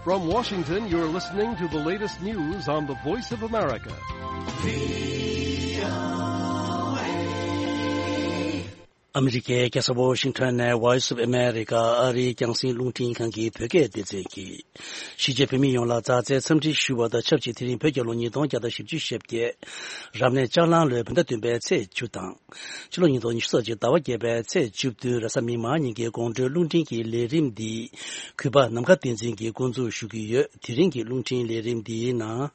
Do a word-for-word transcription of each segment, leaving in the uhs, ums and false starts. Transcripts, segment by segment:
From Washington, you're listening to the latest news on the Voice of America. ཨ་མི་རི་ཀའི་རྒྱལ་ས་ཝོ་ཤིང་ཊོན་ནས་Voice of America ཨ་རིའི་རྒྱང་སྲིང་རླུང་འཕྲིན་ཁང་གི་བོད་སྐད་སྡེ་ཚན་གྱིས། གཞིས་བྱེས་བོད་མི་ཡོངས་ལ་མཛའ་བརྩེའི་འཚམས་འདྲི་ཞུ་བ་དང་ཆབས་ཅིག་དེ་རིང་བོད་རྒྱལ་ལོ་ཉིས་སྟོང་བརྒྱ་དང་བཞི་བཅུ་ཞེ་བརྒྱད། རབ་གནས་ལྕགས་གླང་ལོའི་བོད་ཟླ་བདུན་པའི་ཚེས་བཅུ་དང་། ཕྱི་ལོ་ཉིས་སྟོང་ཉི་ཤུ་རྩ་གཅིག་ཟླ་བ་བརྒྱད་པའི་ཚེས་བཅུ་བདུན་རེས་གཟའ་མིག་དམར་ཉིན་གྱི་དགོང་དྲོའི་རླུང་འཕྲིན་གྱི་ལས་རིམ་འདི། གུས་པ་ནམ་མཁའ་བསྟན་འཛིན་གྱིས་འགོ་འཛུགས་ཞུ་གི་ཡོད། དེ་རིང་གི་རླུང་འཕྲིན་ལས་རིམ་འདིའི་ནང་།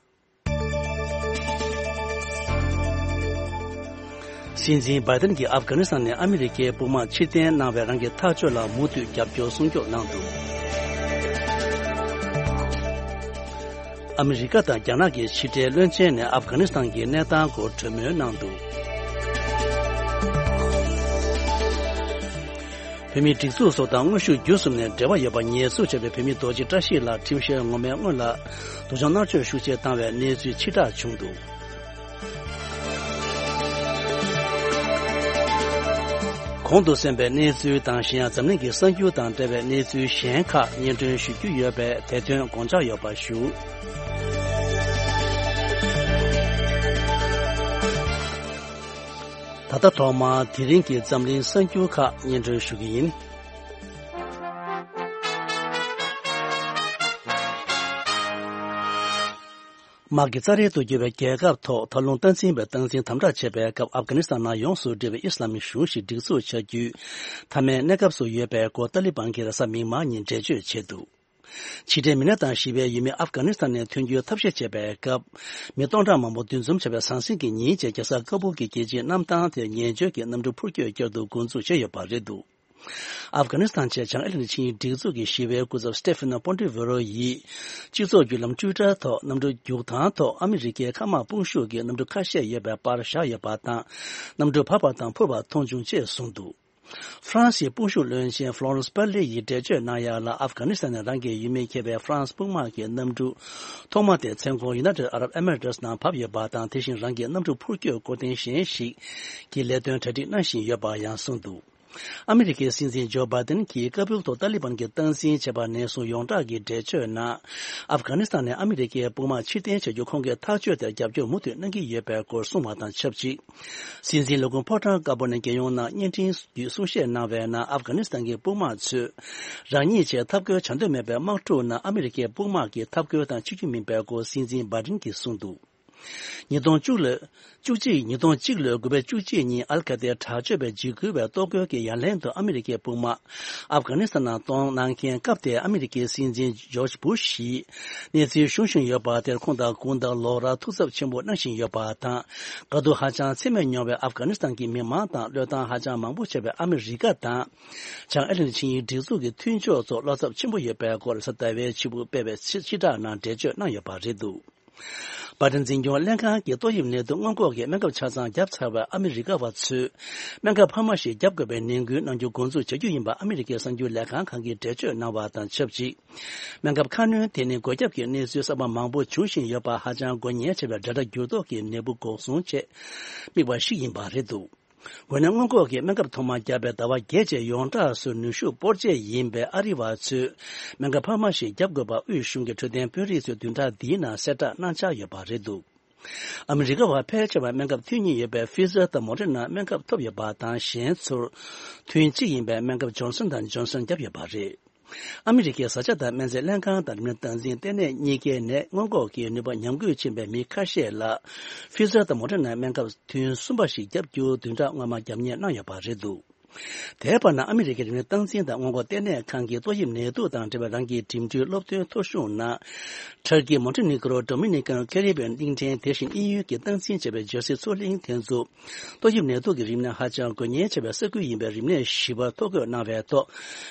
སྲིད་འཛིན་བྷའི་ཏན་གྱིས་ཨབ་གྷ་ནི་སི་ཐན་ནས་ཨ་མི་རི་ཀའི་དཔུང་དམག་ཕྱིར་འཐེན་གནང་བའི་རང་གི་ཐག་གཅོད་ལ་མུ་མཐུད་རྒྱབ་སྐྱོར་སྲུང་སྐྱོབ་གནང་འདུག་ཨ་མི་རི་ཀ་དང་རྒྱ་ནག་གི་ཕྱི་འབྲེལ་བློན་ཆེན་ནས་ཨབ་གྷ་ནི་སི་ཐན་གྱི་གནས་སྟངས་སྐོར་གྲོས་མོལ་གནང་འདུག་བོད་མིའི་སྒྲིག་འཛུགས་སོགས་དང་དངོས་ཤུགས་བརྒྱུད་གསུམ་ནས་འབྲེལ་བ་ཡོད་པ་ཉེས་འཛུགས་བྱས་པའི་བོད་མི་རྡོ་རྗེ་བཀྲ་ཤིས་ལགས་ཁྲིམས་བཤེར་ངོ་མའི་སྔོན་ལ་སྡུག་སྦྱོང་མནར་གཅོད་ཤུགས་ཆེ་བཏང་བའི་གནས་ཚུལ་ཕྱིར་བསྒྲགས་བྱུང་འདུག་གོང་དུ་གསན་པའི་གནས་ཚུལ་དང་གཞན་ཡང་འཛམ་གླིང་གི་གསར་འགྱུར་དང་འབྲེལ་བའི་གནས་ཚུལ་གཞན་ཁག་སྙན་སྒྲོན་ཞུ་རྒྱུ་ཡོད་པས་དེ་དོན་དགོངས་འཇགས་ཡོད་པ་ཞུ། ད་ལྟ་ཐོག་མར་དེ་རིང་གི་འཛམ་གླིང་གསར་འགྱུར་ཁག་སྙན་སྒྲོན་ཞུ་གི་ཡིན། དམག་གི་རྩ་རལ་དུ་གྱུར་བའི་རྒྱལ་ཁབ་ཐོག་ད་རུང་སྟངས་འཛིན་པའི་སྟངས་འཛིན་དམ་དྲག་བྱས་པའི་སྐབས་ཨབ་གྷ་ནི་སི་ཐན་ནང་ཡོངས་སུ་འབྲེལ་བའི་ཨི་སི་ལམ་གཞུང་ཞིག་སྒྲིག་འཛུགས་བྱ་རྒྱུའི་མཐའ་མའི་གནས་སྐབས་སུ་ཡོད་པའི་སྐོར་ཏཱ་ལི་བན་གྱིས་རེས་གཟའ་མིག་དམར་ཉིན་འགྲེལ་བརྗོད་བྱས་འདུག་ཕྱི་འབྲེལ་མི་སྣ་དང་ཞི་བའི་ཡུལ་མི་ཨབ་གྷ་ནི་སི་ཐན་ནས་ཐོན་རྒྱུའི་ཐབས་ཤེས་བྱས་པའི་སྐབས། མི་སྟོང་ཕྲག་མང་པོ་འདུ་འཛོམས་བྱས་པའི་ཟང་ཟིང་གི་ཉིན་བཅས་རྒྱལ་ས་ཀ་བུལ་གྱི་རྒྱལ་སྤྱིའི་གནམ་ཐང་དེར་ངན་བྱུས་ཀྱི་གནམ་གྲུ་འཕུར་སྐྱོད་བསྐྱར་དུ་འགོ་འཛུགས་བྱས་ཡོད་པ་རེད་འདུག་ཨབ་གྷ་ནི་སི་ཐན་ཆེད་བྱང་ཨེ་ལན་ཆིངས་ཡིག་སྒྲིག་འཛུགས་ཀྱི་ཞི་བའི་སྐུ་ཚབ་སི་ཏེ་ཕི་ནོ་པོན་ཏི་ཝེ་རོ་ཡིས། སྤྱི་ཚོགས་བརྒྱུད་ལམ་ཊུའི་ཊར་ཐོག་གནམ་གྲུ་རྒྱུག་ཐང་ཐོག་ཨ་མི་རི་ཀའི་མཁའ་དམག་དཔུང་ཤུགས་ཀྱི་གནམ་གྲུ་ཁ་ཤས་ཡོད་པའི་པར་བཞག་ཡོད་པ་དང་། གནམ་གྲུ་བབས་པ་དང་འཕུར་བ་མཐོང་བྱུང་ཅེས་གསུངས་འདུག་ཧྥ་རན་སིའི་དཔུང་ཤུགས་བློན་ཆེན་ཧྥ་ལོ་རན་སི་པར་ལི་ཡིས་འགྲེལ་བརྗོད་གནང་ཡག་ལ། ཨབ་གྷ་ནི་སི་ཐན་ནས་རང་གི་ཡུལ་མི་འཁྱེར་བའི་ཧྥ་རན་སི་དཔུང་དམག་གི་གནམ་གྲུ་ཐོག་མ་དེ་མཚན་གོང་ཡུ་ནའི་ཊེཌ་ཨ་རབ་ཨེ་མི་རེ་ཊི་སི་ནང་བབས་ཡོད་པ་དང་། དེ་བཞིན་རང་གི་གནམ་གྲུ་འཕུར་སྐྱོད་སྐོར་ཐེངས་གཞན་ཞིག་གི་ལས་དོན་གྲ་སྒྲིག་གནང་བཞིན་ཡོད་པ་ཡང་གསུངས་འདུག་ཨ་མི་རི་ཀའི་སྲིད་འཛིན་ཇོ་བྷའི་ཏན་གྱིས་ཀ་བུལ་དུ་ཏཱ་ལི་བན་གྱིས་སྟངས་འཛིན་བྱས་པ་ནས་བཟུང་ཡོངས་གྲགས་ཀྱི་འགྲེལ་བརྗོད་ནང་། ཨབ་གྷ་ནི་སི་ཐན་ནས་ཨ་མི་རི་ཀའི་དཔུང་དམག་ཕྱིར་འཐེན་བྱ་རྒྱུ་ཁོང་གི་ཐག་གཅོད་དེར་རྒྱབ་སྐྱོར་མུ་མཐུད་གནང་གི་ཡོད་པའི་སྐོར་གསུངས་པ་དང་ཆབས་ཅིག་སྲིད་འཛིན་ལས་ཁུངས་ཕོ་བྲང་དཀར་པོ་ནས་རྒྱལ་ཡོངས་ནང་བརྙན་འཕྲིན་བརྒྱུད་གསུང་བཤད་གནང་བའི་ནང་། ཨབ་གྷ་ནི་སི་ཐན་གྱི་དཔུང་དམག་ཚོས་རང་ཉིད་ཆེད་འཐབ་རྒོལ་བྱ་འདོད་མེད་པའི་དམག་འཁྲུག་ནང་ཨ་མི་རི་ཀའི་དཔུང་དམག་གི་འཐབ་རྒོལ་དང་གཅིག་གྱུར་མིན་པའི་སྐོར་སྲིད་འཛིན་བྷའི་ཏན་གྱིས་གསུངས་འདུག་ཉིས་སྟོང་བཅུ་ལོའི་བཅུ་གཅིག་ཉིས་སྟོང་གཅིག་ལོའི་དགུ་པའི་བཅུ་གཅིག་ཉིན་ཨལ་ཁ་ཏའི་དྲག་སྤྱོད་པས་འཇིགས་སྐུལ་བའི་གཏོར་རྒོལ་གྱི་ཡ་ལན་དུ་ཨ་མི་རི་ཀའི་དཔུང་དམག་ཨབ་གྷ་ནི་སི་ཐན་ནང་གཏོང་གནང་མཁན། སྐབས་དེའི་ཨ་མི་རི་ཀའི་སྲིད་འཛིན་ཇོརྗ་བུ་ཤ་ཡིས་གནས་ཚུལ་ཞུ་བཞིན་ཡོད་པ་དེར། ཁོང་དང་དགུང་དང་ལོ་རབས་ཐུགས་འཚབ་ཆེན་པོ་གནང་བཞིན་ཡོད་པ་དང་། དགའ་སྡུག་ཧ་ཅང་ཚད་མེད་མྱོང་བའི་ཨབ་གྷ་ནི་སི་ཐན་གྱི་མི་མང་དང་བློས་བཏང་ཧ་ཅང་མང་པོ་བྱས་པའི་ཨ་མི་རི་ཀ་དང་། བྱང་ཨེ་ལན་ཆིངས་ཡིག་སྒྲིག་འཛུགས་ཀྱི་མཐུན་ཕྱོགས་ཚོར་བློ་འཚབ་ཆེན་པོ་ཡོད་པའི་སྐོར་གཟའ་ཟླ་བའི་ཕྱི་དྲོ་སྤེལ་བའི་ཕྱི་ཕྱི་བསྒྲགས་ནང་འགྲེལ་བརྗོད་གནང་ཡོད་པ་རེད་འདུག་བྷའི་ཏན་འཛིན་སྐྱོང་ལྷན་ཁང་གིས་ཏོག་དབྱིབས་ནད་དུག་སྔོན་འགོག་གི་སྨན་ཁབ་ཆ་ཚང་བརྒྱབ་ཚར་བའི་ཨ་མི་རི་ཀ་བ་ཚོས་སྨན་ཁབ་འཕར་མ་ཞིག་བརྒྱབ་དགོས་པའི་ནན་སྐུལ་གནང་རྒྱུ་འགོ་འཛུགས་བྱ་རྒྱུ་ཡིན་པ་ཨ་མི་རི་ཀའི་གསར་འགྱུར་ལས་ཁང་ཁག་གིས་འགྲེལ་བརྗོད་གནང་བ་དང་ཆབས་ཅིག་སྨན་ཁབ་ཁ་སྣོན་དེ་ནི་འགོས་ཁྱབ་ཀྱི་གནས་ཚུལ་གསར་པ་མང་པོ་འབྱུང་བཞིན་ཡོད་པ། ཧ་ཅང་འགོས་ཉེན་ཆེ་བའི་འབྲེལ་སྒྲ་འགྱུར་ལྡོག་གི་ནད་འབུ་འགོག་སྲུང་ཆེད་དམིགས་པ་ཞིག་ཡིན་པ་རེད་འདུག་འགོས་ནད་སྔོན་འགོག་གི་སྨན་ཁབ་ཐོག་མ་བརྒྱབ་པའི་ཟླ་བ་བརྒྱད་རྗེས་ཡོངས་གྲགས་སུ་ནུས་ཤུགས་སྤོར་ཆེད་ཡིན་པའི་ཨ་རི་བ་ཚོས་སྨན་ཁབ་འཕར་མ་ཞིག་བརྒྱབ་དགོས་པ་དབུས་གཞུང་གི་འཕྲོད་བསྟེན་དཔོན་རིགས་ཚོས་བདུན་ཕྲག་འདིའི་ནང་གསལ་བསྒྲགས་གནང་འཆར་ཡོད་པ་རེད་འདུག་ཨ་མི་རི་ཀ་བ་ཕལ་ཆེ་བ་སྨན་ཁབ་ཐོན་མྱོང་ཡོད་པའི་ཕི་ཛར་དང་མོ་ཌེ་ན་སྨན་ཁབ་ཐོབ་ཡོད་པ་དང་། གཞན་ཚོར་ཐུན་གཅིག་ཡིན་པའི་སྨན་ཁབ་ཇོན་སན་དང་ཇོན་སན་བརྒྱབ་ཡོད་པ་རེད། ཨ་མི་རི་ཀའི་བཟའ་བཅའ་དང་སྨན་རྫས་ལྷན་ཁང་དང་རིམས་ནད་སྟངས་འཛིན་ལྟེ་གནས་གཉིས་ཀའི་ནད་སྔོན་འགོག་གི་ནུས་པ་ཉམས་རྒུད་ཕྱིན་པའི་མི་ཁ་ཤས་ལ་ཕི་ཛར་དང་མོ་ཌེ་ན་སྨན་ཁབ་ཐུན་གསུམ་པ་ཞིག་བརྒྱབ་རྒྱུ་བདུན་ཕྲག་སྔོན་མ་རྒྱབ་གཉེར་གནང་ཡོད་པ་རེད་འདུག་དེའི་བར་ན་ཨ་མི་རི་ཀའི་རིམས་ནད་སྟངས་འཛིན་དང་སྔོན་འགོག་ལྟེ་གནས་ཁང་གིས་ཏོག་དབྱིབས་ནད་དུག་དང་འབྲེལ་བའི་རང་གི་འགྲིམ་འགྲུལ་སློབ་སྟོན་ཐོ་གཞུང་ནང་། ཊར་ཀི། མོན་ཊི་ནི་ཀི་རོ། ཌོ་མི་ནི་ཀན་ཁེ་རི་བི་ཡན་གླིང་ཕྲན། དེ་བཞིན་དབྱིན་ཡུལ་གྱི་སྟངས་འཛིན་བྱས་པའི་རྒྱལ་སྲིད་མཚོ་གླིང་དེ་ཚོ། ཏོག་དབྱིབས་ནད་དུག་གི་རིམས་ནད་ཧ་ཅང་འགོས་ཉེན་ཆེ་བའི་ས་ཁུལ་ཡིན་པའི་རིམས་ནད་ཞི་བ་ཐོ་འགོད་གནང་བའི་ཐོག་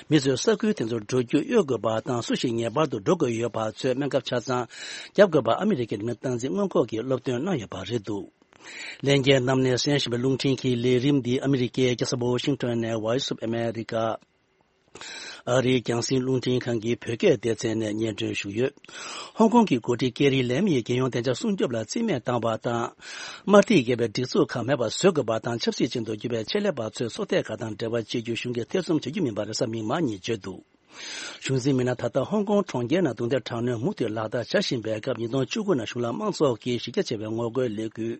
མི་ཚོས་ས་ཁུལ་དེ་ཚོར་འགྲོ་རྒྱུ་གཡོལ་དགོས་པ་དང་། སུ་ཞིག་ངེས་པར་དུ་འགྲོ་དགོས་ཡོད་པ་ཚོས་སྨན་ཁབ་ཆ་ཚང་བརྒྱབ་དགོས་པ་ཨ་མི་རི་ཀའི་རིམས་ནད་སྟངས་འཛིན་སྔོན་འགོག་གིས་སློབ་སྟོན་གནང་ཡོད་པ་རེད་འདུག་ལྷན་རྒྱས་རྣམས་ནས་གསན་བཞིན་པའི་རླུང་འཕྲིན་གྱི་ལས་རིམ་འདི་ཨ་མི་རི་ཀའི་རྒྱལ་ས་ཝོ་ཤིང་ཊོན་ནས་Voice of America ཨ་རིའི་རྒྱང་སྲིང་རླུང་འཕྲིན་ཁང་གི་བོད་སྐད་སྡེ་ཚན་ནས་སྙན་སྒྲོན་ཞུས་ཡོད། ཧོང་ཀོང་གི་འགོ་ཁྲིད་ཀེ་རི་ལེམ་ཡིས་རྒྱལ་ཡོངས་བདེ་འཇགས་སྲུང་སྐྱོབ་ལ་རྩིས་མེད་བཏང་བ་དང་། དམར་ཐིག་འགེལ་བའི་སྒྲིག་འཛུགས་ཁག་མེད་པར་བཟོ་དགོས་པ་དང་། ཆབ་སྲིད་ཅན་དུ་གྱུར་པའི་ཆེད་ལས་པ་ཚོས་ཚོགས་སྡེ་ཁག་དང་འབྲེལ་བ་བྱེད་རྒྱུ་གཞུང་གིས་ཐེ་ཚོམ་བྱ་རྒྱུ་མིན་པ་རེས་གཟའ་མིག་དམར་ཉིན་བརྗོད་འདུག་གཞུང་འཛིན་མི་སྣ་ད་ལྟ་ཧོང་ཀོང་གྲོང་ཁྱེར་ནང་རྡུང་རྡེག་དྲག་གནོན་མུ་མཐུད་ལག་བསྟར་བྱ་བཞིན་པའི་སྐབས། ཉིས་སྟོང་བཅུ་དགུ་ནང་གཞུང་ལ་དམངས་ཚོགས་ཀྱིས་གཞི་རྒྱ་ཆེ་བའི་ངོ་རྒོལ་ལས་འགུལ་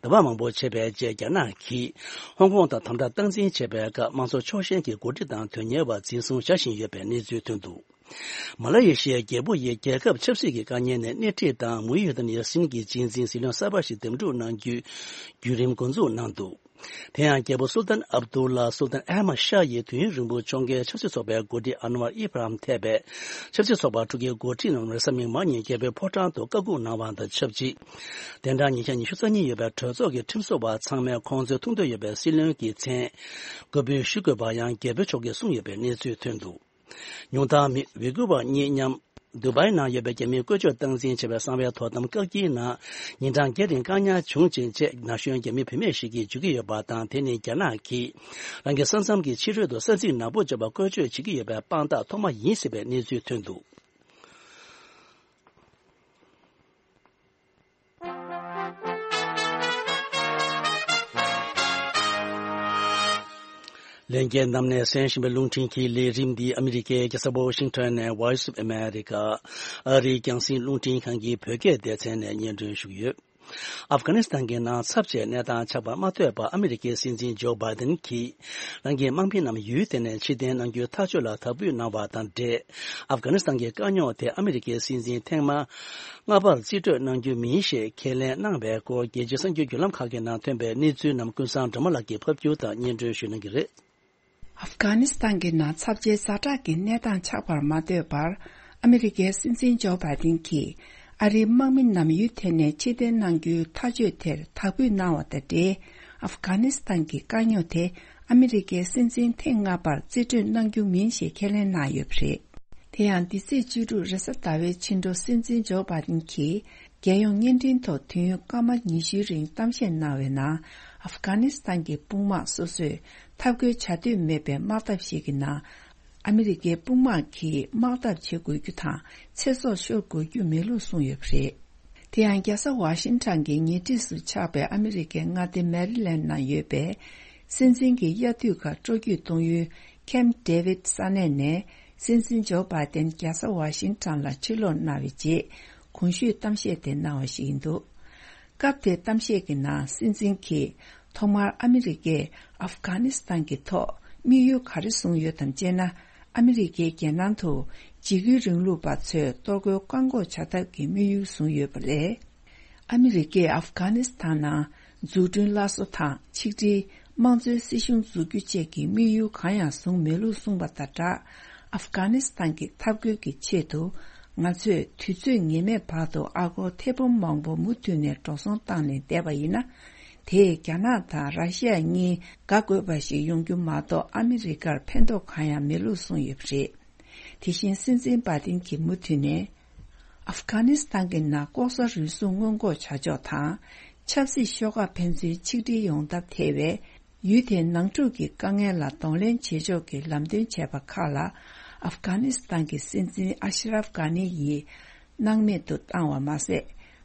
དུམ་བུ་མང་པོ་བྱས་པའི་རྗེས། རྒྱ་ནག་གིས་ཧོང་ཀོང་དང་དམ་དྲག་སྟངས་འཛིན་བྱས་པའི་སྐབས། དམངས་གཙོ་ཕྱོགས་ཞེན་གྱི་འགོ་ཁྲིད་དང་དོན་གཉེར་བ་འཛིན་བཟུང་བྱ་བཞིན་ཡོད་པའི་གནས་ཚུལ་ཐོན་འདུག། མ་ལ་ཡེ་ཤི་ཡའི་རྒྱལ་པོ་ཡིས་རྒྱལ་ཁབ་ཆབ་སྲིད་ཀྱི་དཀའ་ངལ་ནས་སྣེ་ཁྲིད་དང་། མུའུ་ཡུ་དཱན་ཡ་སིན་གྱི་རྗེས་འཛིན་སྲིད་བློན་གསར་པ་ཞིག་འདེམས་སྒྲུག་གནང་རྒྱུའི་བརྒྱུད་རིམ་འགོ་འཛུགས་གནང་འདུག། དེ་ཡང་རྒྱལ་པོ་སུལ་ཏན་ཨབ་དུ་ལ་སུལ་ཏན་ཨ་མ་ཤ་ཡིས་དུས་ཡུན་རིང་པོ་ཕྱོགས་འགལ་ཆབ་སྲིད་ཚོགས་པའི་འགོ་ཁྲིད་ཨན་ཝར་ཨི་བྷ་རམ་ཐེ་བའི་ཆབ་སྲིད་ཚོགས་པ་ཕྲུ་གུའི་འགོ་ཁྲིད་རྣམས་རེས་གཟའ་མིག་དམར་ཉིན་རྒྱལ་པོའི་ཕོ་བྲང་དུ་བཀའ་སྒུག་གནང་བ་དང་ཆབས་ཅིག། གདན་གྲངས་ཉིས་བརྒྱ་ཉི་ཤུ་རྩ་གཉིས་ཡོད་པའི་གྲོས་ཚོགས་ཀྱི་ཁྲིམས་བཟོ་བ་ཚང་མས་ཁོང་ཚོའི་ཐུགས་འདོད་ཡོད་པའི་སྲིད་བློན་གྱི་མཚན་བཀོད་འབུལ་ཞུ་དགོས་པ་ཡང་རྒྱལ་པོའི་མཆོག་གིས་གསུངས་ཡོད་པའི་གནས་ཚུལ་ཐོན་འདུག། ཉུང་མཐར་མི་ཝི་གུ་བ་གཉིས་མཉམ་དུ་བའི་ནང་ཡོད་པའི་རྒྱ་མིའི་བཀོལ་སྤྱོད་སྟངས་འཛིན་བྱས་པའི་གསང་བའི་དོ་དམ་བཀག་སྐྱིལ་ནང་ཉིན་གྲངས་བརྒྱད་རིང་བཀག་ཉར་བྱུང་ཅིང་བཅས། ན་གཞོན་རྒྱ་མི་བུད་མེད་ཞིག་གིས་བརྗོད་ཀྱི་ཡོད་པ་དང་། དེ་ནི་རྒྱ་ནག་གིས་རང་གི་ས་མཚམས་ཀྱི་ཕྱི་རོལ་དུ་ས་ཚིགས་ནག་པོ་བཅོས་པར་བཀོལ་སྤྱོད་བྱེད་ཀྱི་ཡོད་པའི་དཔང་རྟགས་ཐོག་མ་ཡིན་ཟེར་བའི་གནས་ཚུལ་ཐོན་འདུག། ལྷན་རྒྱས་རྣམས་ནས་གསན་བཞིན་པའི་རླུང་འཕྲིན་གྱི་ལས་རིམ་འདི་ཨ་མི་རི་ཀའི་རྒྱལ་ས་ཝ་ཤིང་ཊོན་ནས་Voice of America ཨ་རིའི་རྒྱང་སྲིང་རླུང་འཕྲིན་ཁང་གི་བོད་སྐད་སྡེ་ཚན་ནས་སྙན་སྒྲོན་ཞུ་གི་ཡོད། ཨབ་གྷ་ནི་སི་ཐན་གྱི་ནང་ཚབས་ཆེའི་གནས་སྟངས་ཆགས་པར་མ་ལྟོས་པར། ཨ་མི་རི་ཀའི་སྲིད་འཛིན་ཇོ་བྷའི་ཏན་གྱིས་རང་གི་དམག་མི་རྣམས་ཡུལ་དེ་ནས་ཕྱིར་འཐེན་གནང་རྒྱུའི་ཐག་གཅོད་ལ་དག་འབུལ་གནང་བ་དང་འབྲེལ། ཨབ་གྷ་ནི་སི་ཐན་གྱི་དཀའ་རྙོག་དེ་ཨ་མི་རི་ཀའི་སྲིད་འཛིན་ཐེངས་མ་ལྔ་པར་རྩིས་སྤྲོད་གནང་རྒྱུ་མིན་ཞེས་ཁས་ལེན་གནང་བའི་སྐོར། རྒྱལ་སྤྱིའི་གསར་འགྱུར་བརྒྱུད་ལམ་ཁག་གི་ནང་ཐོན་པའི་གནས་ཚུལ་རྣམས་ཀུན་བཟང་སྒྲོལ་མ་ལགས་ཀྱིས་ཕབ་སྒྱུར་དང་སྙན་སྒྲོན་ཞུ་གནང་གི་རེད། ཨབ་གྷ་ནི་སི་ཐན་གྱི་ནང་ཚབས་ཆེའི་ཛ་དྲག་གི་གནས་སྟངས་ཆགས་པར་མ་ལྟོས་པར། ཨ་མི་རི་ཀའི་སྲིད་འཛིན་ཇོ་བྷའི་ཏིན་གྱིས་ཨ་རིའི་དམག་མི་རྣམས་ཡུལ་དེ་ནས་ཕྱིར་འཐེན་གནང་རྒྱུའི་ཐག་གཅོད་དེར་དག་འབུལ་གནང་བ་དང་འབྲེལ། ཨབ་གྷ་ནི་སི་ཐན་གྱི་དཀའ་རྙོག་དེ་ཨ་མི་རི་ཀའི་སྲིད་འཛིན་ཐེངས་ལྔ་པར་རྩིས་སྤྲོད་གནང་རྒྱུ་མིན་ཞེས་ཁས་ལེན་གནང་ཡོད་པ་རེད། དེ་ཡང་འདི་ཚེས་བཅུ་དྲུག་རེས་གཟའ་ཟླ་བའི་ཕྱི་དྲོ་སྲིད་འཛིན་ཇོ་བྷའི་ཏིན་གྱིས་རྒྱལ་ཡོངས་བརྙན་འཕྲིན་ཐོག་དུས་ཡུན་སྐར་མ་ཉི་ཤུའི་རིང་གཏམ་བཤད་གནང་བའི་ནང་། ཨབ་གྷ་ནི་སི་ཐན་གྱི་དཔུང་དམག་སོ་སོས་འཐབ་རྒོལ་བྱ་འདོད་མེད་པའི་དམག་འཐབ་ཞིག་གི་ནང་། ཨ་མི་རི་ཀའི་དཔུང་དམག་གིས་དམག་འཐབ་བྱེད་དགོས་རྒྱུ་དང་། ཚེ་སྲོག་ཤོར་དགོས་རྒྱུ་མེད་ལུགས་གསུངས་ཡོད་པ་རེད། དེ་ཡང་རྒྱལ་ས་ཝ་ཤིང་ཊོན་གྱི་ཉེ་འཁྲིས་སུ་ཆགས་པའི་ཨ་མི་རི་ཀའི་མངའ་སྡེ་མེ་རི་ལེན་ནང་ཡོད་པའི་སྲིད་འཛིན་གྱི་དབྱར་དུས་ཁག་སྤྲོ་སྐྱིད་གཏོང་ཡུལ་ཁེམ་ཌེ་ཝིད་ས་གནས་ནས། སྲིད་འཛིན་ཇོ་བྷའི་ཏན་རྒྱལ་ས་ཝ་ཤིང་ཊོན་ལ་ཕྱིར་ལོག་གནང་བའི་རྗེས། གོང་ཞུས་གཏམ་བཤད་དེ་གནང་བ་ཞིག་ཡིན་འདུག། སྐབས་དེའི་གཏམ་བཤད་ཀྱི་ནང་སྲིད་འཛིན་གྱིས་ཐོག་མར་ཨ་མི་རི་ཀས་ཨབ་གྷ་ནི་སི་ཐན་གྱི་ཐོག་དམིགས་ཡུལ་ག་རེ་བཟུང་ཡོད་དམ་ཅེ་ན། ཨ་མི་རི་ཀའི་རྒྱལ་ནང་དུ་འཇིགས་སྐུལ་རིང་ལུགས་པ་ཚོས་གཏོར་རྒོལ་བཀག་འགོག་བྱ་ཐབས་ཀྱི་དམིགས་ཡུལ་བཟུང་ཡོད་པ་ལས། ཨ་མི་རི་ཀས་ཨབ་གྷ་ནི་སི་ཐན་ནང་འཛུགས་སྐྲུན་སླར་གསོ་དང་ཆིག་སྒྲིལ། དམངས་གཙོའི་སྲིད་གཞུང་འཛུགས་རྒྱུ་བཅས་ཀྱི་དམིགས་ཡུལ་གང་ཡང་བཟུང་མེད་ལུགས་གསུངས་པ་དང་སྦྲགས། ཨབ་གྷ་ནི་སི་ཐན་གྱི་འཐབ་རྒོལ་གྱི་ཆེད་དུ་ང་ཚོས་དུས་ཚོད་ངེས་མེད་བར་དུ་ཨ་སྒོར་ཐེར་འབུམ་མང་པོ་མུ་མཐུད་ནས་འགྲོ་སོང་བཏང་ནས་བསྡད་པ་ཡིན་ན། དེས་རྒྱ་ནག་དང་ར་ཤི་ཡ་གཉིས་དགའ་དགོས་པ་ཞིག་ཡོང་རྒྱུ་མ་གཏོགས་ཨ་མི་རི་ཀར་ཕན་ཐོགས་གང་ཡང་མེད་ལུགས་གསུངས་ཡོད་པ་རེད། དེ་བཞིན་སྲིད་འཛིན་བྷ་ཏིན་གྱིས་མུ་མཐུད་ནས། ཨབ་གྷ་ནི་སི་ཐན་གྱི་ནང་ལྐོག་ཟ་རུལ་སུངས་སྔོན་འགོག་བྱ་ཕྱོགས་དང་། ཆབ་སྲིད་ཤོག་ཁག་ཕན་ཚུན་ཆིག་སྒྲིལ་ཡོང་ཐབས་ཐད་པའི་ཡུལ་དེའི་ནང་འཁྲུག་གི་དཀའ་ངལ་ལ་གདོང་ལེན་བྱེད་ཕྱོགས་ཀྱི་ལམ་སྟོན་བྱས་པ་ཁག་ལ། ཨབ་གྷ་ནི་སི་ཐན་གྱི་སྲིད་འཛིན་ཨ་ཤ་རབ་གྷ་ནི་ཡིས་སྣང་མེད་དུ་བཏང་བ་མ་ཟད།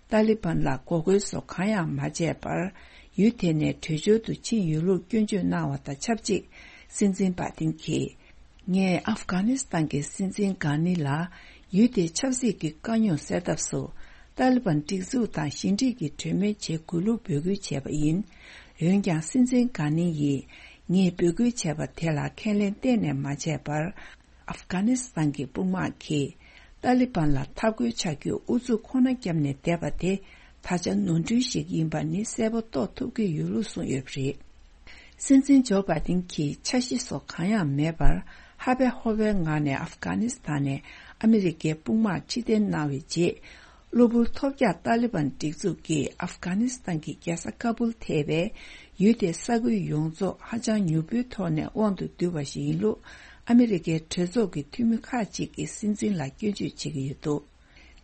ཏཱ་ལི་བན་ལ་འགོག་རྒོལ་སོགས་གང་ཡང་མ་བྱས་པར། ཡུལ་དེ་ནས་བྲོས་བྱོལ་དུ་ཕྱིན་ཡོད་ལུགས་སྐྱོན་བརྗོད་གནང་བ་དང་ཆབས་ཅིག། སྲིད་འཛིན་བྷ་ཏིན་གྱིས། ངས་ཨབ་གྷ་ནི་སི་ཐན་གྱི་སྲིད་འཛིན་གྷ་ནི་ལ། ཡུལ་དེའི་ཆབ་སྲིད་ཀྱི་དཀའ་རྙོག་སེལ་ཐབས་སུ། ཏཱ་ལི་བན་སྒྲིག་འཛུགས་དང་ཞི་འགྲིག་གི་གྲོས་མོལ་བྱེད་དགོས་ལུགས་འབོད་སྐུལ་བྱས་པ་ཡིན། འོན་ཀྱང་སྲིད་འཛིན་གྷ་ནི་ཡིས། ངས་འབོད་སྐུལ་བྱས་པ་དེ་ལ་ཁས་ལེན་གཏན་ནས་མ་བྱས་པར། ཨབ་གྷ་ནི་སི་ཐན་གྱི་དཔུང་དམག་གིས། ཏཱ་ལི་བན་ལ་འཐབ་རྒོལ་བྱ་རྒྱུའི་ཨུ་ཚུགས་ཁོ་ན་བརྒྱབ་ནས་བསྡད་པ་དེ། ད་ཆ་ནོར་འཁྲུལ་ཞིག་ཡིན་པ་ནི་གསལ་པོ་རྟོགས་ཐུབ་ཀྱི་ཡོད་ལུགས་གསུངས་ཡོད་པ་རེད། སྲིད་འཛིན་ཇོ་བྷ་ཏིན་གྱིས་འཆར་གཞི་སོགས་གང་ཡང་མེད་པར། ཧ་བེ་ཧོ་བེའི་ངང་ནས་ཨབ་གྷ་ནི་སི་ཐན་ནས་ཨ་མི་རི་ཀའི་དཔུང་དམག་ཕྱིར་འཐེན་གནང་བའི་རྗེས། གློ་བུར་ཐོལ་རྒྱག་ཏཱ་ལི་བན་སྒྲིག་འཛུགས་ཀྱིས་ཨབ་གྷ་ནི་སི་ཐན་གྱི་རྒྱལ་ས་ཀ་བུལ་ཐེ་བའི་ཡུལ་དེའི་ས་ཁུལ་ཡོངས་རྫོགས་ཧ་ཅང་མྱུར་པོའི་ཐོག་ནས་དབང་དུ་བསྡུས་པ་ཞིག་ཡིན་ལུགས། ཨ་མི་རི་ཀའི་གྲོས་ཚོགས་ཀྱི་འཐུས་མི་ཁག་ཅིག་གིས་སྲིད་འཛིན་ལ་སྐྱོན་བརྗོད་བྱེད་ཀྱི་ཡོད་འདུག།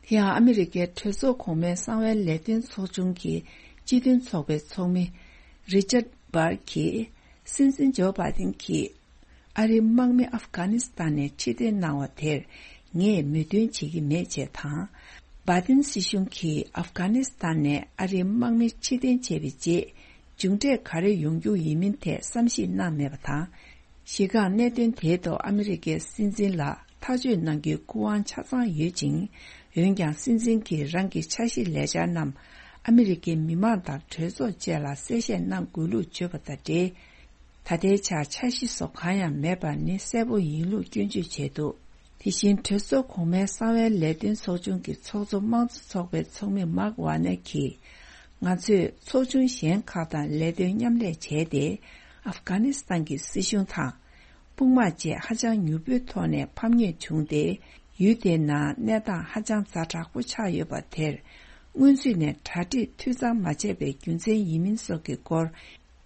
དེ་ཡང་ཨ་མི་རི་ཀའི་གྲོས་ཚོགས་གོང་མའི་གསང་བའི་ལས་དོན་ཚོགས་ཆུང་གི་སྤྱི་མཐུན་ཚོགས་པའི་ཚོགས་མི་རི་ཅར་བར་གྱིས། སྲིད་འཛིན་ཇོ་བྷ་ཏིན་གྱིས། ཨ་རིའི་དམག་མི་ཨབ་གྷ་ནི་སི་ཐན་ནས་ཕྱིར་འཐེན་གནང་བ་དེར་ངས་མོས་མཐུན་བྱེད་ཀྱི་མེད་ཅེས་དང་། བྷ་ཏིན་སྲིད་གཞུང་གིས་ཨབ་གྷ་ནི་སི་ཐན་ནས་ཨ་རིའི་དམག་མི་ཕྱིར་འཐེན་བྱས་པའི་རྗེས། མཇུག་འབྲས་ག་རེ་ཡོང་རྒྱུ་ཡིན་མིན་ཐད་བསམ་གཞིག་གནང་མེད་པ་དང་། གཞི་རྐང་གནད་དོན་དེའི་ཐོག་ཨ་མི་རི་ཀའི་སྲིད་འཛིན་ལ་ ཐག་གཅོད་གནང་རྒྱུའི་སྐུ་དབང་ཆ་ཚང་ཡོད་ཅིང་། འོན་ཀྱང་སྲིད་འཛིན་གྱིས་རང་གི་འཆར་གཞི་ལས་འཆར་རྣམས་ཨ་མི་རི་ཀའི་མི་མང་དང་གྲོས་ཚོགས་བཅས་ལ་གསལ་བཤད་གནང་དགོས་ལུགས་བརྗོད་པ་དང་འབྲེལ། ད་ལྟའི་ཆར་འཆར་གཞི་སོགས་གང་ཡང་མེད་པ་ནི་གསལ་པོ་ཡིན་ལུགས་སྐྱོན་བརྗོད་བྱས་འདུག་དེ་བཞིན་གྲོས་ཚོགས་གོང་མའི་གསང་བའི་ལས་དོན་ཚོགས་ཆུང་གི་ཚོགས་གཙོ་དམངས་གཙོ་ཚོགས་པའི་ཚོགས་མི་མཱག་ཝ་ནེ་གིས། ང་ཚོས་ཚོགས་ཆུང་གཞན་ཁག་དང་ལས་དོན་མཉམ་ལས་བྱས་ཏེ། ཨབ་གྷ་ནི་སི་ཐན་གྱི་སྲིད་གཞུང་དང་། དཔུང་དམག་བཅས་ཧ་ཅང་མྱུར་པོའི་ཐོག་ནས་ཕམ་ཉེས་བྱུང་སྟེ། ཡུལ་དེའི་ནང་གནས་སྟངས་ཧ་ཅང་ཛ་དྲག་པོ་ཆགས་ཡོད་པ་དེར། སྔོན་ཚུད་ནས་གྲ་སྒྲིག་འཐུས་ཚང་མ་བྱས་པའི་རྒྱུ་མཚན་ཡིན་མིན་སོགས་ཀྱི་སྐོར།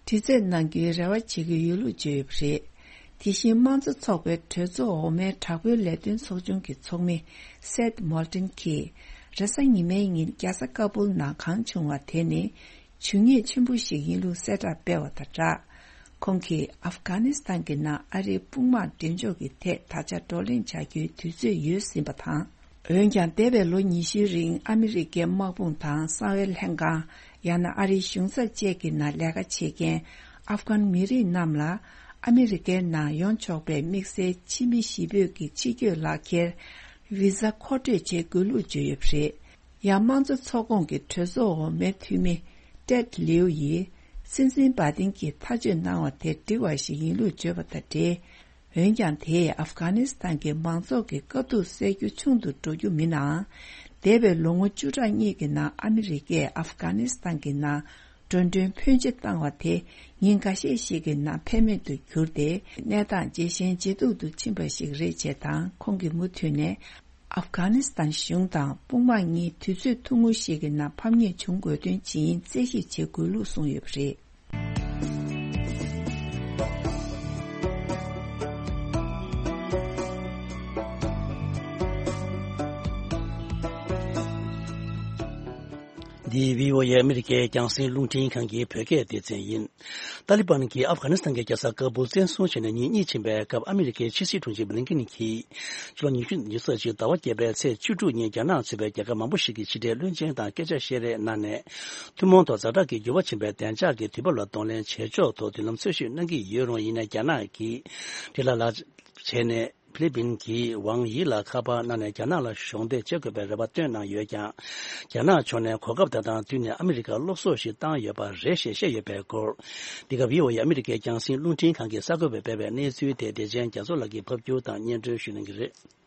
དྲི་རྩད་གནང་རྒྱུའི་རེ་བ་བྱེད་ཀྱི་ཡོད་ལུགས་བརྗོད་ཡོད་པ་རེད། དེ་བཞིན་དམངས་གཙོ་ཚོགས་པའི་གྲོས་ཚོགས་འོག་མའི་དྲག་པོའི་ལས་དོན་ཚོགས་ཆུང་གི་ཚོགས་མི་སེད་མོལ་ཏན་གྱིས། རེས་གཟའ་ཉི་མའི་ཉིན་རྒྱལ་ས་ཀ་བུལ་ནང་གང་བྱུང་བ་དེ་ནི་ཇུས་ཉེས་ཆེན་པོ་ཞིག་ཡིན་ལུགས་གསལ་བསྒྲགས་སྤེལ་བ་དང་སྦྲགས། ཁོང་གིས་ཨབ་གྷ་ནི་སི་ཐན་གྱི་ནང་ཨ་རིའི་དཔུང་དམག་འགྲེམས་འཇོག་གི་ཐད་ད་ཆ་བགྲོ་གླེང་བྱ་རྒྱུའི་དུས་ཚོད་ཡོལ་ཟིན་པ་དང་། འོན་ཀྱང་འདས་པའི་ལོ་ཉི་ཤུའི་རིང་ཨ་མི་རི་ཀའི་དམག་དཔུང་དང་གསང་བའི་ལྷན་ཁང་། ཡང་ན་ཨ་རིའི་གཞུང་ཚབ་བཅས་ཀྱི་ནང་ལས་ཀ་བྱེད་མཁན་ཨབ་གྷན་མི་རིགས་རྣམས་ལ་ཨ་མི་རི་ཀའི་ནང་ཡོང་ཆོག་པའི་དམིགས་བསལ་ཕྱི་མི་གཞིས་སྤོས་ཀྱི་ཕྱི་སྐྱོད་ལག་འཁྱེར་ཝི་ཟ་མཁོ་སྤྲོད་བྱེད་དགོས་ལུགས་བརྗོད་ཡོད་པ་རེད། ཡང་དམངས་གཙོ་ཚོགས་ཁོངས་ཀྱི་གྲོས་ཚོགས་འོག་མའི་འཐུས་མི་ཏེད་ལིའུ་ཡིས་སྲིད་འཛིན་བྷ་དིན་གྱིས་ཐག་གཅོད་གནང་བ་དེ་འགྲིག་པ་ཞིག་ཡིན་ལུགས་བརྗོད་པ་དང་འབྲེལ། འོན་ཀྱང་དེས་ཨབ་གྷ་ནི་སི་ཐན་གྱི་མང་ཚོགས་ཀྱི་དཀའ་སྡུག་སེལ་རྒྱུ་ཆུང་དུ་འགྲོ་རྒྱུ་མིན་ནའང་། འདས་པའི་ལོ་ངོ་བཅུ་ཕྲག་གཉིས་ཀྱི་ནང་ཨ་མི་རི་ཀས་ཨབ་གྷ་ནི་སི་ཐན་གྱི་ནང་འགྲོ་གྲོན་ཕོན་ཆེ་བཏང་བ་དེ་ཉིན་འགའ་ཤས་ཤིག་གི་ནང་ཕན་མེད་དུ་གྱུར་ཏེ། གནས་སྟངས་ཇེ་ཞན་ཇེ་སྡུག་ཏུ་ཕྱིན་པ་ཞིག་རེད་ཅེས་དང་། ཁོང་གིས་མུ་མཐུད་ནས། ཨབ་གྷ་ནི་སི་ཐན་གཞུང་དང་དཔུང་དམག་གཉིས་དུས་ཚོད་ཐུང་ངུ་ཞིག་གི་ནང་ཕམ་ཉེས་བྱུང་དགོས་དོན་ཇི་ཡིན་རྩད་ཞིབ་བྱེད་དགོས་ལུགས་གསུངས་ཡོད་པ་རེད། འདི་བྷི་ཨོ་ཨེ་ཨ་མི་རི་ཀའི་རྒྱང་སྲིང་རླུང་འཕྲིན་ཁང་གི་བོད་སྐད་སྡེ་ཚན་ཡིན། ཏཱ་ལི་བན་གྱིས་ཨབ་གྷ་ནི་སི་ཐན་གྱི་རྒྱལ་ས་ཀ་བུལ་བཙན་བཟུང་བྱས་ནས་ཉིན་གཉིས་ཕྱིན་པའི་སྐབས། ཨ་མི་རི་ཀའི་ཕྱི་སྲིད་དྲུང་ཆེ་བྷི་ལིན་ཀིན་གྱིས་ཕྱི་ལོ་ཉི་ཤུ་ཉི་ཤུ་རྩ་གཅིག་ཟླ་བ་བརྒྱད་པའི་ཚེས་བཅུ་དྲུག་ཉིན་རྒྱ་ནག་གཙོས་པའི་རྒྱལ་ཁབ་མང་པོ་ཞིག་གི་ཕྱི་འབྲེལ་བློན་ཆེན་དང་སྐད་ཆ་བཤད་རེས་གནང་ནས། ཐུན་མོང་ཐོག་ཛ་དྲག་གི་འགྱུར་བ་ཕྱིན་པའི་བདེ་འཇགས་ཀྱི་དུས་བབ་ལ་གདོང་ལེན་བྱེད་ཕྱོགས་ཐོག་མདུན་ལམ་འཚོལ་ཞིབ་གནང་གི་ཡོད་རུང་། ཡིན་ནའི་རྒྱ་ནག་གིས་འབྲེལ་ལ་ལ་བྱས་ནས། ཕི་ལི་པིན་གྱིས་ཝང་དབྱི་ལ་ཁ་པར་གནང་ནས་རྒྱ་ནག་ལ་གཞོགས་འདེགས་བྱེད་དགོས་པའི་རེ་བ་བཏོན་གནང་ཡོད་ཀྱང་། རྒྱ་ནག་ཕྱོགས་ནས་གོ་སྐབས་དེ་དང་བསྟུན་ནས་ཨ་མི་རི་ཀར་སློབ་གསོ་ཞིག་བཏང་ཡོད་པ་རེད་ཞེས་བཤད་ཡོད་པའི་སྐོར། འདི་ག་བྷི་ཨོ་ཨེ་ཨ་མི་རི་ཀའི་རྒྱང་སྲིང་རླུང་འཕྲིན་ཁང་གིས་གསར་འགོད་པར་སྤེལ་བའི་གནས་ཚུལ་དེ། བདེ་ཆེན་རྒྱ་མཚོ་ལགས་ཀྱིས་ཕབ་སྒྱུར་དང་སྙན་སྒྲོན་ཞུ་གནང་གི་རེད།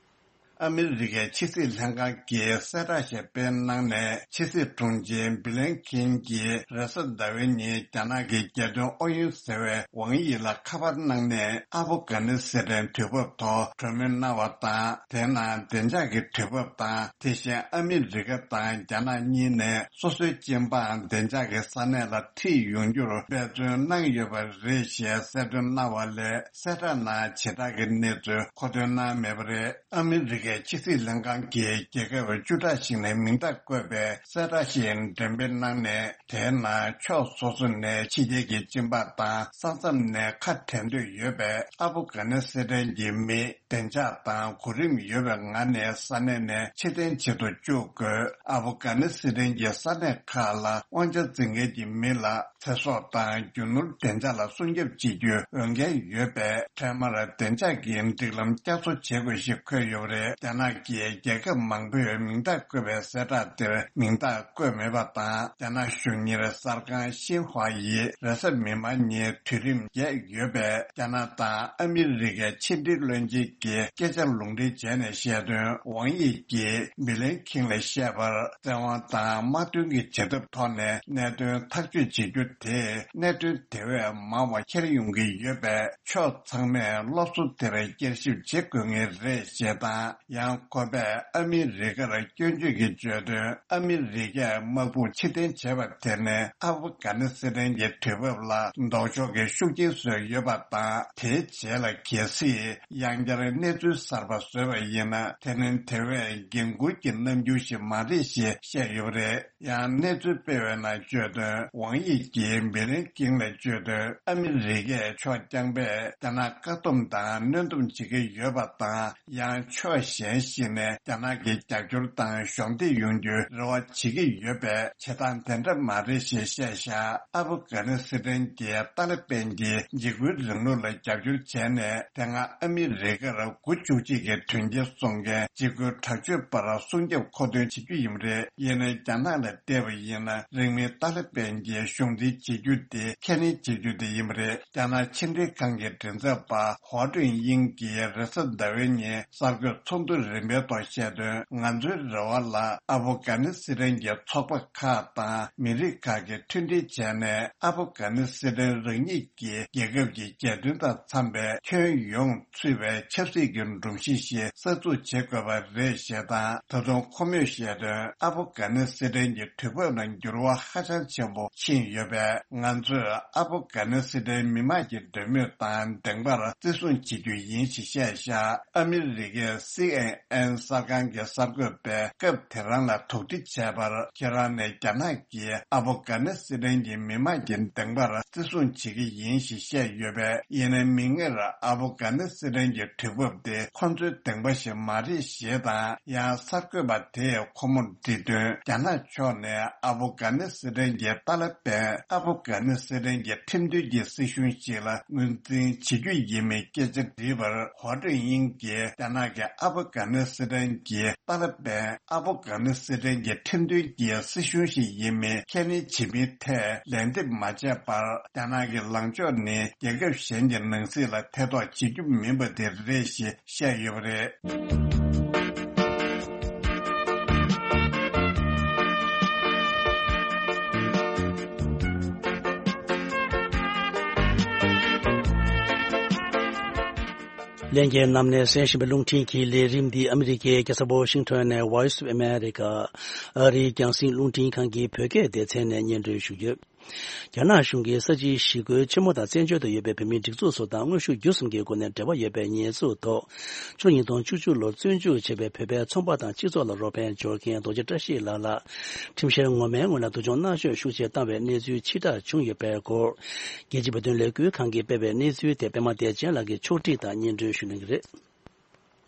ཨ་མི་རི་ཀའི་ཕྱི་སྲིད་ལྷན་ཁང་གིས་གསལ་བསྒྲགས་ཤིག་སྤེལ་གནང་ནས། ཕྱི་སྲིད་དྲུང་ཆེ་བྷི་ལིན་ཀིན་གྱིས་རེས་གཟའ་ཟླ་བའི་ཉིན་རྒྱ་ནག་གི་རྒྱལ་དོན་ཨུ་ཡོན་ཟེར་བའི་ཝང་དབྱི་ལ་ཁ་པར་གནང་ནས། ཨ་ཕུ་གྷ་ནི་སི་ཐན་དུས་བབ་ཐོག་གྲོས་མོལ་གནང་བ་དང་། དེའི་ནང་བདེ་འཇགས་ཀྱི་དུས་བབ་དང་། དེ་བཞིན་ཨ་མི་རི་ཀ་དང་རྒྱ་ནག་གཉིས་ནས་སོ་སོའི་སྤྱི་འབངས་བདེ་འཇགས་ཀྱི་ས་གནས་ལ་ཁྲིད་ཡོང་རྒྱུར་འབད་བརྩོན་གནང་ཡོད་པ་རེད་ཞེས་གསལ་སྟོན་གནང་བ་ལས། གསལ་བསྒྲགས་ནང་བྱེ་བྲག་གི་གནས་ཚུལ་མཁོ་འདོན་གནང་མེད་པ་རེད། ཨ་མི་རི་ཀའི་ཕྱི་སྲིད་ལྷན་ཁང་གིས་རྒྱལ་ཁབ་བཅུ་ཕྲག་ཞིག་ནས་མིང་རྟགས་བཀོད་པའི་གསལ་བསྒྲགས་ཤིག་འགྲེམས་སྤེལ་གནང་ནས། དེའི་ནང་ཕྱོགས་སོ་སོ་ནས་ཕྱི་རྒྱལ་གྱི་སྤྱི་འབངས་དང་ས་མཚམས་ནས་ཁ་བྲལ་འདོད་ཡོད་པའི་ཨ་ཕུ་གྷ་ནི་སི་ཐན་གྱི་མི་བདེ་འཇགས་དང་གོ་རིམ་ཡོད་པའི་ངང་ནས་ས་གནས་ནས་ཕྱིར་འཐེན་བྱེད་དུ་བཅུག་དགོས། ཨ་ཕུ་གྷ་ནི་སི་ཐན་གྱི་ས་གནས་ཁག་ལ་དབང་ཆ་འཛིན་མཁན་གྱི་མི་ལ། ཚེ་སྲོག་དང་རྒྱུ་ནོར་བདེ་འཇགས་ལ་སྲུང་སྐྱོབ་བྱེད་རྒྱུའི་འོས་འགན་ཡོད་པས། འཕྲལ་མར་བདེ་འཇགས་ཀྱི་སྒྲིག་ལམ་བསྐྱར་གསོ་བྱེད་དགོས་ཞེས་འཁོད་ཡོད་པ་རེད། རྒྱ་ནག་གིས་རྒྱལ་ཁབ་མང་པོས་མིང་རྟགས་བཀོད་པའི་གསལ་བསྒྲགས་དེར་མིང་རྟགས་བཀོད་མེད་པ་དང་། རྒྱ་ནག་གཞུང་གཉེར་གསར་ཁང་ཤིན་ཧྭ་ཡིས་རེས་གཟའ་མིག་དམར་ཉིན་དུས་རིམ་བརྒྱད་ཡོད་པའི་རྒྱ་ནག་དང་ཨ་མི་རི་ཀའི་ཕྱི་འབྲེལ་བློན་ཆེན་གྱི་སྐད་ཆ་ལུང་འདྲེན་བྱས་ནས་བཤད་དོན། ཝང་དབྱི་གིས་བྷི་ལིན་ཁིན་ལ་བཤད་པར། བཙན་དབང་དང་དམག་དོན་གྱི་བྱེད་ཐབས་ཐོག་ནས་གནད་དོན་ཐག་གཅོད་བྱེད་རྒྱུ་དེས། གནད་དོན་དེ་བས་མང་བ་འཁྱེར་ཡོང་གི་ཡོད་པས། ཕྱོགས་ཚང་མས་སློབ་གསོ་དེར་བསྐྱར་ཞིབ་བྱེད་དགོས་ངེས་རེད་ཞེས་དང་། ཡང་ཁོ་པས་ཨ་མི་རི་ཀར་སྐྱོན་བརྗོད་ཀྱི་བརྗོད་དོན། ཨ་མི་རི་ཀས་དམག་དཔུང་ཕྱིར་འཐེན་བྱས་པ་དེ་ནི་ཨབ་གྷ་ནི་སི་ཐན་གྱི་དུས་བབ་ལ་ལྡོག་ཕྱོགས་ཀྱི་ཤུགས་རྐྱེན་བཟོས་ཡོད་པ་དང་། དེའི་རྗེས་ལ་གལ་སྲིད་ཡང་བསྐྱར་གནས་ཚུལ་གསར་པ་བཟོས་པ་ཡིན་ན། དེ་ནི་དེ་བས་འགན་འཁུར་གྱི་རྣམ་འགྱུར་ཞིག་མ་རེད་ཞེས་བཤད་ཡོད་པ་རེད། ཡང་གནས་ཚུལ་སྤེལ་བའི་ནང་བརྗོད་དོན། ཝང་དབྱི་གིས་བྷི་ལིན་ཀིན་ལ་བརྗོད་དོན། ཨ་མི་རི་ཀས་ཕྱོགས་རྐྱང་པས་རྒྱ་ནག་བཀག་སྡོམ་དང་གནོན་སྡོམ་བྱེད་ཀྱི་ཡོད་པ་དང་། ཡང་ཕྱོགས་ གཞན་ཞིག་ནས་རྒྱ་ནག་གི་རྒྱབ་སྐྱོར་དང་གཞོགས་འདེགས་ཡོང་རྒྱུའི་རེ་བ་བྱེད་ཀྱི་ཡོད་པས། བྱེད་སྟངས་དེ་འདྲ་མ་རེད་ཞེས་བཤད་བཞག་ཨ་ཕུ་གྷ་ནི་སི་ཐན་གྱི་ཏཱ་ལི་པན་གྱིས་འཇིགས་སྐུལ་རིང་ལུགས་ལ་རྒྱབ་སྐྱོར་བྱས་ནས། དེ་སྔ་ཨ་མི་རི་ཀར་དགུ་བཅུ་གཅིག་གི་དོན་རྐྱེན་སོང་མཁན་འཇིགས་སྐུལ་དྲག་སྤྱོད་པར་སྲུང་སྐྱོབ་མཁོ་འདོན་བྱེད་རྒྱུ་ཡིན་པ་རེད། ཡིན་ནའི་རྒྱ་ནག་ལ་བལྟས་པ་ཡིན་ན། རིང་མིན་ཏཱ་ལི་པན་གྱིས་གཞུང་འཛིན་བྱེད་རྒྱུ་དེ་ཁས་ལེན་བྱེད་རྒྱུ་དེ་ཡིན་པ་རེད། རྒྱ་ནག་ཕྱི་འབྲེལ་ཁང་གི་མགྲིན་ཚབ་པ་ཧོ་ཀྲུང་དབྱིང་གིས་རེས་གཟའ་ཟླ་བའི་ཉིན་གསར་འགོད་ཚོགས་འདུ་རིམ་པའི་ཐོག་བཤད་དོན། ང་ཚོའི་རེ་བ་ལ་ཨ་ཕུ་གྷ་ནི་སི་ཐན་གྱི་ཚོགས་པ་ཁག་དང་མི་རིགས་ཁག་གིས་མཐུན་སྒྲིལ་བྱས་ནས། ཨ་ཕུ་གྷ་ནི་སི་ཐན་རང་ཉིད་ཀྱི་རྒྱལ་ཁབ་ཀྱི་རྒྱལ་དོན་དང་འཚམ་པའི་ཁྱོན་ཡོངས་ཚུད་པའི་ཆབ་སྲིད་ཀྱི་སྒྲོམ་གཞི་ཞིག་གསར་འཛུགས་བྱེད་དགོས་པ་རེད་ཞེས་དང་། ད་དུང་ཁོ་མོས་བཤད་དོན། ཨ་ཕུ་གྷ་ནི་སི་ཐན་གྱི་དུས་བབ་ནང་འགྱུར་བ་ཧ་ཅང་ཆེན་པོ་ཕྱིན་ཡོད་པས། ང་ཚོས་ཨ་ཕུ་གྷ་ནི་སི་ཐན་མི་དམངས་ཀྱི་འདོད་མོས་དང་བདེན་པར་བརྩི་སྲུང་བྱེད་རྒྱུ་ཡིན་ཞེས་བཤད་བཞག་ཨ་མི་རི་ཀའི་སི་ཨེན་ཨེན་གསར་ཁང་གི་གསར་འགོད་པས་སྐབས་དེ་རང་ལ་དོགས་འདྲི་བྱས་པར། ཁྱེད་རང་ནས་རྒྱ་ནག་གིས་ཨ་ཕུ་གྷ་ནི་སི་ཐན་གྱི་མི་དམངས་ཀྱི་བདེན་པར་བརྩི་སྲུང་བྱེད་ཀྱི་ཡིན་ཞེས་བཤད་ཡོད་པས། ཡིན་ནའི་མིག་སྔར་ཨ་ཕུ་གྷ་ནི་སི་ཐན་གྱི་དུས་བབ་དེ་ཁོ་ཚོའི་བདེན་པ་ཞིག་མ་རེད་ཞེས་དང་། ཡང་གསར་འགོད་པ་དེས་ཁོ་མོར་འདྲི་དོན། རྒྱ་ནག་ཕྱོགས་ནས་ཨ་ཕུ་གྷ་ནི་སི་ཐན་གྱི་ཏཱ་ལི་པན་ཨ་ཕུ་གྷ་ནི་སི་ཐན་གྱི་ཁྲིམས་མཐུན་གྱི་སྲིད་གཞུང་ཞིག་ལ་ངོས་འཛིན་བྱེད་རྒྱུ་ཡིན་མིན་སྐད་ཆ་དྲིས་པར། ཧོ་ཀྲུང་དབྱིང་གིས་རྒྱ་ནག་གིས་ཨ་ཕུ་གྷ་ནི་སི་ཐན་གྱི་ཏཱ་ལི་པན་ཨ་ཕུ་གྷ་ནི་སི་ཐན་གྱི་ཁྲིམས་མཐུན་གྱི་སྲིད་གཞུང་ཞིག་ཡིན་མིན་ཁས་ལེན་བྱེད་མིན་ཐད་ལན་འདེབས་མ་བྱས་པར། རྒྱ་ནག་གི་ལངས་ཕྱོགས་ནི་རྒྱལ་ཁབ་གཞན་གྱི་ནང་སྲིད་ལ་ཐེ་གཏོགས་བྱེད་རྒྱུ་མིན་པ་དེ་རེད་ཞེས་བཤད་ཡོད་པ་རེད། ལྷན་རྒྱས་རྣམས་ནས་གསན་བཞིན་པའི་རླུང་འཕྲིན་གྱི་ལས་རིམ་འདི་ཨ་མི་རི་ཀའི་རྒྱལ་ས་ཝ་ཤིང་ཊོན་ནས་Voice of America ཨ་རིའི་རྒྱང་སྲིང་རླུང་འཕྲིན་ཁང་གི་བོད་སྐད་སྡེ་ཚན་ནས་སྙན་སྒྲོན་ཞུ་རྒྱུ། རྒྱ་ནག་གཞུང་གིས་ས་བྱི་ཞི་རྒོལ་ཆེན་མོ་དང་བཙན་བྱོལ་དུ་ཡོད་པའི་བོད་མིའི་སྒྲིག་འཛུགས་སུ་དང་དངོས་ཤུགས་བརྒྱུད་གསུམ་གྱི་སྒོ་ནས་འབྲེལ་བ་ཡོད་པའི་ཉེས་འཛུགས་ཐོག་ཕྱི་ལོ་ཉིས་སྟོང་བཅུ་གཅིག་ལོར་བཙོན་འཇུག་བྱས་པའི་བོད་པའི་ཚོང་པ་དང་སྤྱི་ཚོགས་ལ་རོགས་ཕན་འབྱོར་མཁན་རྡོ་རྗེ་བཀྲ་ཤིས་ལགས་ལ་ཁྲིམས་བཤེར་ངོ་མའི་སྔོན་ལ་སྡུག་སྦྱོང་མནར་གཅོད་ཤུགས་ཆེ་བཏང་བའི་གནས་ཚུལ་ཕྱིར་བསྒྲགས་བྱུང་ཡོད་པའི་སྐོར། རྒྱལ་སྤྱིའི་བོད་དོན་ལས་འགུལ་ཁང་གིས་སྤེལ་བའི་གནས་ཚུལ་དེ་པད་མ་བདེ་ཆེན་ལགས་ཀྱིས་ཕྱོགས་སྒྲིག་དང་སྙན་སྒྲོན་ཞུ་གནང་གི་རེད།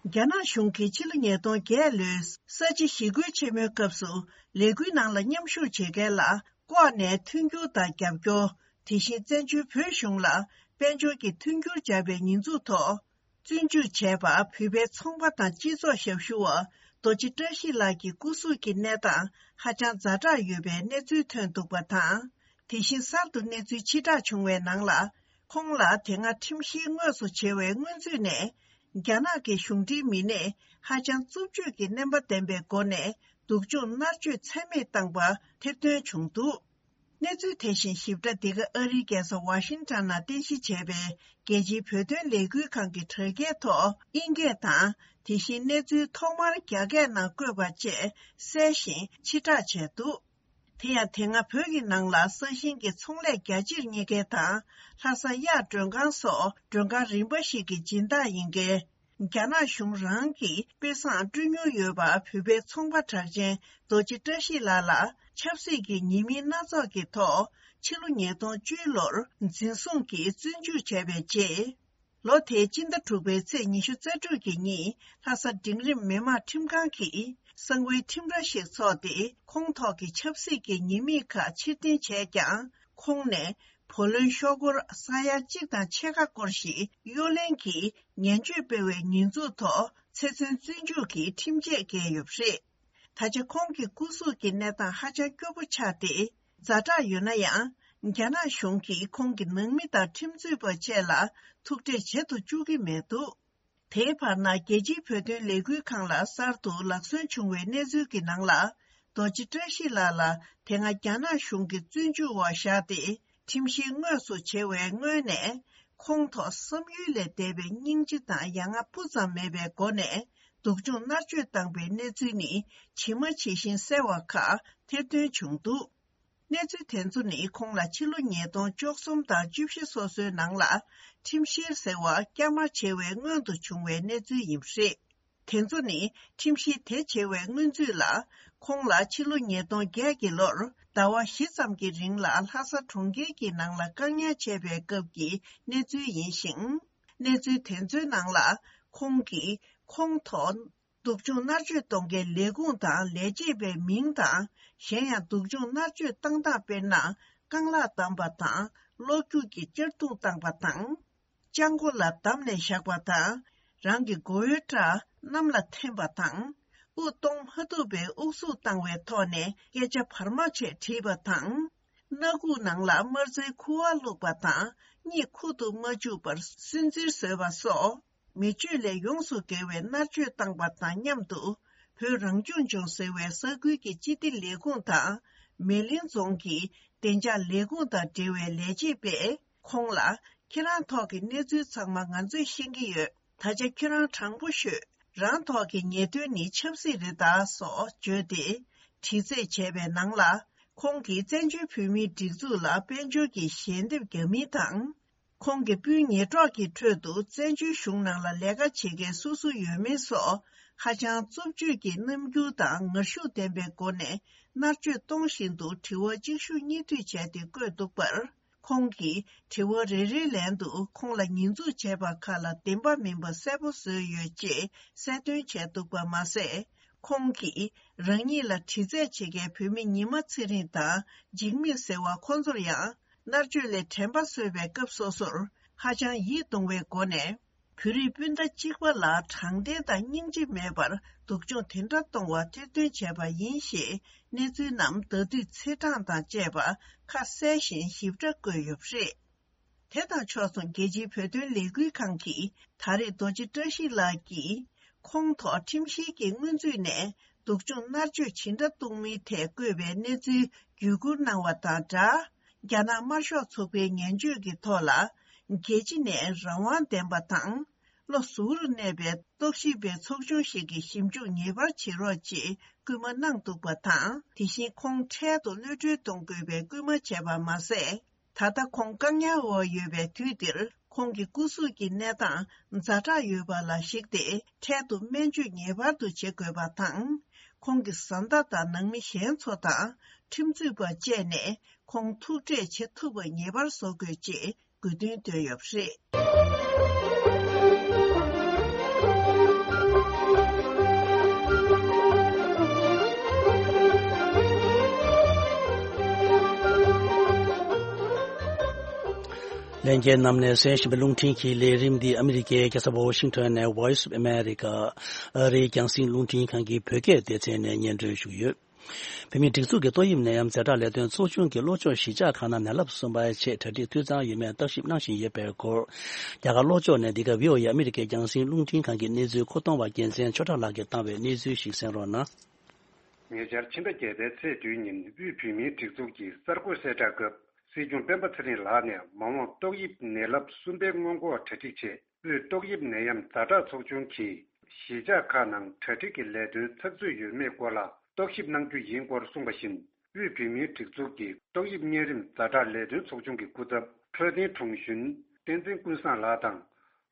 རྒྱ་ནག་གཞུང་གིས་ཕྱི་ལོ་ཉིས་སྟོང་བརྒྱད་ལོའི་ས་བྱི་ཞི་རྒོལ་ཆེན་མོའི་སྐབས་སུ་ལས་འགུལ་ནང་ལ་མཉམ་ཞུགས་བྱེད་མཁན་ལ་ལྐོག་ནས་མཐུན་འགྱུར་དང་རྒྱབ་སྐྱོར། དེ་བཞིན་བཙན་བྱོལ་བོད་གཞུང་ལ་དཔལ་འབྱོར་གྱི་མཐུན་འགྱུར་སྦྱར་བའི་ཉེས་འཛུགས་ཐོག་བཙོན་འཇུག་བྱས་པ་བོད་པའི་ཚོང་པ་དང་སྤྱི་ཚོགས་ཞབས་ཞུ་བ་རྡོ་རྗེ་བཀྲ་ཤིས་ལགས་ཀྱི་སྐུ་གཟུགས་ཀྱི་གནས་སྟངས་ཧ་ཅང་ཛ་དྲག་ཡོད་པའི་གནས་ཚུལ་ཐོན་འདུག་པ་དང་། དེ་བཞིན་གསར་དུ་གནས་ཚུལ་ཕྱིར་བསྒྲགས་བྱུང་བའི་ནང་ལ། ཁོང་ལ་དེ་སྔ་ཁྲིམས་བཤེར་དངོས་སུ་བྱས་པའི་སྔོན་ཚུད་ནས། རྒྱ་ནག་གི་གཞུང་འབྲེལ་མི་སྣས་ཧ་ཅང་རྩུབ་སྤྱོད་ཀྱི་རྣམ་པ་ལྡན་པའི་སྒོ་ནས་སྡུག་སྦྱོང་མནར་གཅོད་ཚད་མེད་བཏང་པ་ཐེར་འདོན་བྱུང་འདུག་གནས་ཚུལ་དེ་བཞིན་ཞིབ་ཕྲ་འདི་ག་ཨ་རིའི་རྒྱལ་ས་ཝ་ཤིང་ཊོན་ནང་རྟེན་གཞི་བྱས་པའི་རྒྱལ་སྤྱིའི་བོད་དོན་ལས་འགུལ་ཁང་གི་དྲ་རྒྱའི་ཐོག་དབྱིན་སྐད་དང་། དེ་བཞིན་གནས་ཚུལ་ཐོག་མར་རྒྱ་སྐད་ནང་བཀོད་པ་བཅས་གསལ་ཞིང་ཕྱིར་བསྒྲགས་བྱས་འདུག་དེ་ཡང་དེ་སྔ་བོད་ཀྱི་ནང་ལ་ས་ཞིང་གི་ཚོང་ལས་རྒྱ་ཆེར་གཉེར་མཁན་དང་། ལྷ་ས་གཡག་མགྲོན་ཁང་སོགས་མགྲོན་ཁང་རིམ་པ་ཞིག་གི་སྦྱིན་བདག་ཡིན་མཁན། རྒྱ་ནག་གཞུང་རང་གིས་དཔེ་བཟང་སྤྲོད་མྱོང་ཡོད་པ་བོད་པའི་ཚོང་པ་གྲགས་ཅན་རྡོ་རྗེ་བཀྲ་ཤིས་ལགས་ལ་ཆབ་སྲིད་ཀྱི་ཉེས་མིང་སྣ་ཚོགས་ཀྱི་ཐོག་ཕྱི་ལོ་ཉིས་སྟོང་བཅུ་ལོར་འཛིན་བཟུང་གིས་བཙོན་འཇུག་བྱས་པའི་རྗེས། ལོ་དེའི་སྤྱི་ཟླ་དྲུག་པའི་ཚེས་ཉི་ཤུ་རྩ་དྲུག་གི་ཉིན་ལྷ་ས་འབྲིང་རིམ་མི་དམངས་ཁྲིམས་ཁང་གིས་གསང་བའི་ཁྲིམས་ར་ཞིག་འཚོགས་ཏེ། ཁོང་ཐོག་གི་ཆབ་སྲིད་ཀྱི་ཉེས་དམིགས་ཁག་ཕྱིར་འཐེན་བྱས་ཀྱང་། ཁོང་ནས་བུ་ལོན་ཤོག་སྒོར་ས་ཡ་གཅིག་དང་ཕྱེད་ཀ་སྐོར་ཞིག་གཡོ་ལེན་གྱིས་ངན་བྱུས་སྤེལ་བའི་ཉེས་འཛུགས་ཐོག་ཚེ་བཙོན་བཙོན་འཇུག་གི་ཁྲིམས་ཆད་བཀལ་ཡོད་པ་རེད། ད་ཆ་ཁོང་གི་སྐུ་གཟུགས་ཀྱི་གནས་སྟངས་ཧ་ཅང་སྐྱོ་པོ་ཆགས་ཏེ། ཛ་དྲག་ཡོད་ན་ཡང་། རྒྱ་ནག་གཞུང་གིས་ཁོང་གི་ནང་མི་དང་ཁྲིམས་རྩོད་པ་བཅས་ལ་ཐུག་འཕྲད་བྱེད་དུ་བཅུག་གི་མེད་འདུག་དེའི་བར་ན། རྒྱལ་སྤྱིའི་བོད་དོན་ལས་འགུལ་ཁང་ལ་གསར་དུ་ལག་སོན་བྱུང་བའི་གནས་ཚུལ་གྱི་ནང་ལ། རྡོ་རྗེ་བཀྲ་ཤིས་ལགས་ལ་དེ་སྔ་རྒྱ་ནག་གཞུང་གིས་བཙོན་འཇུག་འོག་བཞག་སྟེ། ཁྲིམས་བཤེར་དངོས་སུ་བྱེད་པའི་སྔོན་ནས། ཁོང་ཐོག་བསམ་ཡུལ་ལས་འདས་པའི་སྙིང་རྗེ་དང་ཡ་ང་སྤུ་ཙམ་མེད་པའི་སྒོ་ནས། སྡུག་སྦྱོང་མནར་གཅོད་བཏང་པའི་གནས་ཚུལ་ནི་ཇི་མ་ཇི་བཞིན་གསལ་བ་ཁག་ཐེར་འདོན་བྱུང་འདུག་གནས་ཚུལ་དེ་ཚོ་ནི་ཁོང་ལ་ཕྱི་ལོ་ཉིས་སྟོང་བཅུ་གསུམ་དང་བཅུ་བཞི་སོ་སོའི་ནང་ལ་ཁྲིམས་བཤེར་ཟེར་བ་བསྐྱར་མ་བྱེད་པའི་སྔོན་དུ་བྱུང་བའི་གནས་ཚུལ་ཡིན་པ་རེད། དེ་ཚོ་ནི་ཁྲིམས་བཤེར་དེ་བྱེད་པའི་སྔོན་ཚུད་ལ། ཁོང་ལ་ཕྱི་ལོ་ཉིས་སྟོང་བརྒྱད་ཀྱི་ལོར་ཟླ་བ་བཞི་ཙམ་གྱི་རིང་ལ་ལྷ་ས་གྲོང་ཁྱེར་གྱི་ནང་ལ་བཀག་ཉར་བྱས་པའི་སྐབས་ཀྱི་གནས་ཚུལ་ཡིན་ཞིང་། གནས་ཚུལ་དེ་ཚོའི་ནང་ལ་ཁོང་གིས་ཁོང་ཐོག་སྡུག་སྦྱོང་མནར་གཅོད་གཏོང་མཁན་ལས་ཁུངས་དང་ལས་བྱེད་པའི་མིང་དང་། གཞན་ཡང་སྡུག་སྦྱོང་མནར་གཅོད་བཏང་སྟངས་དཔེར་ན། རྐང་ལག་བསྡམས་པ་དང་གློ་རྒྱུག་གིས་གཅར་རྡུང་བཏང་བ་དང་། ལྕགས་མགོ་ལ་བསྡམས་ནས་བཞག་པ་དང་། རང་གི་མགོ་བོའི་སྐྲ་གནམ་ལ་འཐེན་པ་དང་། དབུགས་གཏོང་མ་ཐུབ་པའི་དབུགས་སུབ་བཏང་བའི་ཐོག་ནས་སྐད་ཆ་བར་མ་ཆད་དྲིས་པ་དང་། སྣ་ཁུག་ནང་ལ་དམར་རྩྭའི་ཁུ་བ་བླུགས་པ་དང་། གཉིད་ཁུག་ཏུ་མ་བཅུག་པར་སུན་གཙེར་བཟོས་པ་སོགས། མི་སྤྱོད་ལས་ཡོངས་སུ་འགལ་བའི་མནར་གཅོད་བཏང་པ་དང་མཉམ་དུ། བོད་རང་སྐྱོང་ལྗོངས་ཟེར་བའི་ས་ཁུལ་གྱི་སྤྱི་བདེ་ལས་ཁུངས་དང་། མེ་གླིང་རྫོང་གི་བདེ་འཇགས་ལས་ཁུངས་དང་འབྲེལ་བའི་ལས་བྱེད་པས་ཁོང་ལ། ཁྱེད་རང་ཐོག་གི་གནས་ཚུལ་ཚང་མ་ང་ཚོས་ཤེས་ཀྱི་ཡོད། ད་ཆ་ཁྱོད་རང་དྲང་པོ་ཤོད། རང་ཐོག་གི་ཉེས་དོན་ནི་ཆབ་སྲིད་རེད་ད་སོགས་བརྗོད་དེ། དྲི་རྩད་བྱས་པའི་ནང་ལ། ཁོང་གིས་བཙན་བྱོལ་བོད་མིའི་སྒྲིག་འཛུགས་ལ་དཔལ་འབྱོར་གྱི་ཞལ་འདེབས་བརྒྱབ་མིན་དང་། ཁོང་གི་སྤུན་ཉེ་གྲོགས་ཀྱི་ཁྲོད་དུ་བཙན་བྱོལ་གཞུང་ནང་ལ་ལས་ཀ་བྱེད་མཁན་སུ་སུ་ཡོད་མེད་སོགས། ཧ་ཅང་རྩུབ་སྤྱོད་ཀྱི་རྣམ་འགྱུར་དང་ངར་ཤུགས་ལྡན་པའི་སྒོ་ནས་མནར་གཅོད་གཏོང་བཞིན་དུ་དྲི་བ་གཅིག་ཤུགས་གཉིས་མཐུད་བྱས་ཏེ་བཀོད་འདུག་པར། ཁོང་གིས་དྲི་བ་རེ་རེའི་ལན་དུ་ཁོང་ལ་ཉེས་འཛུགས་བྱས་པ་ཁག་ལ་བདེན་པ་མིན་པ་གསལ་པོ་བཟོས་ཡོད་ཅེས་གསལ་སྟོན་བྱས་འདུག་པ་མ་ཟད། ཁོང་གིས་རང་ཉིད་ལ་དྲི་རྩད་བྱེད་མཁན་བོད་མི་ཉི་མ་ཚེ་རིང་དང་འཇིགས་མེད་ཟེར་བ་ཁོང་ཚོར་ཡང་། མནར་གཅོད་ལས་དྲན་པ་གསོས་པའི་སྐབས་སོ་སོར་ཧ་ཅང་ཡིད་གདུང་བའི་སྒོ་ནས། བོད་རིགས་སྤུན་ཟླ་གཅིག་པ་ལ་དྲང་བདེན་དང་སྙིང་རྗེ་མེད་པར་སྡུག་སྦྱོང་དེ་འདྲ་གཏོང་བ་ཐེར་འདོན་བྱས་པ་ཡིན་ཞེས་གནས་ཚུལ་རྣམས་ཟླ་སྡུད་ཚེས་གྲངས་དང་བཅས་པ་ཁ་གསལ་ཞིང་ཞིབ་ཕྲ་བཀོད་ཡོད་པ་རེད། དེ་དང་ཕྱོགས་མཚུངས་རྒྱལ་སྤྱིའི་བོད་དོན་ལས་འགུལ་ཁང་གིས་ད་རེས་རྡོ་རྗེ་བཀྲ་ཤིས་ལགས་ཀྱིས་ཁོང་ཐོག་ཁྲིམས་བཤེར་གྱི་སྔོན་ཚུད་ནས་སྡུག་སྦྱོང་མནར་གཅོད་ཇི་འདྲ་གཏོང་མིན་ཐད་བཀོད་པའི་གནས་ཚུལ་བརྒྱུད་བསྐུར་གནང་བ་དང་སྦྲགས། རྒྱ་ནག་དམར་ཤོག་ཚོགས་པའི་ངན་བྱུས་ཀྱི་ཐོག་ལ། རྒྱལ་སྤྱི་ནས་རང་དབང་ལྡན་པ་དང་། བློ་གཟུ་བོར་གནས་པའི་རྟོག་ཞིབ་པའི་ཚོགས་ཆུང་ཞིག་གི་ཞིབ་འཇུག་ངེས་པར་བྱེད་རོགས་ཅེས་སྐུལ་མ་གནང་འདུག་པ་དང་། དེ་བཞིན་ཁོང་འཕྲལ་དུ་གློད་གྲོལ་གཏོང་དགོས་པའི་སྐུལ་མ་བྱས་པ་མ་ཟད། ད་ལྟ་ཁོང་བཀག་ཉར་འོག་ཡོད་པའི་དུས་འདིར། ཁོང་གི་སྐུ་གཟུགས་ཀྱི་གནས་སྟངས་ཛ་དྲག་ཡོད་པ་ལ་གཞིགས་ཏེ། འཕྲལ་དུ་སྨན་བཅོས་ངེས་པར་དུ་བྱེད་དགོས་པ་དང་། ཁོང་གི་བཟའ་ཟླ་དང་ནང་མི་གཞན་ཚོ་དང་ཁྲིམས་རྩོད་པ་བཅས་ནས་ཁོང་ཐུག་འཕྲད་བྱེད་ཐུབ་པ་ངེས་པར་བཟོ་དགོས་ཅེས་དགོས་འདུན་བཏོན་ཡོད་པ་རེད། ལྷན་རྒྱས་རྣམས་ནས་གསན་བཞིན་པའི་རླུང་འཕྲིན་གྱི་ལས་རིམ་འདི་ཨ་མི་རི་ཀའི་རྒྱལ་ས་ཝོ་ཤིང་ཊོན་ནས་Voice of America ཨ་རིའི་རྒྱང་སྲིང་རླུང་འཕྲིན་ཁང་གི་བོད་སྐད་སྡེ་ཚན་ནས་སྙན་སྒྲོན་ཞུས་ཡོད། བོད་མིའི་སྒྲིག་འཛུགས་ཀྱི་ཏོག་དབྱིབས་ནད་ཡམས་ཛ་དྲག་ལས་དོན་ཚོགས་ཆུང་གི་ལྷོ་ཕྱོགས་གཞིས་ཆགས་ཁག་ནང་ནད་རླབས་གསུམ་པའི་ཆེད་གྲ་སྒྲིག་འཐུས་ཚང་ཡོད་མེད་བརྟག་ཞིབ་གནང་བཞིན་ཡོད་པའི་སྐོར། རྒྱ་གར་ལྷོ་ཕྱོགས་ནས་འདི་ག་བྷི་ཨོ་ཨེ་ཨ་མི་རི་ཀའི་རྒྱང་སྲིང་རླུང་འཕྲིན་ཁང་གི་གནས་ཚུལ་མཁོ་གཏོང་བ་རྒྱལ་མཚན་ཆོས་གྲགས་ལགས་ཀྱིས་བཏང་བའི་གནས་ཚུལ་ཞིག་གསན་རོགས་གནང་། ཉེ་ཆར་ཕྱི་ཟླ་བརྒྱད་པའི་ཚེས་བདུན་ཉིན་དབུས་བོད་མིའི་སྒྲིག་འཛུགས་ཀྱི་གསར་འགོད་གསལ་བསྒྲགས་སྐབས། སྲིད་སྐྱོང་སྤེན་པ་ཚེ་རིང་ལགས་ནས་མ་འོངས་ཏོག་དབྱིབས་ནད་རླབས་གསུམ་པའི་སྔོན་འགོག་གྲ་སྒྲིག་ཆེད། དབུས་ཏོག་དབྱིབས་ནད་ཡམས་ཛ་དྲག་ཚོགས་ཆུང་གིས་གཞིས་ཆགས་ཁག་ནང་གྲ་སྒྲིག་གི་ལས་དོན་ཚགས་ཚུད་ཡོད་མེད་སྐོར་ལ་རྟོག་ཞིབ་གནང་རྒྱུ་ཡིན་སྐོར་གསུངས་པ་བཞིན། དབུས་བོད་མིའི་སྒྲིག་འཛུགས་ཀྱི་ཏོག་དབྱིབས་གཉན་རིམས་ཛ་དྲག་ལས་དོན་ཚོགས་ཆུང་གི་སྐུ་ཚབ་འཕྲོད་བསྟེན་དྲུང་གཞོན་བསྟན་འཛིན་ཀུན་བཟང་ལགས་དང་།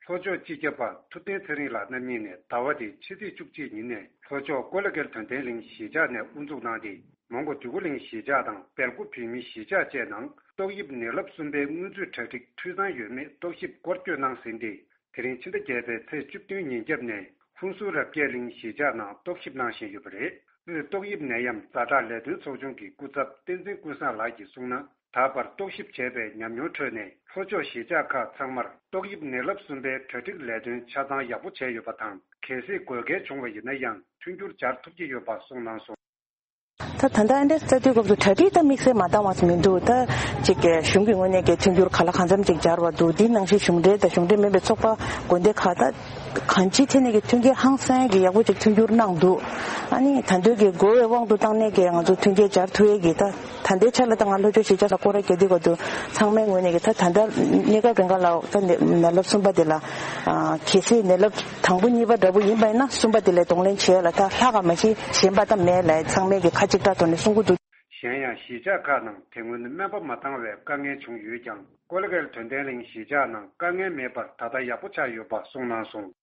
ལྷོ་ཕྱོགས་སྤྱི་ཁྱབ་པ་ཐུབ་བསྟན་ཚེ་རིང་ལགས་རྣམ་གཉིས་ནས་ཟླ་བ་འདིའི་ཕྱི་ཚེས་བཅུ་གཅིག་ཉིན་ནས་ལྷོ་ཕྱོགས་ཀོ་ལ་གྷལ་དོན་ལྡན་གླིང་གཞིས་ཆགས་ནས་དབུ་འཛུགས་གནང་སྟེ། མོན་གྷོ་འདོད་རྒུ་གླིང་གཞིས་ཆགས་དང་སྦེལ་ཀོབ་བོད་མིའི་གཞིས་ཆགས་བཅས་ནང་ཏོག་དབྱིབས་ནད་རླབས་གསུམ་པའི་སྔོན་ཚུད་གྲ་སྒྲིག་འཐུས་ཚང་ཡོད་མེད་རྟོག་ཞིབ་སྐོར་སྐྱོད་གནང་ཟིན་ཏེ། དེ་རིང་ཕྱི་ཟླ་བརྒྱད་པའི་ཚེས་བཅུ་བདུན་ཉིན་རྒྱབ་ནས་ཧུན་སུར་རབ་རྒྱས་གླིང་གཞིས་ཆགས་ནང་རྟོག་ཞིབ་གནང་བཞིན་ཡོད་པ་རེད། དབུས་ཏོག་དབྱིབས་ནད་ཡམས་ཛ་དྲག་ལས་དོན་ཚོགས་ཆུང་གི་སྐུ་ཚབ་བསྟན་འཛིན་ཀུན་བཟང་ལགས་ཀྱིས་གསུངས་ན། ད་བར་རྟོག་ཞིབ་བྱས་པའི་ཉམས་མྱོང་ཁྲོད་ནས་ལྷོ་ཕྱོགས་གཞིས་ཆགས་ཁག་ཚང་མར་ཏོག་དབྱིབས་ནད་རླབས་གསུམ་པའི་གྲ་སྒྲིག་ལས་དོན་ཆ་ཚང་ཡག་པོ་བྱས་ཡོད་པ་དང་། གལ་སྲིད་དགོས་གལ་བྱུང་བ་ཡིན་ན་ཡང་མཐུན་འགྱུར་སྦྱར་ཐུབ་ཀྱི་ཡོད་པ་གསུངས་གནང་སོང་། ད་ད་ལྟ་ཨ་འདྲ་ས་དུས་སྐབས་སུ་གྲ་སྒྲིག་ད་དམིགས་བསལ་མ་བཏང་བ་ཞིག་མི་འདུག་ད་ཅིག་གི་གཞུང་གི་ངོས་ནས་ཀྱི་མཐུན་འགྱུར་ག་ལ་གང་འཚམ་ཅིག་སྦྱར་བ་འདུག་འདི་ནང་བཞིན་གཞུང་འབྲེལ་དང་གཞུང་འབྲེལ་མིན་པའི་ཚོགས་པ་དགོན་སྡེ་ཁག་ད་གང་ཅིའི་ཐད་ནས་ཀྱི་མཐུན་རྐྱེན་ཧང་སང་གི་ཡག་པོ་ཅིག་མཐུན་འགྱུར་གནང་འདུག་ཨ་ནི་ད་འདོད་ཀྱི་དགོས་པའི་དབང་དུ་བཏང་ནས་ཀྱི་ང་ཚོ་མཐུན་རྐྱེན་སྦྱར་ཐུབ་ཡས་ཀྱི་ད་ད་ལྟའི་ཆ་ལ་ད་ང་ལྷོ་ཕྱོགས་གཞིས་ཆགས་ལ་སྐོར་ར་རྒྱག་དུས་སྐབས་སུ་ཚང་མའི་ངོས་ནས་ཀྱི་ད་ད་ལྟ་གནས་སྐབས་རིང་ག་ལ་ད་ནད་རླབས་གསུམ་པ་འདི་ལ་གལ་སྲིད་ནད་རླབས། དང་པོ་གཉིས་པ་འདྲ་པོ་ཡིན་པ་ཡིན་ན་གསུམ་པ་དེ་ལས་གདོང་ལེན་བྱེད་ཡ་ལ་ད་ལྷག་ག་མ་གཞི་གཞན་པ་ད་མེད་ལ་ཚང་མས་ཀྱི་ཁ་གཅིག་གྲགས་ཐོག་ནས་གསུང་གི་འདུག་གཞན་ཡང་གཞིས་ཆགས་ཁག་ནང་དེ་སྔོན་སྨན་པ་མ་འདང་བའི་དཀའ་ངལ་བྱུང་ཡོད་ཀྱང་། ཀོ་ལ་གྷལ་དོན་ལྡན་གླིང་གཞིས་ཆགས་ནང་དཀའ་ངལ་མེད་པར་ད་ལྟ་ཡག་པོ་ཆགས་ཡོད་པ་གསུངས་གནང་སོང་།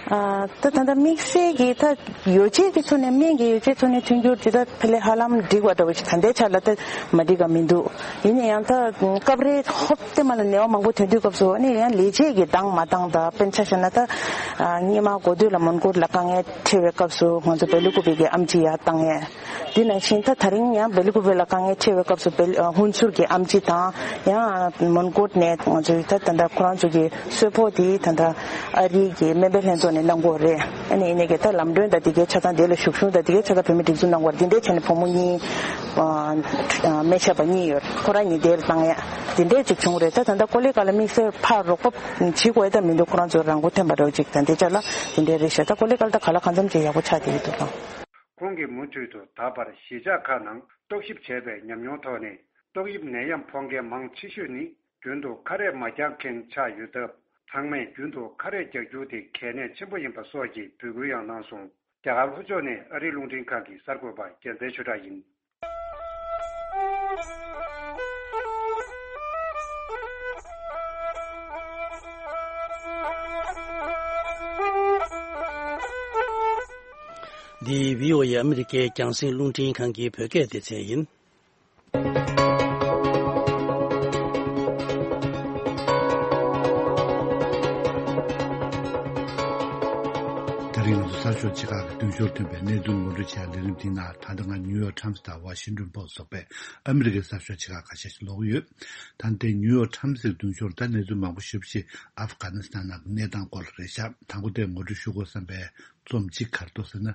ཨ་ད་ད་ལྟ་དམིགས་བསལ་གྱི་ད་ཡོ་བྱད་ཀྱི་ཐོག་ནས་སྨན་གྱི་ཡོ་བྱད་ཐོག་ནས་མཐུན་འགྱུར་དེ་ད་ཕལ་ལས་ཧ་ལམ་འགྲིག་པ་འདྲ་བོ་ཞིག་ད་ལྟའི་ཆ་ལ་ད་མ་འགྲིག་ག་མི་འདུག་ཡིན་ན་ཡང་ད་སྐབས་རེ་ཧོབ་སྟེ་མ་ལ་ནད་པ་མང་པོ་ཐོན་དུས་སྐབས་སུ་ཨ་ནི་ཡང་ལས་བྱེད་ཀྱི་འདང་མ་འདང་ད་དཔེར་ན་ཆ་བཞག་ན་ད་ སྔོན་མ་འགོ་སྟོད་ལ་མོན་གྷོ་ལ་དཀའ་ངལ་འཕྲད་པའི་སྐབས་སུ་ང་ཚོ་བེ་ལི་ཀུ་པེ་གི་ཨེམ་ཆི་ཡར་བཏང་ཡས། དེ་ནང་བཞིན་ད་ད་རིང་ཡང་བེ་ལི་ཀུ་པེ་ལ་དཀའ་ངལ་འཕྲད་པའི་སྐབས་སུ་བེ་ལི་ཧུན་སུར་གྱི་ཨེམ་ཆི་དང་། ཡང་མོན་གྷོ་ནས་ང་ཚོའི་ད་ད་ལྟ་ཁོ་རང་ཚོ་གི་གསོལ་ཕོགས་དེ་ད་ལྟ་ཨ་རིའི་གི་སྨན་པའི་ལྷན་ཚོགས་ནས་གནང་གི་ཡོད་རེད། ཨ་ནི་ཡིན་ནའི་གི་ད་ལམ་གྲོན་དང་དེ་གའི་ཆ་ཚང་དེ་ལ་ཞུགས་གཞུང་དང་དེ་གའི་ཆ་ཚང་བོད་མི་སྒྲིག་འཛུགས་གནང་གི་ཡོད་རེད། དེ་འདྲའི་བྱས་ནས་བུ་མོ་གཉིས་ཨ་སྨན་ཞབས་པ་གཉིས་ཡོད་རེད། ཁོ་རང་གཉིས་དེར་བཏང་ཡས་དེ་འདྲའི་ཅིག་བྱུང་རེད། ད་ད་ལྟ་ཀོ་ལི་གྷལ་ལ་དམིགས་བསལ་ཕར་རོགས་པ་བྱེད་དགོས་ཡས་ད་མི་འདུག་ཁོ་རང་ཚོ་རང་མགོ་ཐོན་པ་འདྲ་ཅིག་དང་དེ་ཆ་ལ་དེ་འདྲའི་རེད་ཤག་ད་ཀོ་ལི་གྷལ་ད་ག་ལ་གང་འཚམ་ཅིག་ཡག་པོ་ཆགས་བསྡད་ཀྱི་འདུག་ལགས། ཁོང་གིས་མུ་མཐུད་དུ་ད་བར་གཞིས་ཆགས་ཁག་ནང་རྟོག་ཞིབ་བྱས་པའི་ཉམས་མྱོང་ཐོག་ནས། ཏོག་དབྱིབས་ནད་ཡམས་ཕོག་མཁན་མང་ཆེ་ཤོས་ནི་རྒྱུན་དུ་ཁ་རས་མ་རྒྱག་མཁན་ཆགས་ཡོད་སྟབས། ཚང་མས་རྒྱུན་དུ་ཁ་རས་རྒྱག་རྒྱུ་དེ་གལ་གནད་ཆེན་པོ་ཡིན་པ་སོགས་ཀྱི་འབོད་སྐུལ་ཡང་གནང་སོང་། རྒྱ་གར་ལྷོ་ཕྱོགས་ནས་ཨ་རིའི་རླུང་འཕྲིན་ཁང་གི་གསར་འགོད་པ་རྒྱལ་མཚན་ཆོས་གྲགས་ཡིན། འདི་བྷི་ཨོ་ཨེ་ཨ་མི་རི་ཀའི་རྒྱང་སྲིང་རླུང་འཕྲིན་ཁང་གི་བོད་སྐད་སྡེ་ཚན་ཡིན། ད་རིང་ང་ཚོ་གསར་ཤོག་ཆེ་ཁག་གི་མདུན་ཤོག་ཐོན་པའི་གནས་ཚུལ་ངོ་སྤྲོད་བྱ་ལས་རིམ་འདིའི་ནང་། ད་ལྟ་ང་ནིའུ་ཡོག་ཊའིམ་སི་དང་ཝ་ཤིང་ཊོན་པོ་སི་སོགས་པའི་ཨ་མི་རི་ཀའི་གསར་ཤོག་ཆེ་ཁག་ཁ་ཤས་ཤིག་ཀློག་གི་ཡོད། ད་ལྟའི་ནིའུ་ཡོག་ཊའིམ་སི་གི་མདུན་ཤོག་ལ་ད་གནས་ཚུལ་མང་པོ་ཞེ་པོ་ཅིག་ཨབ་གྷ་ནི་སི་ཐན་ནང་གི་གནས་སྟངས་སྐོར་ལ་རེད་ཤག་དང་པོ་དེ་ངོ་སྤྲོད་ཞུ་དགོས་བསམ་པའི་རྩོམ་གཅིག་ག་རེ་འདུག་ཟེར་ན།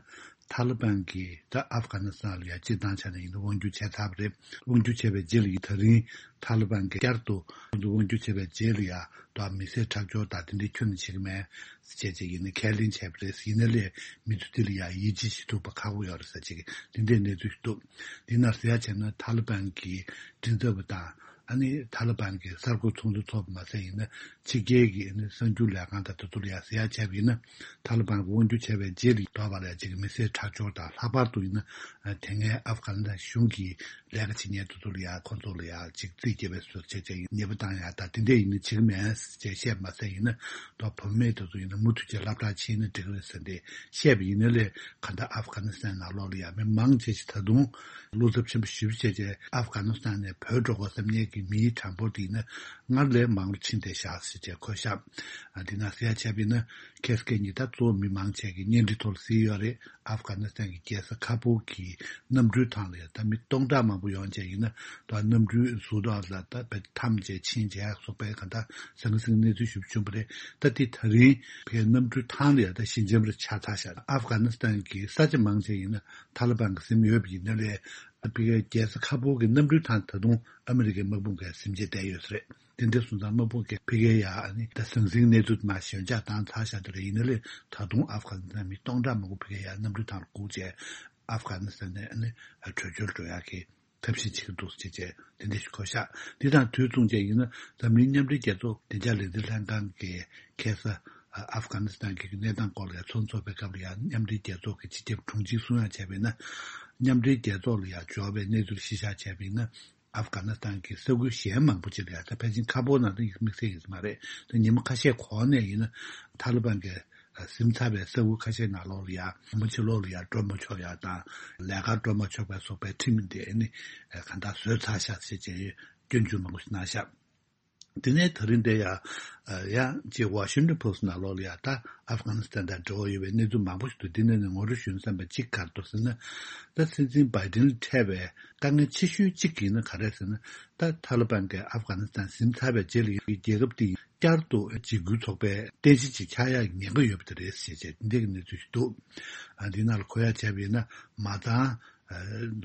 ཐ་ལི་བན་གྱིས་ད་ཨབ་གྷ་ནི་སི་ཐན་ལ་ཡ་སྤྱིར་བཏང་ཆ་ནས་ཡིན་ན་དབང་སྒྱུར་བྱས་ཚར་བ་རེད། དབང་སྒྱུར་བྱས་པའི་རྗེས་ལ་ཡིན་ད་རིང་ཐ་ལི་བན་གྱིས་བསྐྱར་དུ་དབང་སྒྱུར་བྱས་པའི་རྗེས་ལ་ཡ་ད་མི་སེར་ཁྲག་སྦྱོར་དང་དེ་འདྲའི་ཁྱོན་ནས་བྱེད་ཀྱི་མེད་ཟེར་བྱས་བྱས་ཡིན་ན་ཁས་ལེན་བྱས་པ་རེད། ཡིན་ན་ལས་མི་ཚོ་དེ་ལ་ཡ་ཡིད་ཆེས་བྱེད་ཐུབ་པ་ཁག་པོ་ཡོད་རེད་ཟེར་བྱས་དེ་འདྲའི་གནས་ཚུལ་ཞིག་འདུག་འདི་ནང་ཟེར་ཡ་བྱས་ན་ཐ་ལི་བན་གྱི་མགྲིན་ཚབ་པ་དང་། ཨ་ནི་ཐ་ལི་བན་གྱི་གསར་འགོད་ཚོགས་འདུ་ཚོགས་པ་མ་ཟད་ཡིན་ན་ཕྱི་རྒྱལ་གྱི་ཨ་ནི་གསར་འགྱུར་ལས་ཁང་དང་དེ་ཚོ་ལ་ཡ་ཟེར་ཡ་བྱས་པ་ཡིན་ན། ཐ་ལི་བན་གྱིས་དབང་སྒྱུར་བྱས་པའི་རྗེས་ལ་དོགས་པ་ལ་ཡ་གཅིག་མི་སེར་ཁྲག་སྦྱོར་དང་ལྷག་པར་དུ་ཡིན་ན་དེ་སྔའི་ཨབ་གྷ་ནི་སི་ཐན་གཞུང་གི་ལས་ཀ་བྱེད་མཁན་དེ་ཚོ་ལ་ཡ་ཁོང་ཚོ་ལ་ཡ་གཅིག་རྩིས་རྒྱབ་པའི་བཟོ་བྱས་བྱས་ཉེས་པ་བཏང་ཡ་ད་དེ་འདྲས་ཡིན་ན་བྱེད་ཀྱི་མེད་ཅེས་བཤད་མ་ཟད་ཡིན་ན་དོ་བུད་མེད་དེ་ཚོ་ཡིན་ན་མུ་མཐུད་ཀྱི་སློབ་གྲྭ་ཕྱིན་ན་འགྲིག་གི་རེད་ཟེར་འདི་བཤད་པ་ཡིན་ན་ལས་ག་ད་ཨབ་གྷ་ནི་སི་ཐན་ནང་ལོགས་ལ་ཡ་མི་མང་ཆེ་ཞིག་ད་དུང་བློ་འཚབ་ཆེན་པོ་ཞེ་པོ་བྱས་བྱས་ཨབ་གྷ་ནི་སི་ཐན་ནས་བྲོས་འགྲོ་དགོས་བསམ་མཁན་གྱི་མིའི་གྲངས་འབོར་དེ་ཡིན་ན་སྔར་ལས་མང་རུ་ཕྱིན་བསྡད་ཤག་ཟེར་བྱས་འཁོད་ཤག་ཨ་འདི་ན་ཟེར་ཡ་བྱས་པ་ཡིན་ན་ཁ་སང་ཉིན་ད་གཙོ་བོ་མི་མང་ཆེ་གི་གཉེན་སྒྲིག་ཐོག་ལ་གཟིགས་ཡོད་རེད། ཨབ་གྷ་ནི་སི་ཐན་གྱི་རྒྱལ་ས་ཁ་བུལ་གྱི་གནམ་གྲུའི་ཐང་ལ་ཡ་ད་མི་སྟོང་ཕྲག་མང་པོ་ཡོང་བྱས་ཡིན་ན་ད་གནམ་གྲུའི་ཟུར་ཐོག་ལ་ད་བེད་འཐམས་བྱས་ཕྱིན་བྱས་སོགས་པའི་ག་ད་ཟང་ཟིང་གནས་ཚུལ་ཞིག་བྱུང་བ་རེད། ད་དེ་ད་རིང་ཕའི་གནམ་གྲུའི་ཐང་ལ་ཡ་ད་ཞི་འཇམ་རེ་ཆགས་ཚར་ཤག་ཨབ་གྷ་ནི་སི་ཐན་གྱི་ས་ཆ་མང་ཆེ་ཡིན་ན་ཐ་ལི་བན་གྱིས་ཟིན་ཡོད་པ་ཡིན་ན་ལས་ཨ་ཕ་གིའི་རྒྱལ་ས་ཁ་བུལ་གྱི་གནམ་གྲུའི་ཐང་ད་དུང་ཨ་མི་རི་ཀའི་དམག་དཔུང་གིས་ཟིན་བྱས་བསྡད་ཡོད་ས་རེད། དེ་འདྲ་སོང་ཙང་དམག་དཔུང་གིས་ཕ་གིའི་ཡ་ཨ་ནི་ད་ཟང་ཟིང་གནས་ཚུལ་མ་ཞོད་འཇགས་བཏང་ཚར་ཤག་དེ་རེད། ཡིན་ན་ལས་ད་དུང་ཨབ་གྷ་ནི་སི་ཐན་མི་སྟོང་ཕྲག་མང་པོ་ཕ་གིའི་ཡ་གནམ་གྲུའི་ཐང་ལ་སྒུག་བྱས་ཨབ་གྷ་ནི་སི་ཐན་ནས་ཨ་ནི་བྲོས་བྱོལ་འགྲོ་ཡག་གི་ཐབས་ཤེས་བྱེད་ཀྱི་འདུག་ཅེས་བྱས་དེ་འདྲ་ཞིག་འཁོད་ཤག་འདི་དང་དུས་མཚུངས་བྱས་ཡིན་ན་འཛམ་གླིང་མཉམ་འབྲེལ་རྒྱལ་ཚོགས་བདེ་འཇགས་ལས་འཛིན་ལྷན་ཁང་གིས་ཁ་སང་ཨབ་གྷ་ནི་སི་ཐན་གྱི་གནས་སྟངས་སྐོར་ལ་ཚོགས་འདུ་ཚོགས་པའི་སྐབས་ལ་ཡང་མཉམ་འབྲེལ་རྒྱལ་ཚོགས་ཀྱི་སྤྱི་ཁྱབ་དྲུང་ཆེས་གསུང་ཡ་བྱས་པ་ཡིན་ན། མཉམ་འབྲེལ་རྒྱལ་ཚོགས་ལ་ཡང་འབྱོར་བའི་གནས་ཚུལ་གཞི་བཞག་བྱས་པ་ཡིན་ན། ཨབ་གྷ་ནི་སི་ཐན་གྱི་ས་ཁུལ་གཞན་མང་པོ་ཅིག་ལ་ཡང་ད་ཕལ་ཆེར་ཁ་བོར་ནང་དུ་དམིགས་བསལ་ཡིན་ས་མ་རེད། ད་ཉི་མ་ཁ་ཤས་གོང་ནས་ཡིན་ན་ཐ་ལི་བན་གྱིས་ཟིན་ཚར་བའི་ས་ཁུལ་ཁ་ཤས་ནང་ལོགས་ལ་ཡང་མ་ཕྱི་ལོགས་ལ་ཡང་འགྲོ་མ་ཆོག་ཡ་དང་ལས་ཀར་འགྲོ་མ་ཆོག་པའི་སོགས་པའི་ཁྲིམས་དེ་ནི་གང་ལྟར་བཟོས་ཚར་ཤག་ཅེས་བྱས་སྐྱོན་བརྗོད་མང་པོ་ཞིག་གནང་ཤག་དེ་ནས་ད་རིང་འདིར་ཡང་ཡང་ཅིག་ཝ་ཤིང་ཊོན་པོ་སི་ནང་ལོགས་ལ་ཡང་ད་ཨབ་གྷ་ནི་སི་ཐན་དང་འབྲེལ་བ་ཡོད་པའི་གནས་ཚུལ་མང་པོ་ཞིག་འདུག་དེ་ནས་ནི་ངོ་སྤྲོད་ཞུ་ན་བསམ་པ་གཅིག་ག་རེ་འདུག་ཟེར་ན། ད་སྲིད་འཛིན་བྷའི་ཏིན་ལ་འཕྲད་པའི་དཀའ་ངལ་ཆེ་ཤོས་གཅིག་ཡིན་ན་ག་རེ་ཟེར་ན། ད་ཐ་ལི་བན་གྱིས་ཨབ་གྷ་ནི་སི་ཐན་ཟིན་ཚར་བའི་རྗེས་ལ་རྒྱལ་ཁབ་དེ་བསྐྱར་དུ་འཇིགས་སྐུལ་ཚོགས་པའི་རྟེན་གཞི་ཅིག་ཆགས་ཡག་གི་ཉེན་ཁ་ཡོད་པ་དེ་རེད་ཞེས་བྱས་འདི་གི་གནས་ཚུལ་ཞིག་འདུག་ཨ་འདི་ནང་ལ་གོ་ཡ་བྱས་པ་ཡིན་ན་མ་ཚང་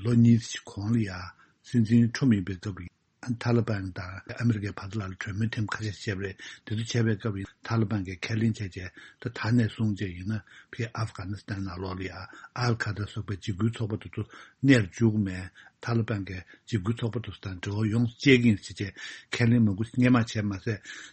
ལོ་གཉིས་ཀྱི་གོང་ལ་ཡང་སྲིད་འཛིན་ཁྲོམ་ཡིན་པའི་སྐབས་ལ། ཐ་ལི་བན་དང་ཨ་མི་རི་ཀའི་བར་དུ་ལ་གྲོས་མོལ་ཐེངས་ཁ་ཤས་བྱས་པ་རེད། དེ་ཚོ་བྱས་པའི་སྐབས་ཡིན་ཐ་ལི་བན་གྱིས་ཁས་ལེན་བྱས་རྗེས་ད་ད་ནས་བཟུང་རྗེས་ཡིན་ན་ཕི་ཨབ་གྷ་ནི་སི་ཐན་ནང་ལོགས་ལ་ཡང་ཨལ་ཁ་ད་སོགས་པའི་འཇིགས་སྐུལ་ཚོགས་པ་དེ་ཚོ་གནས་འཇུག་མེད། ཐ་ལི་བན་གྱིས་འཇིགས་སྐུལ་ཚོགས་པ་དེ་ཚོ་དང་འབྲེལ་བ་ཡོངས་སུ་བཅད་ཀྱི་ཡིན་ཟེར་བྱས་ཁས་ལེན་མང་པོ་སྔས་མ་བྱས་མ་ཟད་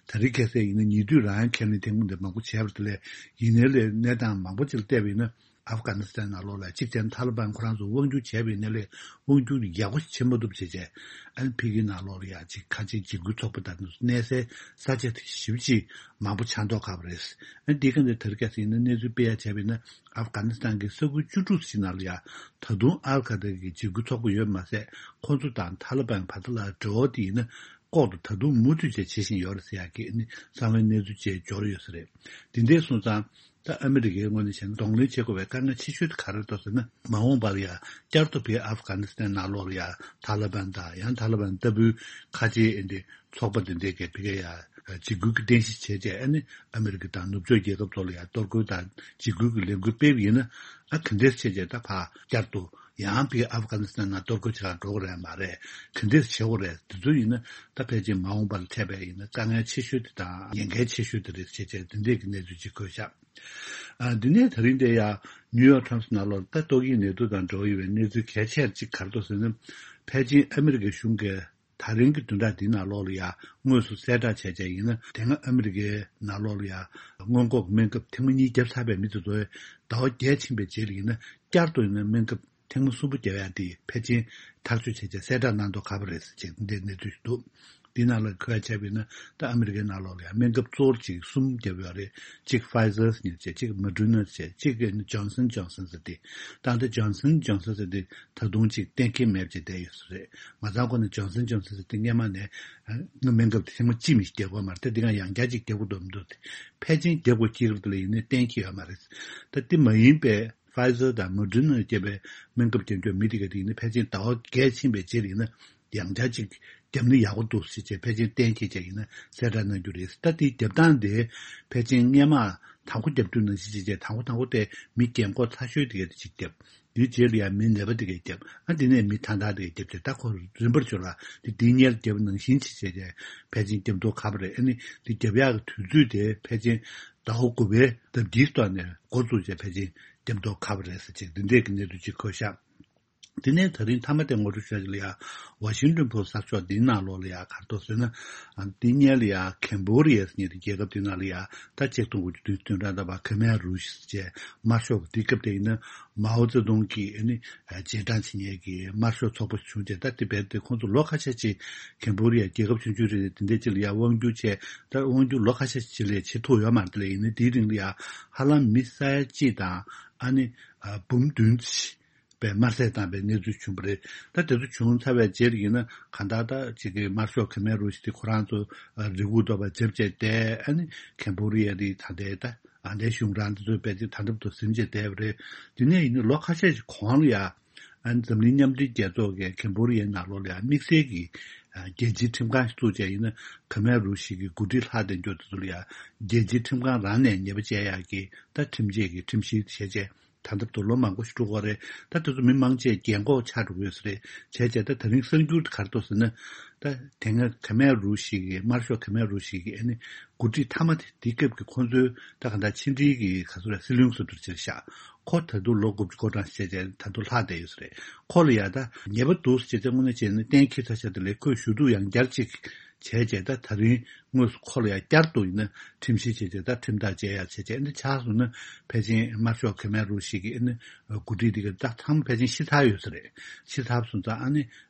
ད་རེས་ཁ་སང་ཡིན་ན་ཉེ་དུས་རང་ཡང་ཁས་ལེན་ཐེངས་མང་པོ་འདི་མང་པོ་བྱས་པ་དེ་ལས་ཡིན་ནའི་ལས་གནས་སྟངས་མང་པོ་ཅིག་ལ་བལྟས་པ་ཡིན་ན། ཨབ་གྷ་ནི་སི་ཐན་ནང་ལོགས་ལ་གཅིག་བྱས་ན་ཐ་ལི་བན་ཁོ་རང་ཚོ་དབང་སྒྱུར་བྱས་པ་ཡིན་ན་ལས་དབང་སྒྱུར་ཡག་པོ་ཞིག་བྱེད་མ་ཐུབ་བྱས་བྱས་ཨ་ནི་ཕ་གིའི་ནང་ལོགས་ལ་ཡང་གཅིག་ཁ་ཆེའི་འཇིགས་སྐུལ་ཚོགས་པ་དང་གནས་སའི་ས་ཆ་དེ་ཞེ་པོ་ཅིག་མང་པོ་ཆགས་མདོག་ཁ་པོ་རེད། ཨ་ནི་འདི་ག་འདི་ཐར་ཀ་སི་ཡིན་ན་གནས་ཚུལ་སྤེལ་ཡ་བྱས་པ་ཡིན་ན་ཨབ་གྷ་ནི་སི་ཐན་གྱི་ས་ཁུལ་བཅུ་དྲུག་ཞིག་ནང་ལ་ཡང་ད་དུང་ཨལ་ཁ་ད་གི་འཇིགས་སྐུལ་ཚོགས་པ་ཡོད་མ་ཟད་ཁོང་ཚོ་དང་ཐ་ལི་བན་བར་དུ་ལ་འབྲེལ་བ་དེ་ཡིན་ན། ལྐོག་ཏུ་ད་དུང་མུ་མཐུད་བཅས་བྱེད་བཞིན་ཡོད་རེད་ཟེར་ཡག་གི་ཨ་ནི་གསང་བའི་གནས་ཚུལ་བཅས་འབྱོར་ཡོད་ས་རེད། འདི་འདྲའི་སོང་ཙང་ད་ཨ་མི་རི་ཀའི་ངོས་ནས་བྱས་ན་གདོང་ལེན་བྱེད་དགོས་པའི་དཀའ་ངལ་ཆེ་ཤོས་དེ་ག་རེ་འདུག་ཟེར་ན། མ་འོངས་པ་ལ་ཡ་བསྐྱར་དུ་བའི་ཨབ་གྷ་ནི་སི་ཐན་ནང་ལོགས་ལ་ཡ་ཐ་ལི་བན་དང་ཡང་ཐ་ལི་བན་ལྟ་བུའི་ཁ་ཆེའི་ཨ་འདི་ཚོགས་པ་འདི་འདྲའི་གི་བི་ག་ཡ་འཇིགས་སྐུལ་གྱི་རྟེན་གཞི་བྱས་རྗེས་ཨ་ནི་ཨ་མི་རི་ཀ་དང་ནུབ་ཕྱོགས་རྒྱལ་ཁབ་ཚོ་ལ་ཡ་གཏོར་རྒོལ་དང་འཇིགས་སྐུལ་གྱི་ལས་འགུལ་སྤེལ་བ་ཡིན་ན། ཨ་ག་འདྲས་བྱས་རྗེས་ད་ཕར་བསྐྱར་དུ་ཡང་བི་ཨབ་གྷ་ནི་སི་ཐན་ནང་གཏོར་རྒོལ་བྱེད་གར་འགྲོ་གི་རེད་མ་རེད། ག་འདྲས་བྱེད་དགོས་རེད། དེ་ཚོ་ཡིན་ན་ད་ཕལ་ཆེར་མ་འོངས་པ་ལ་འཕྲད་པའི་ཡིན་ན་དཀའ་ངལ་ཆེ་ཤོས་དེ་དང་ཉེན་ཁའི་ཆེ་ཤོས་དེ་རེད་ཅེས་བྱས་འདི་འདྲས་ཀྱི་གནས་ཚུལ་ཅིག་འཁོད་བཞག་ཨ་འདི་ནས་ད་རིང་དེ་ཡང་ནིའུ་ཡོག་ཊའིམ་སི་ནང་ལོགས་ད་ཏོག་དབྱིབས་ནད་དུག་དང་འབྲེལ་བ་ཡོད་པའི་གནས་ཚུལ་གལ་ཆེར་ཅིག་ག་རེ་འདུག་ཟེར་ན། ཕལ་ཆེར་ཨ་མི་རི་ཀའི་གཞུང་གིས་ད་རིང་གི་བདུན་ཕྲག་འདིའི་ནང་ལོགས་ལ་ཡང་དངོས་སུ་གསལ་བསྒྲགས་བྱས་བྱས་ཡིན་ན། དེ་སྔ་ཨ་མི་རི་ཀའི་ནང་ལོགས་ལ་ཡང་སྔོན་འགོག་སྨན་ཁབ་ཐེངས་མ་གཉིས་བརྒྱབ་ཚར་བའི་མི་དེ་ཚོས་ཟླ་བ་བརྒྱད་ཕྱིན་པའི་རྗེས་ལ་ཡིན་ན་བསྐྱར་དུ་ཡིན་ན་སྨན་ཁབ་ཐེངས་མ་གསུམ་པོ་བརྒྱབ་ཡག་དེ་ཕལ་ཆེར་ཐག་གཅོད་བྱས་བྱས་གསལ་བསྒྲགས་གནང་མདོག་ཁ་པོ་རེད་ཟེར་བྱས་འདི་འདྲའི་གནས་ཚུལ་ཞིག་འདུག་འདི་ནང་ལ་ཁོ་ཡ་བྱས་པ་ཡིན་ན་ད་ཨ་མི་རི་ཀའི་ནང་ལོགས་ལ་ཡང་སྨན་ཁབ་གཙོ་བོ་གཅིག་གསུམ་བརྒྱབ་ཡོད་རེད། གཅིག་Pfizer་ཟེར་མཁན་བྱས། གཅིག་Moderna་བྱས། གཅིག་Johnson Johnson་ཟེར་དེ། ད་ལྟ་Johnson Johnson་ཟེར་དེ་ད་དུང་གཅིག་གཏན་འཁེལ་མེད་པ་ཅིག་བསྡད་ཡོད་ས་རེད། མ་ཚང་ཁོ་ན་Johnson Johnson་ཟེར་དེ་སྔོན་མ་ནས་ཨ་སྨན་ཁབ་དེ་ཐེངས་མ་གཅིག་མི་ཞིག་བརྒྱབ་དགོས་མ་རེད། ད་འདི་ག་ཡང་བསྐྱར་གཅིག་བརྒྱབ་དགོས་འདུག་དེ་ཕལ་ཆེར་བརྒྱབ་དགོས་ཀྱི་རེད་ལ་ཡིན་ནའི་གཏན་འཁེལ་ཡོད་མ་རེད། ད་དེ་མ་ཡིན་པའི་Pfizer་དང་Moderna་བརྒྱབ་པའི་སྨན་ཁབ་བརྒྱབ་མཁན་མི་དེ་ག་དེ་ཡིན་ན་ཕལ་ཆེར་ཟླ་བ་བརྒྱད་ཕྱིན་པའི་རྗེས་ལ་ཡིན་ན་ཡང་བསྐྱར་གཅིག་བརྒྱབ་ན་ཡག་པོ་འདུག་ཟེར་བྱས་ཕལ་ཆེར་གཏན་འཁེལ་བྱས་ཡིན་ན་གསལ་བསྒྲགས་གནང་རྒྱུ་རེད། ད་དེའི་བརྒྱབ་སྟངས་དེ་ཕལ་ཆེར་སྔོན་མ་དང་པོ་བརྒྱབ་དུས་ནང་བཞིན་བྱས་བྱས་དང་པོ་དང་པོ་དེ་མི་རྒན་འཁོགས་ཚ་ཤོས་དེ་ག་དེ་གཅིག་བརྒྱབ། དེའི་རྗེས་ལ་ཡང་མི་ནད་པ་དེ་གས་བརྒྱབ། ཨ་དེ་ནས་མི་ཐང་ཐང་དེ་གས་བརྒྱབ་བྱས་ད་ཁོ་རིམ་པར་བྱུང་ལ་དེ་དེའི་སྔོན་ལ་བརྒྱབ་ནང་བཞིན་བྱས་བྱས་བྱས་ཕལ་ཆེར་བརྒྱབ་མདོག་ཁ་པོ་རེད། ཨ་ནི་དེ་བརྒྱབ་ཡག་གི་དུས་ཚོད་དེ་ཕལ་ཆེར་ཟླ་བ་དགུ་པའི་ཟླ་འདིའི་ཐོག་ནས་འགོ་བཙུགས་བྱས་ཕལ་ཆེར་བརྒྱབ་མདོག་ཁ་པོ་རེད་ཟེར་ཅིག་འདི་འདྲས་ཀྱི་གནས་ཚུལ་ཅིག་འཁོད་ཤག་དེ་ནས་ད་རིང་མཐའ་མ་དེ་ངོ་སྤྲོད་ཞུ་ཡ་ལ་ཡ་ཝ་ཤིང་ཏོན་ཕོ་སི་ཊི་གསར་ཤོག་འདིའི་ནང་ལོགས་ལ་ཡ་ག་རེ་འདུག་ཟེར་ན། ཨ་འདི་སྔོན་ལ་ཡ་ཁེམ་བྷོ་ཌི་ཡ་ཟེར་མཁན་དེ་རྒྱལ་ཁབ་དེ་ནང་ལ་ཡ་ད་ཆིག་སྟོང་དགུ་བརྒྱ་བདུན་ཅུ་དོན་གྲངས་ད་བར་ཁེ་མེ་རུ་ཤི་ཟེར་བྱས་དམར་ཤོག་གི་དུས་སྐབས་དེ་ཡིན་ན་མའོ་ཙེ་ཏུང་གིས་ཨ་ནི་རྗེས་འབྲང་བྱེད་མཁན་གྱི་དམར་ཤོག་ཚོགས་པ་བྱུང་རྗེས་ད་དེ་བས་དེ་ཁོང་ཚོ་ལོ་ཁ་ཤས་ཅིག་ཁེམ་བྷོ་ཌི་ཡ་རྒྱལ་ཁབ་ཆུང་ཆུང་རེད་དེ་འདྲ་ཅིག་ལ་ཡ་དབང་སྒྱུར་བྱས། ད་དབང་སྒྱུར་ལོ་ཁ་ཤས་ཅིག་ལས་བྱེད་ཐུབ་ཡོད་མ་རེད། དེ་ལས་ཡིན་ན་དེའི་རིང་ལ་ཡ་ཧ་ལམ་མི་ས་ཡ་གཅིག་དང་ཨ་ནི་ཨ་འབུམ་བདུན་ཅིག་པའི་དམར་བསད་བཏང་པའི་གནས་ཚུལ་བྱུང་བ་རེད། ད་དེ་ཚོ་བྱུང་ཚར་བའི་རྗེས་ལ་ཡིན་ན་གང་ལྟར་ད་ཅིག་གི་དམར་ཤོག་ཁེ་མེ་རུ་ཤི་དེ་ཁོ་རང་ཚོ་རེ་སྒུག་འདོད་པ་འཇབ་བྱས་བསྡད། ཨ་ནི་ཁེམ་བྷོ་ཌི་ཡ་དེ་ད་ལྟའི་ད་ཨ་ནི་གཞུང་རང་དེ་ཚོའི་དཔེ་དེ་ད་འདབ་ཏུ་ཟིན་བྱས་བསྡད་པ་རེད། དེ་ནས་ཡིན་ན་ལོ་ཁ་ཤས་ཤིག་གོང་ལ་ཡ་ཨ་ནི་འཛམ་གླིང་མཉམ་འབྲེལ་རྒྱལ་ཚོགས་ཀྱི་ཁེམ་བྷོ་ཌི་ཡའི་ནང་ལོགས་ལ་ཡ་དམིགས་བསལ་གྱི་རྒྱལ་སྤྱིའི་ཁྲིམས་ཁང་ཞིག་བཙུགས་བྱས་ཡིན་ན་ཁེ་མེ་རུ་ཤི་གི་འགོ་ཁྲིད་ལྷག་བསྡད་མཁན་དེ་ཚོ་ལ་ཡ་རྒྱལ་སྤྱིའི་ཁྲིམས་ཁང་རང་ནས་ཉེས་པ་བཅད་ཡག་གི་ད་ཁྲིམས་ཆད་ཀྱི་ཁྲིམས་གཞི་བྱས་བྱས། ད་ལྟ་བར་དུ་ལོ་མང་པོ་ཞིག་འགྲོ་གི་རེད། ད་དེ་ཚོ་མི་མང་ཆེ་རྒན་འཁོགས་ཆགས་འགྲོ་གི་ཡོད་ས་རེད། བྱས་བྱས་ད་ད་རིང་གསར་འགྱུར་དེ་ག་རེ་འདུག་ཟེར་ན། ད་དེ་སྔ་ཁེ་མེ་རུ་ཤི་གི་དམར་ཤོག་ཁེ་མེ་རུ་ཤི་གི་ཨ་ནི་འགོ་ཁྲིད་མཐའ་མ་དེ་དེའི་སྐབས་ཀྱི་ཁོང་ཚོའི་ད་ག་ད་ཕྱི་འབྲེལ་གྱི་ག་ཚོད་རེད། སྲིད་བློན་ཟེར་འདུག་ཅེས་བཞག་ཁོ་ད་དུང་ལོ་དགུ་བཅུ་གོ་གྲངས་བྱས་བྱས་ད་དུང་ལྷག་བསྡད་ཡོད་ས་རེད། ཁོ་ལ་ཡ་ད་ཉེས་པ་འདུག་ཟེར་བྱས་ད་དངོས་གནས་བྱས་ན་གཏན་འཁེལ་ཚར་ཤག་དེ་ལས་ཁོས་ཞུ་གཏུག་ཡང་བསྐྱར་ཅིག་བྱས་བྱས་ད་ད་རིང་དངོས་སུ་ཁོ་ལ་ཡང་བསྐྱར་དུ་ཡིན་ན་ཁྲིམས་ཞིབ་བྱས་བྱས་ད་ཁྲིམས་ཐག་བཅད་ཡག་བྱས་བྱས་འདི་ཆགས་སོང་ན་ཕལ་ཆེར་དམར་ཤོག་ཁེ་མེ་རུ་ཤི་གི་ཨ་ནི་འགོ་ཁྲིད་འདི་ག་ད་ཚང་མ་ཕལ་ཆེར་ཤི་ཚར་ཡོད་ས་རེད། ཤི་ཚར་སོང་ཙང་ཨ་ནི་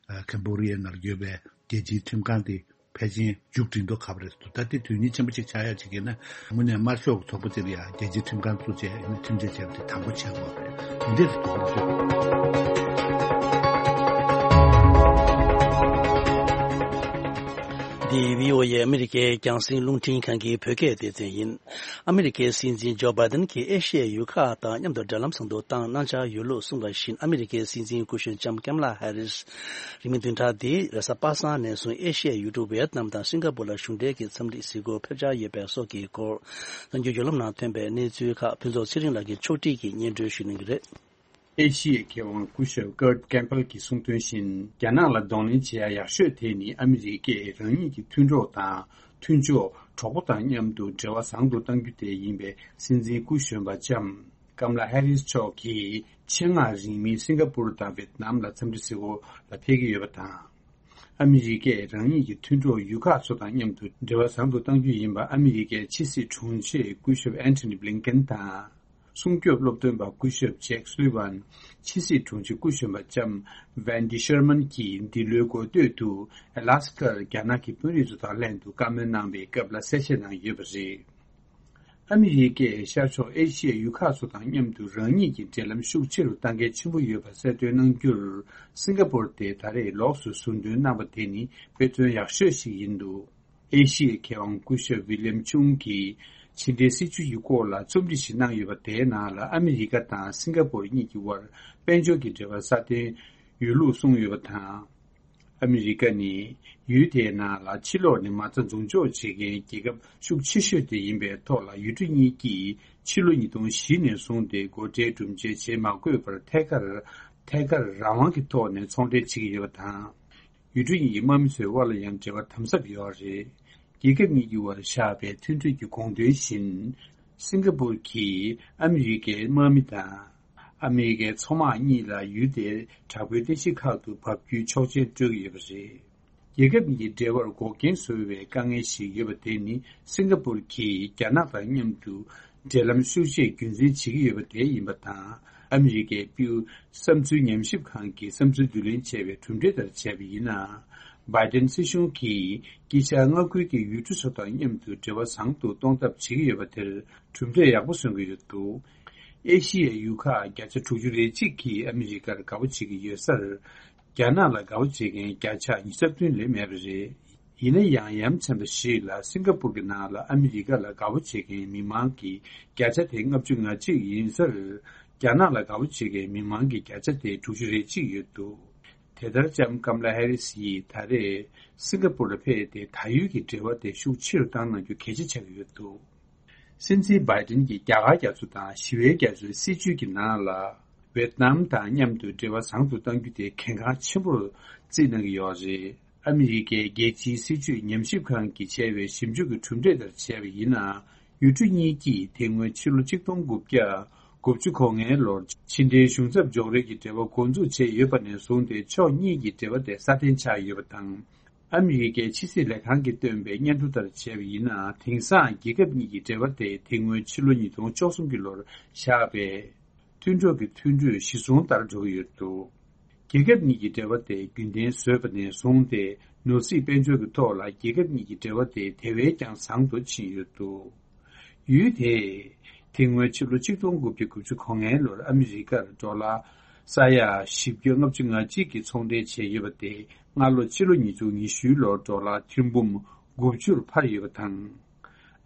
ཁེམ་བྷོ་ཌི་ཡའི་ནང་ལ་ཡོད་པའི་རྒྱལ་སྤྱིའི་ཁྲིམས་ཁང་དེ་ཕལ་ཆེར་མཇུག་སྒྲིལ་མདོག་ཁ་པོ་རེད་འདུག་ད་དེ་དོན་སྙིང་ཆེན་པོ་ཅིག་ཆགས་ཡག་ཅིག་ཡིན་ན་དངོས་གནས་དམར་ཤོག་གི་ཚོགས་པ་དེ་ལ་ཡང་རྒྱལ་སྤྱིའི་ཁྲིམས་ཁང་བཙུགས་བྱས་ཨ་ནི་ཁྲིམས་ཆད་བཅད་པ་དེ་དང་པོ་བྱེད་དགོས་རེད། དེ་འདྲས་སུ་གཏོང་རྒྱུ། འདི་བྷི་ཨོ་ཨེ་ཨ་མི་རི་ཀའི་རྒྱང་སྲིང་རླུང་འཕྲིན་ཁང་གི་བོད་སྐད་སྡེ་ཚན་ཡིན། ཨ་མི་རི་ཀའི་སྲིད་འཛིན་ཇོ་བྷའི་ཏན་གྱིས་ཨེ་ཤི་ཡའི་ཡུལ་ཁག་དང་མཉམ་དུ་འབྲེལ་ལམ་བཟང་དུ་བཏང་གནང་འཆར་ཡོད་ལུགས་གསུངས་པ་བཞིན། ཨ་མི་རི་ཀའི་སྲིད་འཛིན་སྐུ་གཞོན་ལྕམ་ཀམ་ལ་ཧེ་རིས་རིང་མིན་བདུན་ཕྲག་འདིའི་རེས་གཟའ་པ་སངས་ནས་བཟུང་ཨེ་ཤི་ཡའི་ཡུལ་གྲུ་ཝེ་ཏི་ནམ་དང་སིང་ག་པུར་ལ་གཞུང་འབྲེལ་གྱི་འཚམས་འདྲི་གཟིགས་སྐོར་ཕེབས་འཆར་ཡོད་པའི་སོགས་ཀྱི་སྐོར། གནང་རྒྱུ་བརྒྱུད་ལམ་ནང་ཐོན་པའི་གནས་ཚུལ་ཁག་ཕུན་ཚོགས་ཚེ་རིང་ལགས་ཀྱིས་ཕྱོགས་སྒྲིག་གིས་སྙན་སྒྲོན་ཞུ་གནང་གི་རེད། ཨེ་ཤི་ཡའི་མཁས་དབང་སྐུ་ཞབས་ཀར་ཀེམ་པལ་གྱིས་གསུངས་དོན་བཞིན། རྒྱ་ནག་ལ་གདོང་ལེན་བྱེད་ཡ་ཡག་ཤོས་དེ་ནི་ཨ་མི་རི་ཀས་རང་ཉིད་ཀྱི་མཐུན་གྲོགས་དང་མཐུན་ཕྱོགས་གྲོགས་པོ་དང་མཉམ་དུ་འབྲེལ་བ་བཟང་དུ་གཏང་རྒྱུ་དེ་ཡིན་པའི་སྲིད་འཛིན་སྐུ་གཞོན་པ་ལྕམ་ཀམ་ལ་ཧེ་རིས་མཆོག་གིས་ཆེད་མངགས་རིང་མིན་སིང་ག་པུར་དང་ཝེ་ཏི་ནམ་ལ་འཚམས་འདྲི་གཟིགས་སྐོར་ལ་ཕེབས་ཀྱི་ཡོད་པ་དང་། ཨ་མི་རི་ཀས་རང་ཉིད་ཀྱི་མཐུན་གྲོགས་ཡུལ་ཁག་ཚོ་དང་མཉམ་དུ་འབྲེལ་བ་བཟང་དུ་གཏང་རྒྱུ་ཡིན་པ་ཨ་མི་རི་ཀའི་ཕྱི་སྲིད་དྲུང་ཆེ་སྐུ་ཞབས་ཨན་ཐོ་ནི་བྷི་ལིན་ཀེན་དང་། སྲུང་སྐྱོབ་སློབ་སྟོན་པ་སྐུ་ཞབས་ཇེག་སུ་ལི་ཝན། ཕྱི་སྲིད་དྲུང་ཆེ་སྐུ་གཞོན་པ་ལྕམ་ཝན་ཌི་ཤར་མན་གྱིས་འདི་ལོའི་འགོ་སྟོད་དུ་ཨ་ལ་སི་ཀར་རྒྱ་ནག་གི་དཔོན་རིགས་ཚོ་དང་ལྷན་དུ་བཀའ་མོལ་གནང་བའི་སྐབས་ལ་གསལ་བཤད་གནང་ཡོད་པ་རེད། ཨ་མི་རི་ཀས་ཤར་ཕྱོགས་ཨེ་ཤི་ཡའི་ཡུལ་ཁག་ཚོ་དང་མཉམ་དུ་རང་ཉིད་ཀྱི་འབྲེལ་ལམ་ཤུགས་ཆེ་རུ་གཏང་གལ་ཆེན་པོ་ཡོད་པ་གསལ་སྟོན་གནང་རྒྱུར། སིང་ག་པོར་དེ་ད་རེས་ལོགས་སུ་ཟུར་འདོན་གནང་བ་དེ་ནི་དཔེ་མཚོན་ཡག་ཤོས་ཤིག་ཡིན་འདུག་ཨེ་ཤི་ཡའི་མཁས་དབང་སྐུ་ཞབས་ཝི་ལི་ཡམ་ཆུང་གིས་ཕྱི་འབྲེལ་སྲིད་ཇུས་ཀྱི་སྐོར་ལ་རྩོམ་སྒྲིག་ཞིག་གནང་ཡོད་པ། དེའི་ནང་ལ་ཨ་མི་རི་ཀ་དང་སིང་ག་པོར་གཉིས་ཀྱི་དབར་དཔལ་འབྱོར་གྱི་འབྲེལ་བ་སྲ་བརྟན་ཡོད་ལུགས་གསུངས་ཡོད་པ་དང་། ཨ་མི་རི་ཀ་ནི་ཡུལ་དེའི་ནང་ལ་ཕྱི་ལོགས་ནས་མ་རྩ་འཛུགས་འཇོག་བྱེད་མཁན་རྒྱལ་ཁབ་ཤུགས་ཆེ་ཤོས་དེ་ཡིན་པའི་ཐོག་ལ། ཡུལ་གྲུ་གཉིས་ཀྱིས་ཕྱི་ལོ་ཉིས་སྟོང་བཞི་ནས་བཟུང་སྟེ་སྒོ་ཁྲལ་སྒྲུབ་འཇལ་བྱེད་མ་དགོས་པར་ཐད་ཀར་ཐད་ཀར་རང་དབང་གི་ཐོག་ནས་ཚོང་འབྲེལ་བྱེད་ཀྱི་ཡོད་པ་དང་། ཡུལ་གྲུ་གཉིས་ཀྱི་དམག་མི་ཚོའི་དབར་ལ་ཡང་འབྲེལ་བ་དམ་ཟབ་ཡོད་རེད། རྒྱལ་ཁབ་གཉིས་ཀྱི་དབར་བཞག་པའི་མཐུན་གྲོས་ཀྱི་དགོངས་དོན་བཞིན། སིང་ག་པུར་གྱིས་ཨ་མི་རི་ཀའི་དམག་མི་དང་། ཨ་མི་རི་ཀའི་མཚོ་དམག་གཉིས་ལ་ཡུལ་དེའི་དྲག་པོའི་རྟེན་གཞི་ཁག་ཏུ་འབབ་རྒྱུའི་ཆོག་མཆན་སྤྲོད་ཀྱི་ཡོད་པ་རེད། རྒྱལ་ཁབ་གཉིས་ཀྱི་འབྲེལ་བར་འགོག་རྐྱེན་བཟོ་བའི་དཀའ་ངལ་ཞིག་ཡོད་པ་དེ་ནི། སིང་ག་པུར་གྱིས་རྒྱ་ནག་དང་མཉམ་དུ་འབྲེལ་ལམ་ཤུགས་ཆེ་རྒྱུན་འཛིན་བྱེད་ཀྱི་ཡོད་པ་དེ་ཡིན་པ་དང་། ཨ་མི་རི་ཀའི་པིའུ་བསམ་ཚུལ་ཉམས་ཞིབ་ཁང་གི་བསམ་ཚུལ་བསྡུ་ལེན་བྱས་པའི་གྲུབ་འབྲས་ལྟར་བྱས་པ་ཡིན་ན། བྷའི་ཏན་སྲིད་གཞུང་གིས་དཀྱིལ་ཤར་མངའ་ཁུལ་གྱི་ཡུལ་གྲུ་ཚོ་དང་མཉམ་དུ་འབྲེལ་བ་བཟང་དུ་གཏོང་ཐབས་བྱེད་ཀྱི་ཡོད་པ་དེར་གྲུབ་འབྲས་ཡག་པོ་སོན་གྱི་ཡོད་འདུག་ཨེ་ཤི་ཡའི་ཡུལ་ཁག་བརྒྱ་ཆ་དྲུག་ཅུ་རེ་གཅིག་གིས་ཨ་མི་རི་ཀར་དགའ་པོ་བྱེད་ཀྱི་ཡོད་སར། རྒྱ་ནག་ལ་དགའ་པོ་བྱེད་མཁན་བརྒྱ་ཆ་ཉི་ཤུ་རྩ་བདུན་ལས་མེད་པ་རེད། ཡིན་ན་ཡང་། ཡ་མཚན་པ་ཞིག་ལ། སིང་ག་པུར་གྱི་ནང་ལ་ཨ་མི་རི་ཀ་ལ་དགའ་པོ་བྱེད་མཁན་མི་མང་གི་བརྒྱ་ཆ་དེ་ལྔ་བཅུ་ང་གཅིག་ཡིན་སར། རྒྱ་ནག་ལ་དགའ་པོ་བྱེད་མཁན་མི་མང་གི་བརྒྱ་ཆ་དེ་དྲུག་ཅུ་རེ་གཅིག་ཡོད་འདུག་དེ་ལྟར་ལྕམ་ཀམ་ལ་ཧེ་རིས་ཡིས་ད་རེས་སིང་ག་པུར་ལ་ཕེབས་ཏེ། ད་ཡུལ་གྱི་འབྲེལ་བ་དེ་ཤུགས་ཆེ་རུ་བཏང་གནང་རྒྱུ་གལ་ཆེ་ཆགས་ཀྱི་ཡོད་འདུག་སྲིད་འཛིན་བྷའི་ཏིན་གྱིས་རྒྱ་གར་རྒྱ་མཚོ་དང་ཞི་བའི་རྒྱ་མཚོའི་སྲིད་ཇུས་ཀྱི་ནང་ལ། ཝེད་ནམ་དང་མཉམ་དུ་འབྲེལ་བ་བཟང་དུ་གཏང་རྒྱུ་དེ་གལ་འགངས་ཆེན་པོར་བརྩིས་གནང་གི་ཡོད་རེད། ཨ་མི་རི་ཀའི་རྒྱལ་སྤྱིའི་སྲིད་ཇུས་ཉམས་ཞིབ་ཁང་གིས་བྱས་པའི་ཞིབ་འཇུག་གི་གྲུབ་འབྲས་ལྟར་བྱས་པ་ཡིན་ན། ཡུལ་གྲུ་གཉིས་ཀྱིས་དེ་སྔོན་ཕྱི་ལོ་ཆིག་སྟོང་དགུ་བརྒྱ་དགུ་བཅུ་གོ་ལྔའི་ལོར་ཕྱི་འབྲེལ་གཞུང་ཚབ་འཇོག་རེས་ཀྱི་འབྲེལ་བ་འགོ་འཛུགས་བྱས་ཡོད་པ་ནས་བཟུང་སྟེ། ཕྱོགས་གཉིས་ཀྱི་འབྲེལ་བ་དེ་སྲ་བརྟན་ཆགས་ཡོད་པ་དང་། ཨ་མི་རི་ཀའི་ཕྱི་སྲིད་ལས་ཁང་གིས་བཏོན་པའི་སྙན་ཐོ་ལྟར་བྱས་པ་ཡིན་ན། དེང་སང་རྒྱལ་ཁབ་གཉིས་ཀྱི་འབྲེལ་བ་དེ་དེ་སྔོན་ཕྱི་ལོ་ཉིས་སྟོང་བཅུ་གསུམ་གྱི་ལོར་བཞག་པའི་མཐུན་གྲོགས་ཀྱི་མཐུན་གྲོས་གཞི་བཟུང་ལྟར་འགྲོ་གི་ཡོད་འདུག་རྒྱལ་ཁབ་གཉིས་ཀྱི་འབྲེལ་བ་དེ་རྒྱུན་ལྡན་བཟོས་པ་ནས་བཟུང་སྟེ། ནོར་སྲིད་དཔལ་འབྱོར་གྱི་ཐོག་ལ་རྒྱལ་ཁབ་གཉིས་ཀྱི་འབྲེལ་བ་དེ་དེ་བས་ཀྱང་བཟང་དུ་ཕྱིན་ཡོད་འདུག་ཡུལ་དེས་དེ་སྔོན་ཕྱི་ལོ་ཆིག་སྟོང་དགུ་བརྒྱ་དགུ་བཅུ་གོ་ལྔའི་ལོར་ཨ་མི་རི་ཀར་ཌོ་ལར་ས་ཡ་བཞི་བརྒྱ་ལྔ་བཅུ་ང་གཅིག་གི་ཚོང་འབྲེལ་བྱས་ཡོད་པ་དེ། སྔ་ལོ་ཕྱི་ལོ་ཉིས་སྟོང་ཉི་ཤུའི་ལོར་ཌོ་ལར་ཐེར་འབུམ་དགུ་བཅུར་འཕར་ཡོད་པ་དང་།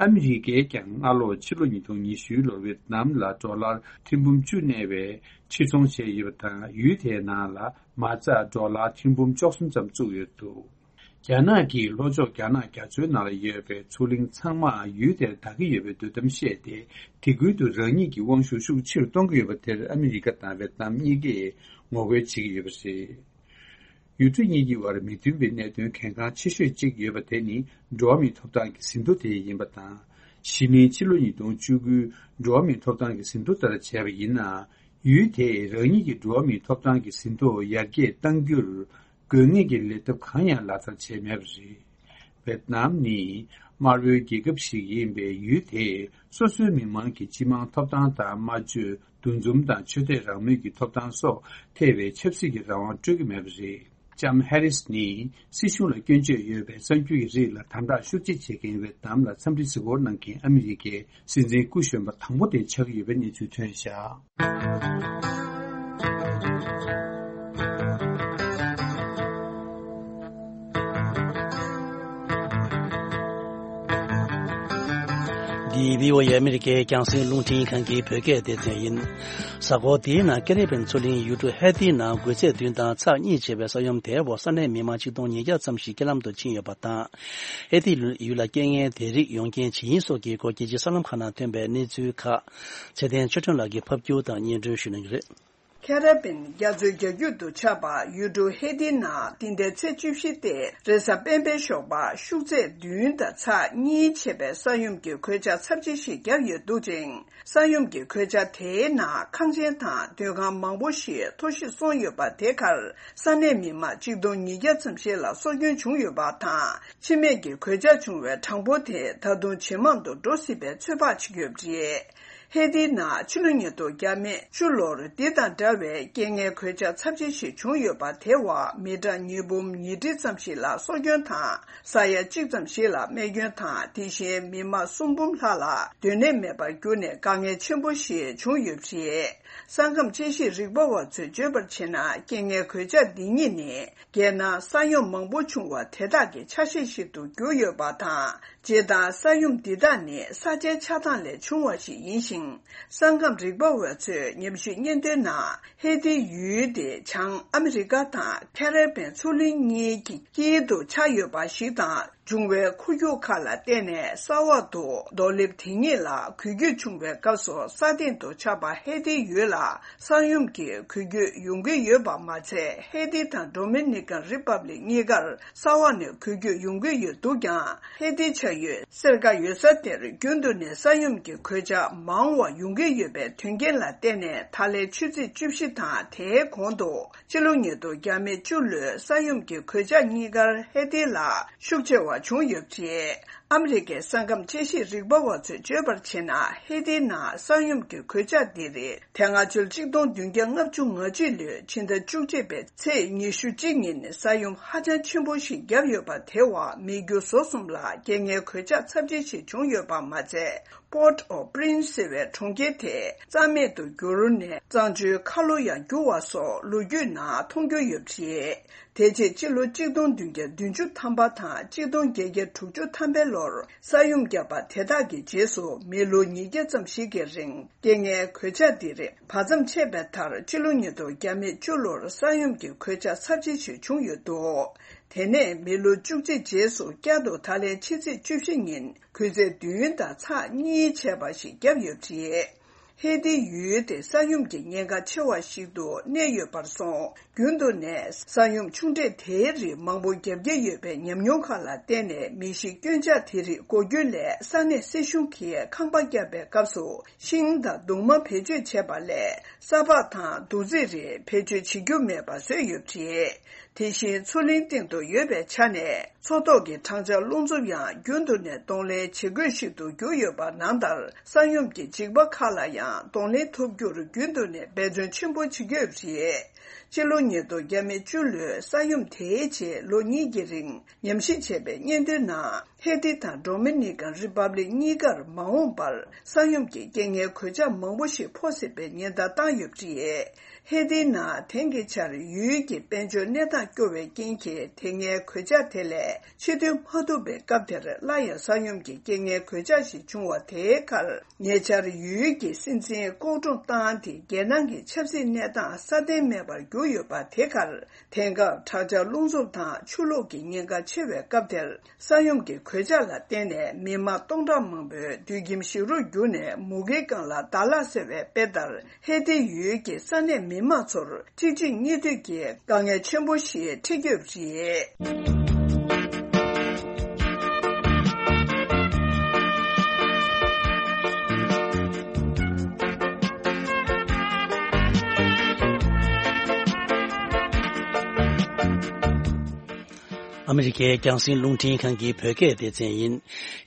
ཨ་མི་རི་ཀས་ཀྱང་སྔ་ལོ་ཕྱི་ལོ་ཉིས་སྟོང་ཉི་ཤུའི་ལོར་ཝེད་ནམ་ལ་ཌོ་ལར་ཐེར་འབུམ་བཅུ་གནས་པའི་ཕྱིར་ཚོང་བྱས་ཡོད་པ་དང་། ཡུལ་དེའི་ནང་ལ་མ་རྩ་ཌོ་ལར་ཐེར་འབུམ་བཅུ་གསུམ་ཙམ་བཙུགས་ཡོད་འདུག་རྒྱ་ནག་གིས་ལྷོ་ཕྱོགས་རྒྱ་ནག་རྒྱ་མཚོའི་ནང་ལ་ཡོད་པའི་མཚོ་གླིང་ཚང་མ་ཡུལ་དེར་བདག་གི་ཡོད་པའི་འདོད་གཏམ་བཤད་དེ། དེ་ཁུལ་དུ་རང་ཉིད་ཀྱི་དབང་ཤུགས་ཤུགས་ཆེ་རུ་གཏོང་གི་ཡོད་པ་དེར་ཨ་མི་རི་ཀ་དང་ཝེད་ནམ་གཉིས་ཀས་ངོ་རྒོལ་བྱེད་ཀྱི་ཡོད་པ་རེད། ཡུལ་གྲུ་གཉིས་ཀྱི་དབར་མི་མཐུན་པའི་གནད་དོན་གལ་འགངས་ཆེ་ཤོས་གཅིག་ཡོད་པ་དེ་ནི་འགྲོ་བ་མིའི་ཐོབ་ཐང་གི་ཟིན་ཐོ་དེ་ཡིན་པ་དང་། གཞེས་ནིང་ཕྱི་ལོ་ཉིས་སྟོང་བཅུ་དགུའི་འགྲོ་བ་མིའི་ཐོབ་ཐང་གི་ཟིན་ཐོ་ལྟར་བྱས་པ་ཡིན་ན། ཡུལ་དེས་རང་ཉིད་ཀྱི་འགྲོ་བ་མིའི་ཐོབ་ཐང་གི་ཟིན་ཐོ་ཡར་རྒྱས་གཏང་རྒྱུར་དགོས་ངེས་ཀྱི་ལས་ཐབས་གང་ཡང་ལག་བསྟར་བྱས་མེད་པ་རེད། ཝེད་ནམ་ནི་དམར་པོའི་རྒྱལ་ཁབ་ཞིག་ཡིན་པས། ཡུལ་དེས་སོ་སོའི་མི་མང་གི་སྤྱི་དམངས་ཐོབ་ཐང་དང་། སྨྲ་བརྗོད། འདུ་འཛོམས་དང་ཆོས་དད་རང་མོས་ཀྱི་ཐོབ་ཐང་སོགས་ཐེ་བའི་ཆབ་སྲིད་ཀྱི་རང་དབང་སྤྲོད་ཀྱི་མེད་པ་རེད། ལྕམ་ཧེ་རིས་ནི་སྲིད་གཞུང་ལ་སྐྱོན་བརྗོད་ཡོད་པའི་གསར་འགྱུར་གྱི་རིགས་ལ་དམ་དྲག་ཤུགས་ཆེ་བྱེད་མཁན་ཝེད་ནམ་ལ་འཚམས་འདྲི་གཟིགས་སྐོར་གནང་མཁན་ཨ་མི་རི་ཀའི་སྲིད་འཛིན་སྐུ་གཞོན་པ་དང་པོ་དེ་ཆགས་ཀྱི་ཡོད་པའི་གནས་ཚུལ་ཐོན་བཞག་འདི་བྷི་ཨོ་ཨེ་ཨ་མི་རི་ཀའི་རྒྱང་སྲིང་རླུང་འཕྲིན་ཁང་གི་བོད་སྐད་སྡེ་ཚན་ཡིན། གཟའ་འཁོར་འདིའི་ནང་ཀེ་རི་བྷན་མཚོ་གླིང་ཡུལ་གྲུ་ཧེ་ཏི་ནང་དགོས་ཚད་བདུན་དང་ཚེག་གཉིས་བྱས་པའི་ས་ཡོམ་དེའི་འོག་ས་གནས་མི་མང་ཆིག་སྟོང་ཉིས་བརྒྱ་ཙམ་ཞིག་རྐྱེན་ལམ་དུ་ཕྱིན་ཡོད་པ་དང་། ཧེ་ཏི་ཡུལ་ལ་རྐྱེན་ངན་དེ་རིགས་ཡོང་རྐྱེན་ཇི་ཡིན་སོགས་ཀྱི་སྐོར་རྒྱལ་སྤྱིའི་གསར་ལམ་ཁག་ནང་ཐོན་པའི་གནས་ཚུལ་ཁག་ཚེ་བརྟན་ཆོས་སྒྲོན་ལགས་ཀྱིས་ཕབ་སྒྱུར་དང་སྙན་སྒྲོན་ཞུ་གནང་གི་རེད། ཁེ་ར་བིན་རྒྱ་མཚོའི་རྒྱ་རྒྱུད་དུ་ཆགས་པ་ཡུལ་གྲུ་ཧེ་ཏི་ནང་འདི་ཟླའི་ཚེས་བཅུ་བཞི་སྟེ་རེས་གཟའ་སྤེན་པའི་ཞོགས་པ་ཤུགས་ཚད་བདུན་དང་ཚེག་གཉིས་བྱས་པའི་ས་ཡོམ་གྱི་གོད་ཆག་ཚབས་ཆེ་ཞིག་བརྒྱབ་ཡོད་འདུག་ཅིང་། ས་ཡོམ་གྱི་གོད་ཆག་དེའི་ནང་ཁང་ཆེན་དང་སྡོད་ཁང་མང་པོ་ཞིག་འཐོར་ཞིག་སོང་ཡོད་པ། དེ་གར་ས་གནས་མི་མང་ཆིག་སྟོང་ཉིས་བརྒྱ་ཙམ་ཞིག་ལ་སྲོག་སྐྱོན་བྱུང་ཡོད་པ་དང་། འཆི་རྨས་ཀྱི་གོད་ཆག་བྱུང་བའི་གྲངས་འབོར་དེ་ད་དུང་ཇེ་མང་དུ་འགྲོ་སྲིད་པའི་ཚོད་དཔག་བྱེད་ཀྱི་ཡོད་པ་རེད། ཧེ་ཏིའི་ནང་ཕྱི་ལོ་ཉིས་སྟོང་བརྒྱ་མེད་བཅུ་ལོར་འདི་དང་འདྲ་བའི་རྐྱེན་ངན་གོད་ཆག་ཚབས་ཆེ་ཞིག་བྱུང་ཡོད་པ། དེ་བ་མི་གྲངས་ཉིས་འབུམ་ཉིས་ཁྲི་ཙམ་ཞིག་ལ་སྲོག་སྐྱོན་དང་ས་ཡ་གཅིག་ཙམ་ཞིག་ལ་རྨས་སྐྱོན་དང་། དེ་བཞིན་མི་མང་གསུམ་འབུམ་ལྷག་ལ་སྡོད་གནས་མེད་པར་གྱུར་ནས་དཀའ་ངལ་ཆེན་པོ་ཞིག་བྱུང་ཡོད་པ་རེད། ས་ཁམས་དཔྱད་ཞིབ་རིག་པ་བ་ཚོས་བརྗོད་པར་བྱས་ན། རྐྱེན་ངན་གོད་ཆག་འདི་གཉིས་ནི་རྒྱལ་ནང་ས་ཡོམ་མང་པོ་བྱུང་བ་དེ་དག་གི་ཆ་ཤས་ཤིག་ཏུ་གྱུར་ཡོད་པ་དང་། སྤྱིར་བཏང་ས་ཡོམ་འདི་དག་ནི་ས་ཆའི་ཆགས་སྟངས་ལས་བྱུང་བ་ཞིག་ཡིན་ཞིང་། ས་ཁམས་རིག་པ་བ་ཚོས་ཉམས་ཞིབ་སྙན་ཐོའི་ནང་། ཧེ་ཏིའི་ཡུལ་དེ་བྱང་ཨ་མི་རི་ཀ་དང་ཁ་རེ་བན་མཚོ་གླིང་གཉིས་ཀྱི་དཀྱིལ་དུ་ཆགས་ཡོད་པ་ཞིག་དང་། འབྱུང་བའི་འཁོར་རྒྱུག་ཁག་ལ་བརྟེན་ནས་ས་འོག་ཏུ་རྡོ་ལེབ་དེ་ཉིད་ལ་འགུལ་སྐྱོད་བྱུང་བའི་སྐབས་སུ། ས་སྟེང་དུ་ཆགས་པ་ཧེ་ཏིའི་ཡུལ་ལ་ས་ཡོམ་གྱི་འགུལ་སྐྱོད་ཡོང་གི་ཡོད་པ་མ་ཚད། ཧེ་ཏི་དང་ཌོ་མི་ནི་ཀན་རི་པབ་ལིག་གཉིས་ཀར་ས་འོག་ནས་འགུལ་སྐྱོད་ཡོང་གི་ཡོད་འདུག་ཀྱང་། ཧེ་ཏི་ཆགས་ཡུལ་སེར་ཀ་ཡོད་ས་དེར་རྒྱུན་དུ་ནས་ས་ཡོམ་གྱི་གོད་ཆག་མང་བ་ཡོང་གི་ཡོད་པའི་དོན་རྐྱེན་ལ་བརྟེན་ནས། ད་ལན་ཆུ་ཚོད་བཅུ་བཞི་དང་དེའི་གོང་དུ་སྤྱི་ལོ་ཉིས་སྟོང་བརྒྱ་མེད་བཅུ་ལོའི་ས་ཡོམ་གྱི་གོད་ཆག་གཉིས་ཀར་ཧེ་ཏི་ལ་ཤུགས་ཆེ་བ་བྱུང་ཡོད་པ་རེད། ཨ་མི་རི་ཀའི་ས་ཁམས་དཔྱད་ཞིབ་རིག་པ་བ་ཚོས་བརྗོད་པར་བྱས་ན། ཧེ་ཏིའི་ནང་ས་ཡོམ་གྱི་གོད་ཆག་འདི་རིགས་དེ་སྔ་ཕྱི་ལོ་གཅིག་སྟོང་བདུན་བརྒྱ་ལྔ་བཅུ་ང་གཅིག་ལོའི་ཕྱི་ཟླ་བཅུ་གཅིག་པའི་ཚེས་ཉི་ཤུ་གཅིག་ཉིན་ས་ཡོམ་ཧ་ཅང་ཆེན་པོ་ཞིག་བརྒྱབ་ཡོད་པ། དེ་བ་མི་རྒྱུ་ཟོག་གསུམ་ལ་རྐྱེན་ངན་གོད་ཆག་ཚབས་ཆེ་ཞིག་བྱུང་ཡོད་པ་མ་ཚད། Port-au-Prince ཟེར་བའི་གྲོང་ཁྱེར་དེ་རྩ་མེད་དུ་གྱུར་ནས། གཙང་ཆུའི་ཁ་ལོ་ཡང་རྒྱུ་བ་སོགས་ལོ་རྒྱུས་ནང་མཐོང་རྒྱུ་ཡོད་པ་རེད། དེ་རྗེས་ཕྱི་ལོ་གཅིག་སྟོང་བདུན་བརྒྱ་བདུན་ཅུ་ཐམ་པ་དང་གཅིག་སྟོང་བརྒྱད་བརྒྱ་དྲུག་ཅུ་ཐམ་པའི་ལོར་ས་ཡོམ་བརྒྱབ་པ། དེ་དག་གི་རྗེས་སུ་མི་ལོ་ཉིས་བརྒྱ་ཙམ་ཞིག་གི་རིང་རྐྱེན་ངན་གོད་ཆག་འདི་རིགས་བར་མཚམས་ཆད་པའི་མཐར། ཕྱི་ལོ་ཉིས་སྟོང་བརྒྱ་མེད་བཅུ་ལོར་ས་ཡོམ་གྱི་གོད་ཆག་ཚབས་ཆེ་ཞིག་བྱུང་ཡོད་འདུག་དེ་ནས་མི་ལོ་བཅུ་གཅིག་རྗེས་སུ་བསྐྱར་དུ་ད་ལན་ཕྱི་ཚེས་བཅུ་བཞི་ཉིན་གུང་ཚིགས་བདུན་དང་ཚེག་གཉིས་བྱས་པ་ཞིག་བརྒྱབ་ཡོད་པ་རེད། ཧེ་ཏི་ཡུལ་དེ་ས་ཡོམ་གྱི་ཉེན་ཁ་ཆེ་བ་ཞིག་ཏུ་གནས་ཡོད་པར་སོང་། རྒྱུན་དུ་ནས་ས་ཡོམ་ཆུང་གྲས་དེའི་རིགས་མང་པོ་བརྒྱབ་ཀྱི་ཡོད་པའི་ཉམས་མྱོང་ཁག་ལ་བརྟེན་ནས། མི་ཤི་སྐྱོན་ཆག་དེ་རིགས་འགོག་རྒྱུ་སླད་ས་གནས་སྲིད་གཞུང་གིས་ཁང་པ་བརྒྱབ་པའི་སྐབས་སུ་ཤིང་དང་གདུང་མ་བེད་སྤྱོད་བྱས་པ་ལས། ས་ཕག་དང་རྡོ་རྫིས་རིགས་བེད་སྤྱོད་བྱེད་རྒྱུ་མེད་པ་བཟོས་ཡོད་པ་རེད། དེ་བཞིན་མཚོ་གླིང་སྟེང་དུ་ཡོད་པའི་ཆ་ནས། མཚོ་ཐོག་གི་གྲང་ཆར་རླུང་འཚུབ་ཡང་རྒྱུན་དུ་ནས་གདོང་ལེན་བྱེད་དགོས་ཤིག་ཏུ་གྱུར་ཡོད་པ། ནང་ལྟར་ས་ཡོམ་གྱི་འཇིགས་པ་ཁག་ལ་ཡང་གདོང་ལེན་ཐུབ་རྒྱུར་རྒྱུན་དུ་ནས་འབད་བརྩོན་ཆེན་པོ་བྱེད་ཀྱི་ཡོད་པ་རེད། སྤྱི་ལོ་ཉིས་སྟོང་བརྒྱ་མེད་བཅུ་ལོའི་ས་ཡོམ་དེའི་རྗེས་ལོ་གཉིས་ཀྱི་རིང་ཉམས་ཞིབ་བྱས་པའི་སྙན་ཐོའི་ནང་། ཧེ་ཏི་དང་ཌོ་མི་ནི་ཀན་རི་པབ་ལིག་གཉིས་ཀར་མ་འོངས་པར་ས་ཡོམ་གྱི་རྐྱེན་ངན་གོད་ཆག་མང་པོ་ཞིག་ཕོག་སྲིད་པའི་ཉེན་བརྡ་བཏང་ཡོད་པ་རེད། ཧེ་ཏིའི་ནང་དེང་གི་ཆར་ཡུལ་གྱི་དཔལ་འབྱོར་གནས་སྟངས་སྐྱོ་བའི་རྐྱེན་གྱིས། དེ་སྔའི་གོད་ཆག་དེ་ལས་ཕྱིར་ཐོན་མ་ཐུབ་པའི་སྐབས་དེར། སླར་ཡང་ས་ཡོམ་གྱི་རྐྱེན་ངན་གོད་ཆག་ཞིག་བྱུང་བ་དེའི་ཁར། ཉེ་ཆར་ཡུལ་གྱི་སྲིད་འཛིན་ལྐོག་བྲོ་བཏང་སྟེ། རྒྱལ་ནང་གི་ཆབ་སྲིད་གནས་སྟངས་སྲ་བརྟན་མེད་པར་གྱུར་ཡོད་པ་དེ་ཁར། དེང་སྐབས་དྲག་ཆར་རླུང་འཚུབ་དང་ཆུ་ལོག་གི་ཉེན་ཁ་ཆེ་བའི་སྐབས་དེར། ས་ཡོམ་གྱི་གོད་ཆག་ལ་བརྟེན་ནས་མི་མང་སྟོང་ཕྲག་མང་པོས་དུད་ཁྱིམ་ཞིག་རོ་བརྒྱུགས་ནས་མུ་གེའི་སྒང་ལ་བདག་བརླག་ཟེར་བའི་དཔེ་ལྟར། ཧེ་ཏི་ཡུལ་གྱི་ས་གནས་མི་མང་ཚོར་གཅིག་རྗེས་གཉིས་མཐུད་ཀྱིས་དཀའ་ངལ་ཆེན་པོ་ཞིག་འཕྲད་ཀྱི་ཡོད་པ་རེད། ཨ་མི་རི་ཀའི་རྒྱང་སྲིང་རླུང་འཕྲིན་ཁང་གི་བོད་སྐད་སྡེ་ཚན་ཡིན།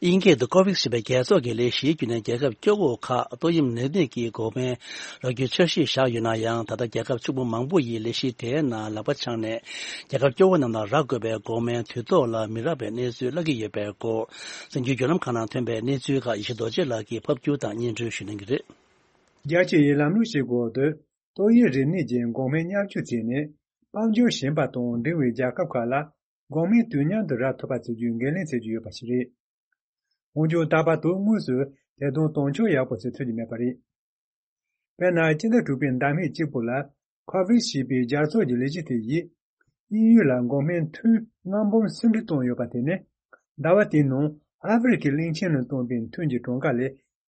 དབྱིན་སྐད་དུ་ཀོ་ཝེག་ཞེས་པའི་རྒྱལ་ཚོགས་ཀྱི་ལས་གཞིའི་བརྒྱུད་ནས། རྒྱལ་ཁབ་སྐྱོ་བོ་ཁག་ཏོག་དབྱིབས་ནད་མུག་གི་འགོག་སྨན་རག་རྒྱུའི་འཆར་གཞི་བཞག་ཡོད་ན་ཡང་། ད་ལྟ་རྒྱལ་ཁབ་ཕྱུག་པོ་མང་པོ་ཡིས་ལས་གཞི་དེའི་ནང་ལག་པ་འཆང་ནས། རྒྱལ་ཁབ་སྐྱོ་བོ་རྣམས་ལ་རག་དགོས་པའི་འགོག་སྨན་དུས་ཐོག་ལ་མི་རག་པའི་གནས་ཚུལ་བརླག་གི་ཡོད་པའི་སྐོར། གསར་འགྱུར་བརྒྱུད་ལམ་ཁག་ནང་ཐོན་པའི་གནས་ཚུལ་ཁག་ཡེ་ཤེས་རྡོ་རྗེ་ལགས་ཀྱིས་ཕབ་སྒྱུར་དང་སྙན་སྒྲོན་ཞུ་གནང་གི་རེད། རྒྱལ་སྤྱི་ཡི་ལམ་ལུགས་ཤིག་འོག་ཏུ། ཏོག་དབྱིབས་རིམས་ནད་ཀྱི་འགོག་སྨན་མཉམ་སྤྱོད་བྱས་ནས། དཔལ་འབྱོར་ཞན་པ་དང་འབྲིང་བའི་རྒྱལ་ཁབ་ཁག་ལ། འགོག་སྨན་དུས་མཉམ་དུ་རག་ཐུབ་པ་བྱེད་རྒྱུའི་འགན་ལེན་བྱེད་ཀྱི་ཡོད་པ་ཞིག་རེད། འོན་ཀྱང་། ད་བར་དུ་དངོས་སུ་དེ་དང་དོན་འཁྱོལ་ཡག་པོ་ཞིག་ཐུབ་ཀྱི་མེད་པ་རེད། དཔེར་ན། སྤྱི་ཟླ་དྲུག་པའི་ཟླ་སྨད་གཅིག་པོ་ལ། ཁོ་ཝེག་ཞེས་པའི་རྒྱལ་ཚོགས་ཀྱི་ལས་གཞི་དེ་ཡིས། དབྱིན་ཡུལ་ལ་འགོག་སྨན་ཐུན་ལྔ་འབུམ་སུམ་ཁྲི་བཏང་ཡོད་པ་དེ་ནི། ཟླ་བ་དེའི་ནང་ཨ་ཧྥེ་རི་ཁའི་གླིང་ཆེན་ནང་བཏང་པའི་ཐུན་གྱི་གྲངས་ཀ་ལས་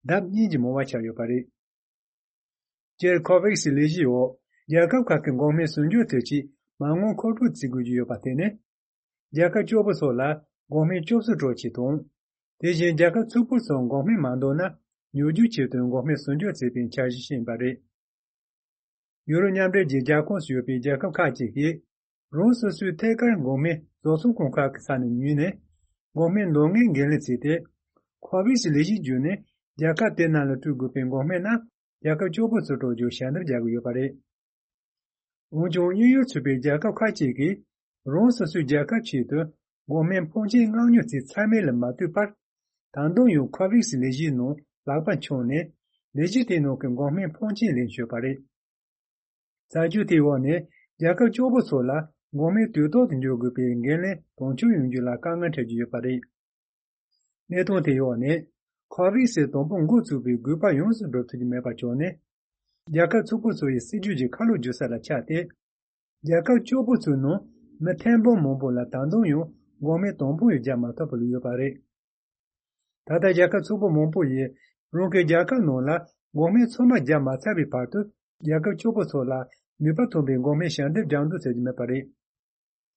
ལྡབ་གཉིས་ཀྱིས་མང་བ་ཆགས་ཡོད་པ་རེད། སྤྱིར། ཁོ་ཝེག་སི་ལས་གཞིའི་འོག་རྒྱལ་ཁབ་ཁག་གི་འགོག་སྨན་ཟུར་འཇོག་ཐད་ཀྱི་མ་དངུལ་མཁོ་སྤྲོད་བྱེད་དགོས་ཀྱི་ཡོད་པ་དེ་ནི། རྒྱལ་ཁབ་སྐྱོ་པོ་སོགས་ལ་འགོག་སྨན་སྐྱོབ་གསོ་སྤྲོད་ཆེད་དང་། དེ་བཞིན། རྒྱལ་ཁབ་ཕྱུག་པོ་ཚོར་འགོག་སྨན་མ་འདང་ན། ཉོ་རྒྱུའི་ཆེད་དུ་འགོག་སྨན་ཟུར་འཇོག་བྱེད་པའི་འཆར་གཞི་ཡིན་པ་རེད། ཡུ་རོབ་མཉམ་འབྲེལ་གྱི་རྒྱལ་ཁོངས་སུ་ཡོད་པའི་རྒྱལ་ཁབ་ཁག་ཅིག་གིས། རང་སོ་སོའི་ཐད་ཀར་འགོག་སྨན་བཟོ་ཚོང་ཁང་ཁག་གི་ས་ནས་ཉོས་ནས། འགོག་སྨན་འདང་ངེས་འགན་ལེན་བྱས་ཏེ། ཁོ་ཝེག་སི་ལས་གཞིའི་བརྒྱུད་ནས་ རྒྱལ་ཁབ་དེ་ནང་ལ་སྤྲོད་དགོས་པའི་འགོག་སྨན་རྣམས་རྒྱལ་ཁབ་སྐྱོ་པོ་ཚོར་སྤྲོད་རྒྱུར་ཞལ་འདེབས་རྒྱག་གི་ཡོད་པ་རེད། འོན་ཀྱང་དབྱིན་ཡུལ་ཚུད་པའི་རྒྱལ་ཁབ་ཁག་ཅིག་གིས་རང་སོ་སོའི་རྒྱལ་ཁབ་ཆེད་དུ་འགོག་སྨན་ཕོན་ཆེན་མངགས་ཉོ་རྩིས་ཚང་མ་ལ་མ་ལྟོས་པར། ད་དུང་ཡང་ཁོ་ཝེག་སི་ལས་གཞིའི་ནང་ལག་པ་འཆང་ནས་ལས་གཞི་དེའི་ནང་གི་འགོག་སྨན་ཕོན་ཆེན་ལེན་བྱས་པ་རེད། རྩད་གཅོད་དེའི་འོག་ནས་རྒྱལ་ཁབ་སྐྱོ་པོ་ཚོ་ལ་འགོག་སྨན་དུས་ཐོག་ཏུ་འཇོག་དགོས་པའི་འགན་ལེན་དོན་འཁྱོལ་ཡོང་རྒྱུ་ལ་དཀའ་ངལ་འཕྲད་ཀྱི་ཡོད་པ་རེད། གནས་སྟངས་དེའི་འོག་ནས་ཁོ་ཝེག་སི་དང་པོ་འགོ་བཙུགས་པའི་དགོས་པ་ཡོངས་སུ་འགྲུབ་ཐུབ་ཀྱི་མེད་པ་བྱུང་ནས། རྒྱལ་ཁབ་ཚོགས་པ་ཚོ་ཡི་སྲིད་ཇུས་ཀྱི་ཁ་ལོ་བསྒྱུར་ས་ལ་ཆགས་ཏེ། རྒྱལ་ཁབ་སྐྱོ་པོ་ཚོའི་ནང་མི་ཐེར་འབུམ་མང་པོ་ལ་ད་དུང་ཡང་འགོག་སྨན་དང་པོ་ཡང་བརྒྱབ་མ་ཐུབ་པ་ལ་ཡོད་པ་རེད། ད་ལྟ་རྒྱལ་ཁབ་ཚོགས་པ་མང་པོ་ཡིས་རང་གི་རྒྱལ་ཁབ་ནང་ལ་འགོག་སྨན་ཚང་མ་བརྒྱབ་མ་ཚར་བའི་བར་དུ། རྒྱལ་ཁབ་སྐྱོ་པོ་ཚོ་ལ་ནུས་པ་ཐོན་པའི་འགོག་སྨན་ཞལ་འདེབས་རྒྱག་འདུག་ཟེར་གྱི་མེད་པ་རེད།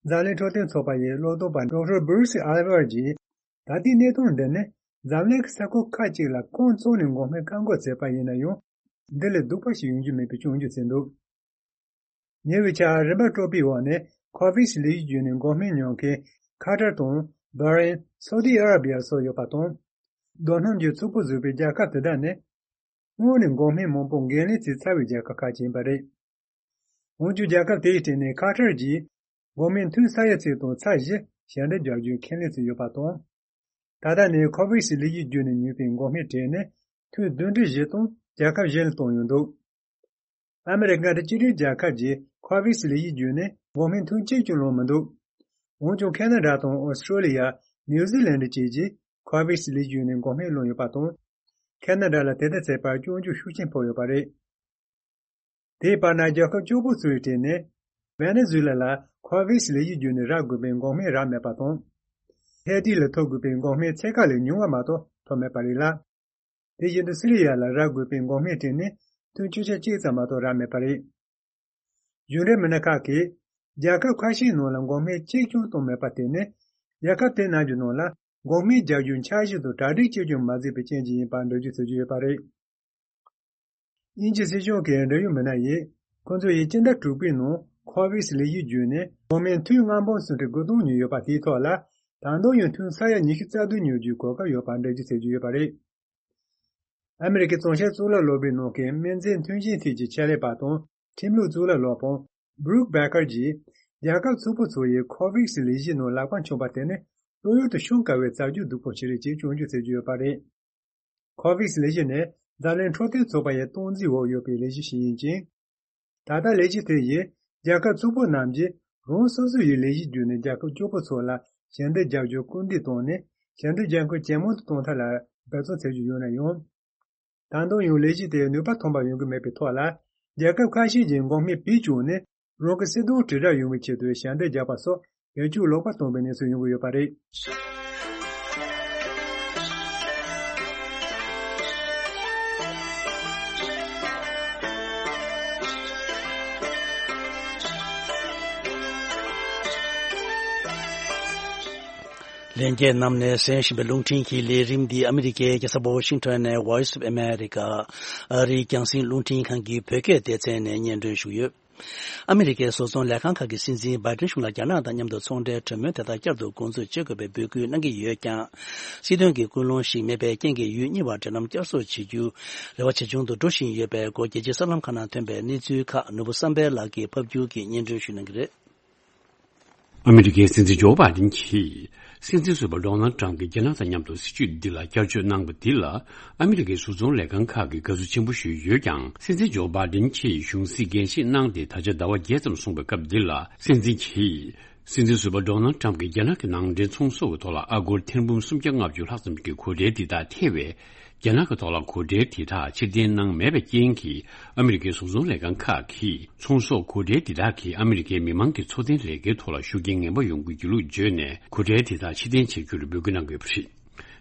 འཛམ་གླིང་འཕྲོད་བསྟེན་ཚོགས་པ་ཡི་བློ་སྟོན་པ་ཌོག་ཊར་སྦུ་རུ་སི་ཨ་ལི་ཝར་གྱིས། ད་ལྟའི་གནས་སྟངས་འདི་ནི་འཛམ་གླིང་གི་ས་ཁུལ་ཁག་ཅིག་ལ་ཁོང་ཚོ་ནས་འགོག་སྨན་བཀག་འགོག་བྱས་པ་ཡིན་ན་ཡང་། འདི་ལས་སྡུག་པ་ཞིག་ཡོང་རྒྱུ་མེད་པའི་སྐྱོན་བརྗོད་བྱས་འདུག་ཉེ་བའི་ཆར་རིམ་པ་དྲུག་པའི་འོག་ནས་ཁོ་ཝེག་སི་ལས་གཞི་བརྒྱུད་ནས་འགོག་སྨན་ཉོ་མཁན་ཁ་ཏར་དང་བྷ་རེན། སོ་ཏི་ཨ་ར་བི་ཡ་སོགས་ཡོད་པ་དང་། རྡོ་སྣུམ་གྱི་ཚོགས་པ་བཟོས་པའི་རྒྱལ་ཁབ་དེ་དག་ནི། སྔོན་ནས་འགོག་སྨན་མང་པོ་འགན་ལེན་བྱས་ཚར་བའི་རྒྱལ་ཁབ་ཁག་ཅིག་ཡིན་པ་རེད། འོན་ཀྱང་རྒྱལ་ཁབ་དེའི་གྲས་ནས་ཁ་ཏར་གྱིས་འགོག་སྨན་ཐུན་ས་ཡ་གཅིག་དང་ཚེག་བཞི་ཞལ་འདེབས་རྒྱག་རྒྱུའི་ཁས་ལེན་བྱས་ཡོད་པ་དང་། ད་ལྟ་ནས་ཁོ་ཝེག་སི་ལས་གཞི་བརྒྱུད་ནས་ཉོས་པའི་འགོག་སྨན་གྲས་ནི་ཐུན་བདུན་ཁྲི་བཞི་སྟོང་རྒྱལ་ཁབ་གཞན་ལ་བཏང་ཡོད་འདུག་ཨ་མི་རི་ཀ་འདྲ་སྤྱི་མཐུན་རྒྱལ་ཁབ་ཀྱིས་ཁོ་ཝེག་སི་ལས་གཞི་བརྒྱུད་ནས་འགོག་སྨན་ཐུན་གཅིག་ཀྱང་བླངས་མི་འདུག་འོན་ཀྱང་ཁེ་ན་ཌ་དང་ཨོ་སི་ཀྲོ་ལི་ཡ། ནིའུ་ཛི་ལན་ཌ་བཅས་ཀྱིས་ཁོ་ཝེག་སི་ལས་གཞི་བརྒྱུད་ནས་འགོག་སྨན་བླངས་ཡོད་པ་དང་། ཁེ་ན་ཌ་ལ་དེ་ལྟར་བྱས་པར་སྐྱོན་བརྗོད་ཤུགས་ཆེན་ཕོག་ཡོད་པ་རེད། དེའི་བར་ན་རྒྱལ་ཁབ་སྐྱོ་པོ་ཚོའི་གྲས་ནས་ཝེ་ནེ་ཛུ་ལ་ལ་ཁོ་ཝེག་སི་ལས་གཞི་བརྒྱུད་ནས་རག་དགོས་པའི་འགོག་སྨན་རག་མེད་པ་དང་། ཧེ་ཏི་ལ་ཐོབ་དགོས་པའི་འགོག་སྨན་ཕྱེད་ཀ་ལས་ཉུང་བ་མ་གཏོགས་ཐོབ་མེད་པ་རེད་ལ། དེ་བཞིན་དུ་སི་རི་ཡ་ལ་རག་དགོས་པའི་འགོག་སྨན་གྲས་ནི་ཐུན་བཅུ་ཆ་གཅིག་ཙམ་མ་གཏོགས་རག་མེད་པ་རེད། གཞུང་འབྲེལ་མི་སྣ་ཁག་གིས་རྒྱལ་ཁབ་ཁ་ཤས་ནང་ལ་འགོག་སྨན་གཅིག་ཀྱང་གཏོང་མེད་པ་དེ་ནི་རྒྱལ་ཁབ་དེ་རྣམས་ཀྱི་ནང་ལ་འགོག་སྨན་རྒྱག་རྒྱུའི་འཆར་གཞི་དང་གྲ་སྒྲིག་གཅིག་ཀྱང་མ་མཛད་པའི་རྐྱེན་གྱིས་ཡིན་པར་འགྲེལ་བརྗོད་བྱེད་ཀྱི་ཡོད་པ་རེད། དབྱིན་ཇི་སྲིད་གཞུང་གི་འབྲེལ་ཡོད་མི་སྣ་ཡིས་ཁོང་ཚོ་ཡིས་སྤྱི་ཟླ་དྲུག་པའི་ནང་ཁོ་ཝེག་སི་ལས་གཞི་བརྒྱུད་ནས་འགོག་སྨན་ཐུན་ལྔ་འབུམ་སུམ་ཁྲི་དགུ་སྟོང་ཉོས་ཡོད་པ་དེའི་ཐོག་ལ་ད་དུང་ཡང་ཐུན་ས་ཡ་ཉི་ཤུ་རྩ་བདུན་ཉོ་རྒྱུའི་གོ་སྐབས་ཡོད་པར་འགྲེལ་བརྗོད་བྱེད་ཀྱི་ཡོད་པ་རེད། ཨ་མི་རི་ཀའི་གཙང་བཤེར་གཙུག་ལག་སློབ་གྲྭའི་ནང་གི་སྨན་རྫས་མཐུན་རྐྱེན་ཐད་ཀྱི་ཆེད་ལས་པ་དང་ཁྲིམས་ལུགས་གཙུག་ལག་སློབ་དཔོན་Brooke Becker གྱིས་རྒྱལ་ཁབ་ཚོགས་པ་ཚོ་ཡིས་ཁོ་ཝེག་སི་ལས་གཞིའི་ནང་ལག་པ་འཆང་བ་དེ་ནི་བློ་ཡུལ་དུ་ཤོང་དཀའ་བའི་རྩ་རྒྱུ་སྡུག་པོ་ཞིག་རེད་ཅེས་སྐྱོན་བརྗོད་བྱེད་ཀྱི་ཡོད་པ་རེད། ཁོ་ཝེག་སི་ལས་གཞི་ནི་འཛམ་གླིང་འཕྲོད་བསྟེན་ཚོགས་པ་ཡི་སྟངས་འཛིན་འོག་ཡོད་པའི་ལས་གཞི་ཞིག་ཡིན་ཅིང་། ད་ལྟ་ལས་གཞི་དེ་ཡིས་རྒྱལ་ཁབ་ཚོགས་པ་རྣམས་ཀྱིས་རང་སོ་སོ་ཡི་ལས་གཞི་བརྒྱུད་ནས་རྒྱལ་ཁབ་སྐྱོ་པོ་ཚོ་ལ་ཞལ་འདེབས་རྒྱག་རྒྱུར་སྐུལ་འདེད་བཏང་ནས་ཞལ་འདེབས་རྒྱག་མཁན་ཇེ་མང་དུ་གཏོང་ཐབས་ལ་འབད་བརྩོན་བྱེད་ཀྱི་ཡོད་ན་ཡང་། ད་དུང་ཡང་ལས་གཞི་དེས་ནུས་པ་ཐོན་པ་ཡོང་གི་མེད་པའི་ཐོག་ལ། རྒྱལ་ཁབ་ཁ་ཤས་ཀྱིས་འགོག་སྨན་བེད་སྤྱོད་ནས་རང་གི་སྲིད་དོན་དྲིལ་བསྒྲགས་ཡོང་བའི་ཆེད་དུ་ཞལ་འདེབས་རྒྱག་པ་སོགས་བེད་སྤྱོད་ལོག་པ་བཏང་བའི་གནས་ཚུལ་ཡོང་གི་ཡོད་པ་རེད། ལྷན་རྒྱས་རྣམས་ནས་གསན་བཞིན་པའི་རླུང་འཕྲིན་གྱི་ལས་རིམ་འདི་ཨ་མི་རི་ཀའི་རྒྱལ་ས་ཝ་ཤིང་ཊོན་ནས་Voice of America ཨ་རིའི་རྒྱང་སྲིང་རླུང་འཕྲིན་ཁང་གི་བོད་སྐད་སྡེ་ཚན་ནས་སྙན་སྒྲོན་ཞུས་ཡོད། ཨ་མི་རི་ཀའི་བཟོ་ཚོང་ལས་ཁང་ཁག་གི་སྲིད་འཛིན་བྷའི་ཌེན་གཞུང་ལ་རྒྱ་ནག་དང་མཉམ་དུ་ཚོང་འབྲེལ་གྲོས་མོལ་དེ་དག་བསྐྱར་དུ་འགོ་འཛུགས་བྱེད་དགོས་པའི་འབོད་སྐུལ་གནང་གི་ཡོད་ཀྱང་། སྲིད་དོན་གྱི་ཀུན་སློང་ཞིག་མེད་པའི་རྐྱེན་གྱིས་ཡུལ་གཉིས་བར་འབྲེལ་ལམ་བསྐྱར་གསོ་བྱེད་རྒྱུ་རེ་བ་ཇེ་ཆུང་དུ་འགྲོ་བཞིན་ཡོད་པའི་སྐོར་རྒྱལ་སྤྱིའི་གསར་ལམ་ཁག་ནང་ཐོན་པའི་གནས་ཚུལ་ཁག་ནོར་བུ་བསམ་འཕེལ་ལགས་ཀྱིས་ཕབ་སྒྱུར་གྱིས་སྙན་སྒྲོན་ཞུ་གནང་གི་རེད། ཨ་མི་རི་ཀའི་སྲིད་འཛིན་ཇོ་བྷའི་ཌེན་གྱིས་སྲིད་འཛིན་ཟུར་པ་ཌོ་ནལ་ཌི་ཊརམ་ཕ་གྱིས་རྒྱ་ནག་དང་མཉམ་དུ་སྲིད་ཇུས་འདི་ལ་བསྐྱར་བཅོས་གནང་བ་འདི་ལ་ཨ་མི་རི་ཀའི་བཟོ་ཚོང་ལས་ཁང་ཁག་གིས་དགའ་བསུ་ཆེན་པོ་ཞུས་ཡོད་ཀྱང་། སྲིད་འཛིན་ཇོ་བྷའི་ཌེན་གྱིས་གཞུང་སྲིད་འགན་བཞེས་གནང་སྟེ་ད་ཆ་ཟླ་བ་བརྒྱད་ཙམ་སོང་བའི་སྐབས་འདི་ལ། སྲིད་འཛིན་གྱིས་སྲིད་འཛིན་ཟུར་པ་ཌོ་ནལ་ཌི་ཊརམ་ཕ་གྱིས་རྒྱ་ནག་གི་ནང་འདྲེན་ཚོང་ཟོག་གི་ཐོག་ལ་ཨ་སྒོར་ཐེར་འབུམ་སུམ་བརྒྱ་ལྔ་བཅུ་ལྷག་ཙམ་གྱི་གོ་གྲལ་འདི་དག་ཐེ་བའི། རྒྱ་ནག་གི་ཐོག་ལ་གོ་གྲལ་དེ་དག་ཕྱིར་འཐེན་གནང་མེད་པའི་རྐྱེན་གྱིས། ཨ་མི་རི་ཀའི་བཟོ་ཚོང་ལས་ཁང་ཁག་གིས་ཚོང་ཟོག་གོ་གྲལ་དེ་དག་གིས་ཨ་མི་རི་ཀའི་མི་མང་གི་འཚོ་རྟེན་ལས་ཀའི་ཐོག་ལ་ཤུགས་རྐྱེན་ངན་པ་ཡོང་གི་རྒྱུ་ལུགས་བརྗོད་ནས། གོ་གྲལ་དེ་དག་ཕྱིར་འཐེན་བྱེད་རྒྱུར་འབོད་སྐུལ་གནང་དགོས་པ་རེད།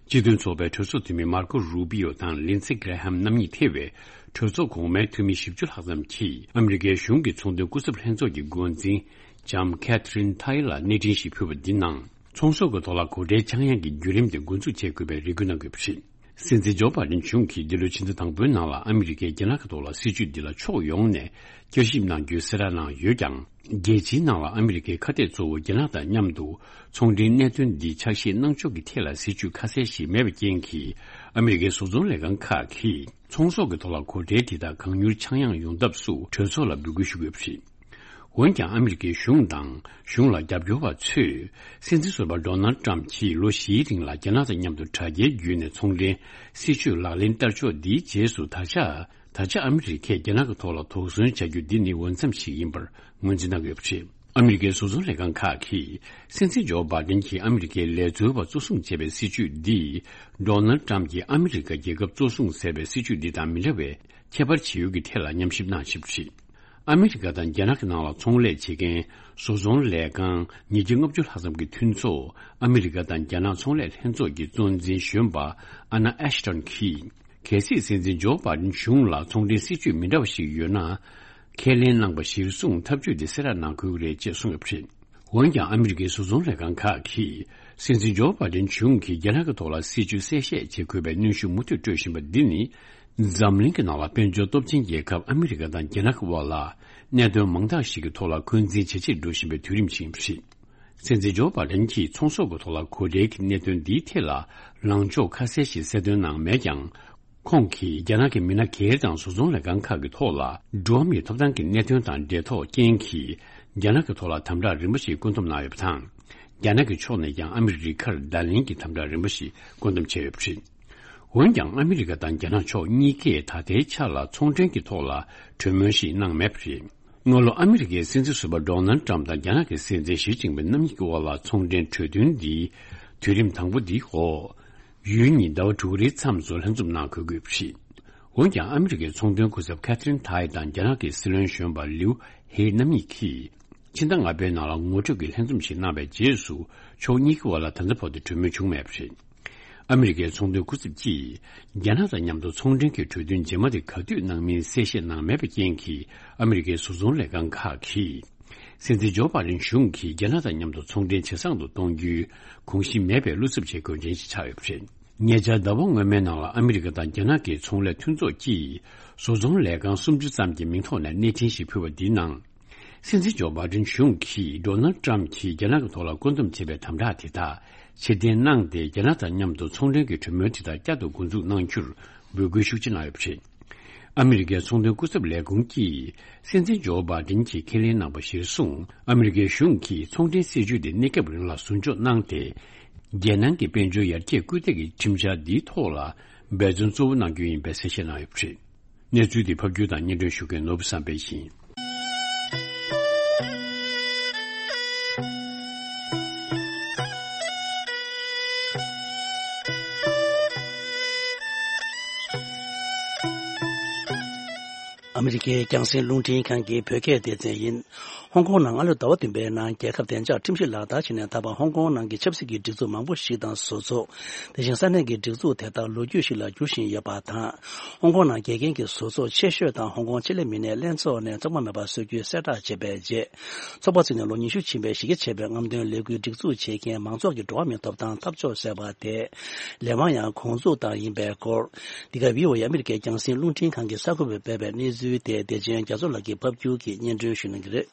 སྤྱི་མཐུན་ཚོགས་པའི་གྲོས་ཚོགས་འཐུས་མི་མར་ཀོ་རུ་པི་ཡོ་དང་ལིན་ཙི་གྷི་རེ་ཧམ་རྣམ་གཉིས་ཐེ་བའི་གྲོས་ཚོགས་གོང་མའི་འཐུས་མི་བཞི་བཅུ་ལྷག་ཙམ་གྱིས། ཨ་མི་རི་ཀའི་གཞུང་གི་ཚོང་དོན་སྐུ་ཚབ་ལྷན་ཚོགས་ཀྱི་འགོ་འཛིན་ལྕམ་ཁེ་ཐི་རིན་ཐའི་ལ་གནས་འཕྲིན་ཞིག་ཕུལ་བ་འདི་ནང་། ཚོང་ཟོག་གི་ཐོག་ལ་གོ་གྲལ་བཅང་ཡག་གི་བརྒྱུད་རིམ་དེ་འགོ་འཛུགས་བྱེད་དགོས་པའི་རེ་སྐུལ་གནང་དགོས་པ་རེད། སྲིད་འཛིན་ཇོ་བྷའི་ཌེན་གཞུང་གིས་འདི་ལོའི་ཕྱི་ཟླ་དང་པོའི་ནང་ལ་ཨ་མི་རི་ཀས་རྒྱ་ནག་གི་ཐོག་ལ་སྲིད་ཇུས་འདི་ལ་ཕྱོགས་ཡོངས་ནས་བསྐྱར་ཞིབ་གནང་རྒྱུའི་གསལ་བསྒྲགས་གནང་ཡོད་ཀྱང་། རྒྱལ་སྤྱིའི་ནང་ལ་ཨ་མི་རི་ཀའི་ཁ་གཏད་གཙོ་བོ་རྒྱ་ནག་དང་མཉམ་དུ་ཚོང་འབྲེལ་གནད་དོན་འདི་ཕྱག་བཞེས་གནང་ཕྱོགས་ཀྱི་ཐད་ལ་སྲིད་ཇུས་ཁ་གསལ་ཞིག་མེད་པའི་རྐྱེན་གྱིས། ཨ་མི་རི་ཀའི་བཟོ་ཚོང་ལས་ཁང་ཁག་གིས་ཚོང་ཟོག་གི་ཐོག་ལ་གོ་ཁྲལ་དེ་དག་གང་མྱུར་ཆག་ཡང་ཡོང་ཐབས་སུ་གྲོས་ཚོགས་ལ་འབོད་སྐུལ་ཞུ་གི་ཡོད་པ་རེད། འོན་ཀྱང་ཨ་མི་རི་ཀའི་གཞུང་དང་གཞུང་ལ་རྒྱབ་སྐྱོར་བ་ཚོས་སྲིད་འཛིན་ཟུར་པ་ཌོ་ནལ་ཏྲམ་གྱིས་ལོ་བཞིའི་རིང་ལ་རྒྱ་ནག་དང་མཉམ་དུ་དྲ་རྒྱའི་བརྒྱུད་ནས་ཚོང་འབྲེལ་སྲིད་ཇུས་ལག་ལེན་བསྟར་ཕྱོགས་འདིའི་རྗེས་སུ་ད་ཆ་ད་ཆ་ཨ་མི་རི་ཀས་རྒྱ་ནག་གི་ཐོག་ལ་དོགས་ཟོན་བྱ་རྒྱུ་འདི་ནི་འོས་འཚམ་ཞིག་ཡིན་པར་ངོས་འཛིན་གནང་གི་ཡོད་པ་རེད། ཨ་མི་རི་ཀའི་བཟོ་ཚོང་ལས་ཁང་ཁག་གིས་སྲིད་འཛིན་ཇོ་བྷའི་ཌེན་གྱིས་ཨ་མི་རི་ཀའི་ལས་བཟོ་བ་གཙོ་བཟུང་བྱས་པའི་སྲིད་ཇུས་འདིས་ཌོ་ནལ་ཏྲམ་གྱིས་ཨ་མི་རི་ཀ་རྒྱལ་ཁབ་གཙོ་བཟུང་ཟེར་བའི་སྲིད་ཇུས་འདི་དང་མི་འདྲ་བའི་ཁྱད་པར་ཇི་ཡོད་ཀྱི་ཐད་ལ་ཉམས་ཞིབ་གནང་བཞིན་པ་རེད། ཨ་མི་རི་ཀ་དང་རྒྱ་ནག་གི་ནང་ལ་ཚོང་ལས་བྱེད་མཁན་བཟོ་ཚོང་ལས་ཁང་ཉིས་བརྒྱ་ལྔ་བཅུ་ལྷག་ཙམ་གྱི་མཐུན་ཚོགས་ཨ་མི་རི་ཀ་དང་རྒྱ་ནག་ཚོང་ལས་ལྷན་ཚོགས་ཀྱི་གཙོ་འཛིན་གཞོན་པ་ཨ་ན་ཨེ་ཤི་ཊོན་གྱིས། གལ་སྲིད་སྲིད་འཛིན་ཇོ་བྷའི་ཌེན་གཞུང་ལ་ཚོང་འབྲེལ་སྲིད་ཇུས་མི་འདྲ་བ་ཞིག་ཡོད་ན། ཁས་ལེན་གནང་པ་གཞིར་བཟུང་ཐབས་ཇུས་དེ་གསལ་བསྒྲགས་གནང་དགོས་ཀྱི་རེད་ཅེས་གསུངས་ཡོད་པ་རེད། འོན་ཀྱང་ཨ་མི་རི་ཀའི་བཟོ་ཚོང་ལས་ཁང་ཁག་གིས་སྲིད་འཛིན་ཇོ་བྷའི་ཌེན་གཞུང་གིས་རྒྱ་ནག་གི་ཐོག་ལ་སྲིད་ཇུས་གསལ་བཤད་བྱེད་དགོས་པའི་གནོན་ཤུགས་མུ་མཐུད་སྤྲོད་བཞིན་པ་འདི་ནི། འཛམ་གླིང་གི་ནང་ལ་དཔལ་འབྱོར་སྟོབས་ཆེན་རྒྱལ་ཁབ་ཨ་མི་རི་ཀ་དང་རྒྱ་ནག་གི་དབར་ལ་གནད་དོན་མང་དག་ཞིག་གི་ཐོག་ལ་འཁོན་འཛིན་ཇེ་ཆེར་འགྲོ་བཞིན་པའི་དུས་རིམ་ཞིག་ཡིན་པ་རེད། སྲིད་འཛིན་ཇོ་བྷའི་ཌེན་གྱིས་ཚོང་ཟོག་གི་ཐོག་ལ་གོ་ཁྲལ་གྱི་གནད་དོན་འདིའི་ཐད་ལ་ལངས་ཕྱོགས་ཁ་གསལ་ཞིག་གསལ་སྟོན་གནང་མེད་ཀྱང་། ཁོང་གིས་རྒྱ་ནག་གི་མི་སྣ་སྒེར་དང་བཟོ་ཚོང་ལས་ཁང་ཁག་གི་ཐོག་ལ་འགྲོ་བ་མིའི་ཐོབ་ཐང་གི་གནད་དོན་དང་འབྲེལ་ཐོགས་རྐྱེན་གྱིས་རྒྱ་ནག་གི་ཐོག་ལ་དམ་དྲག་རིམ་པ་ཞིག་བཀོད་འདོམས་གནང་ཡོད་པ་དང་། རྒྱ་ནག་གི་ཕྱོགས་ནས་ཀྱང་ཨ་མི་རི་ཀར་བརྡ་ལན་གྱི་དམ་དྲག་རིམ་པ་ཞིག་བཀོད་འདོམས་བྱས་ཡོད་པ་རེད། འོན་ཀྱང་ཨ་མི་རི་ཀ་དང་རྒྱ་ནག་ཕྱོགས་གཉིས་ཀས་ད་ལྟའི་ཆ་ལ་ཚོང་འབྲེལ་གྱི་ཐོག་ལ་གྲོས་མོལ་ཞིག་གནང་མེད་པ་རེད། སྔ་ལོ་ཨ་མི་རི་ཀའི་སྲིད་འཛིན་ཟུར་པ་ཌོ་ནལ་ཏྲམ་དང་རྒྱ་ནག་གི་སྲིད་འཛིན་ཞི་ཅིན་ཕིང་རྣམ་གཉིས་ཀྱི་དབར་ལ་ཚོང་འབྲེལ་གྲོས་མཐུན་འདི་དུས་རིམ་དང་པོ་འདིའི་འོག་ཡུལ་གཉིས་ཟླ་བ་དྲུག་རེའི་མཚམས་སུ་ལྷན་འཛོམས་གནང་དགོས་དགོས་པ་རེད། འོན་ཀྱང་ཨ་མི་རི་ཀའི་ཚོང་དོན་སྐུ་ཚབ་ཁ་ཐི་རིན་ཐའེ་དང་རྒྱ་ནག་གི་སྲིད་བློན་གཞོན་པ་ལིའུ་ཧེ་རྣམ་གཉིས་ཀྱིས། ཕྱི་ཟླ་ལྔ་པའི་ནང་ལ་ངོ་སྤྲོད་ཀྱི་ལྷན་འཛོམས་ཤིག་གནང་བའི་རྗེས་སུ་ཕྱོགས་གཉིས་ཀྱི་དབར་ལ་ད་ལྟ་བར་དུ་གྲོས་མོལ་བྱུང་མེད་པ་རེད། ཨ་མི་རི་ཀའི་ཚོང་དོན་སྐུ་ཚབ་ཀྱིས་རྒྱ་ནག་དང་མཉམ་དུ་ཚོང་འབྲེལ་གྱི་གྲོས་མཐུན་རྗེས་མ་དེ་ག་དུས་གནང་མིན་གསལ་བཤད་གནང་མེད་པའི་རྐྱེན་གྱིས་ཨ་མི་རི་ཀའི་བཟོ་ཚོང་ལས་ཁང་ཁག་གིས་སྲིད་འཛིན་ཇོ་བྷའི་ཌེན་གཞུང་གིས་རྒྱ་ནག་དང་མཉམ་དུ་ཚོང་འབྲེལ་ཇེ་བཟང་དུ་གཏོང་རྒྱུའི་གོམས་གཤིས་མེད་པའི་བློ་འཚབ་བྱེད་དགོས་མཁན་ཞིག་ཆགས་ཡོད་པ་རེད། ཉེ་ཆར་ཟླ་བ་སྔོན་མའི་ནང་ལ་ཨ་མི་རི་ཀ་དང་རྒྱ་ནག་གི་ཚོང་ལས་མཐུན་ཚོགས་ཀྱིས་བཟོ་ཚོང་ལས་ཁང་སུམ་ཅུ་ཙམ་གྱི་མིང་ཐོག་ནས་གནས་འཕྲིན་ཞིག་ཕུལ་བ་འདིའི་ནང་། སྲིད་འཛིན་ཇོ་བྷའི་ཌེན་གཞུང་གིས་ཌོ་ནལ་ཏྲམ་གྱིས་རྒྱ་ནག་གི་ཐོག་ལ་བཀོད་འདོམས་བྱས་པའི་དམ་དྲག་དེ་དག་ཕྱིར་འཐེན་གནང་སྟེ་རྒྱ་ནག་དང་མཉམ་དུ་ཚོང་འབྲེལ་གྱི་གྲོས་མོལ་དེ་དག་བསྐྱར་དུ་འགོ་འཛུགས་གནང་རྒྱུར་འབོད་སྐུལ་ཤུགས་ཆེ་གནང་ཡོད་པ་རེད། ཨ་མི་རི་ཀའི་ཚོང་དོན་སྐུ་ཚབ་ལས་ཁུངས་ཀྱིས་སྲིད་འཛིན་ཇོ་བྷའི་ཌེན་གྱིས་ཁས་ལེན་གནང་པ་གཞིར་བཟུང་ཨ་མི་རི་ཀའི་གཞུང་གིས་ཚོང་འབྲེལ་སྲིད་ཇུས་དེ་གནས་སྐབས་རིང་ལ་ཟུར་འཇོག་གནང་སྟེ། རྒྱལ་ནང་གི་དཔལ་འབྱོར་ཡར་རྒྱས་སྐུལ་འདེད་ཀྱི་ཁྲིམས་འཆར་འདིའི་ཐོག་ལ་འབད་བརྩོན་གཙོ་བོ་གནང་རྒྱུ་ཡིན་པའི་གསལ་བཤད་གནང་ཡོད་པ་རེད། གནས་ཚུལ་འདི་ཕབ་སྒྱུར་དང་སྙན་སྒྲོན་ཞུ་མཁན་ནོར་བུ་བསམ་འཕེལ་ཡིན། ཨ་མི་རི་ཀའི་རྒྱང་སྲིང་རླུང་འཕྲིན་ཁང་གི་བོད་སྐད་སྡེ་ཚན་ཡིན། ཧོང་ཀོང་ནང་སྔ་ལོ་ཟླ་བ་བདུན་པའི་ནང་རྒྱལ་ཁབ་བདེ་འཇགས་ཁྲིམས་གཞི་ལག་བསྟར་བྱས་ནས་ད་བར་ཧོང་ཀོང་ནང་གི་ཆབ་སྲིད་ཀྱི་སྒྲིག་འཛུགས་མང་པོ་ཞིག་དང་བཟོ་ཚོགས། དེ་བཞིན་ས་གནས་ཀྱི་སྒྲིག་འཛུགས་དེ་དག་ལོ་རྒྱུས་ཤིག་ལ་འགྱུར་བཞིན་ཡོད་པ་དང་། ཧོང་ཀོང་ནང་དགེ་རྒན་གྱི་བཟོ་ཚོགས་ཆེ་ཤོས་དང་ཧོང་ཀོང་ཆེད་ལས་མི་སྣའི་ལྷན་ཚོགས་ནས་ཚོགས་མ་མེད་པར་བཟོ་རྒྱུའི་གསལ་བསྒྲགས་བྱས་པའི་རྗེས། ཚོགས་པ་བཙུགས་ནས་ལོ་ཉི་ཤུ་ཕྱིན་པའི་གཞི་རྒྱ་ཆེ་བའི་རྔམ་སྟོན་ལས་འགུལ་སྒྲིག་འཛུགས་བྱེད་མཁན་མང་ཚོགས་ཀྱི་འགྲོ་བ་མིའི་ཐོབ་ཐང་འཐབ་ཕྱོགས་ཟེར་བ་དེ། ལས་དབང་ཡང་གོང་འཛུགས་བཏང་ཡིན་པའི་སྐོར། འདི་ག་བྷི་ཨོ་ཨེ་ཨ་མི་རི་ཀའི་རྒྱང་སྲིང་རླུང་འཕྲིན་ཁང་གི་གསར་འགོད་པས་སྤེལ་བའི་གནས་ཚུལ་དེ་བདེ་ཆེན་རྒྱ་མཚོ་ལགས་ཀྱིས་ཕབ་སྒྱུར་གྱིས་སྙན་སྒྲོན་ཞུ་གནང་གི་རེད།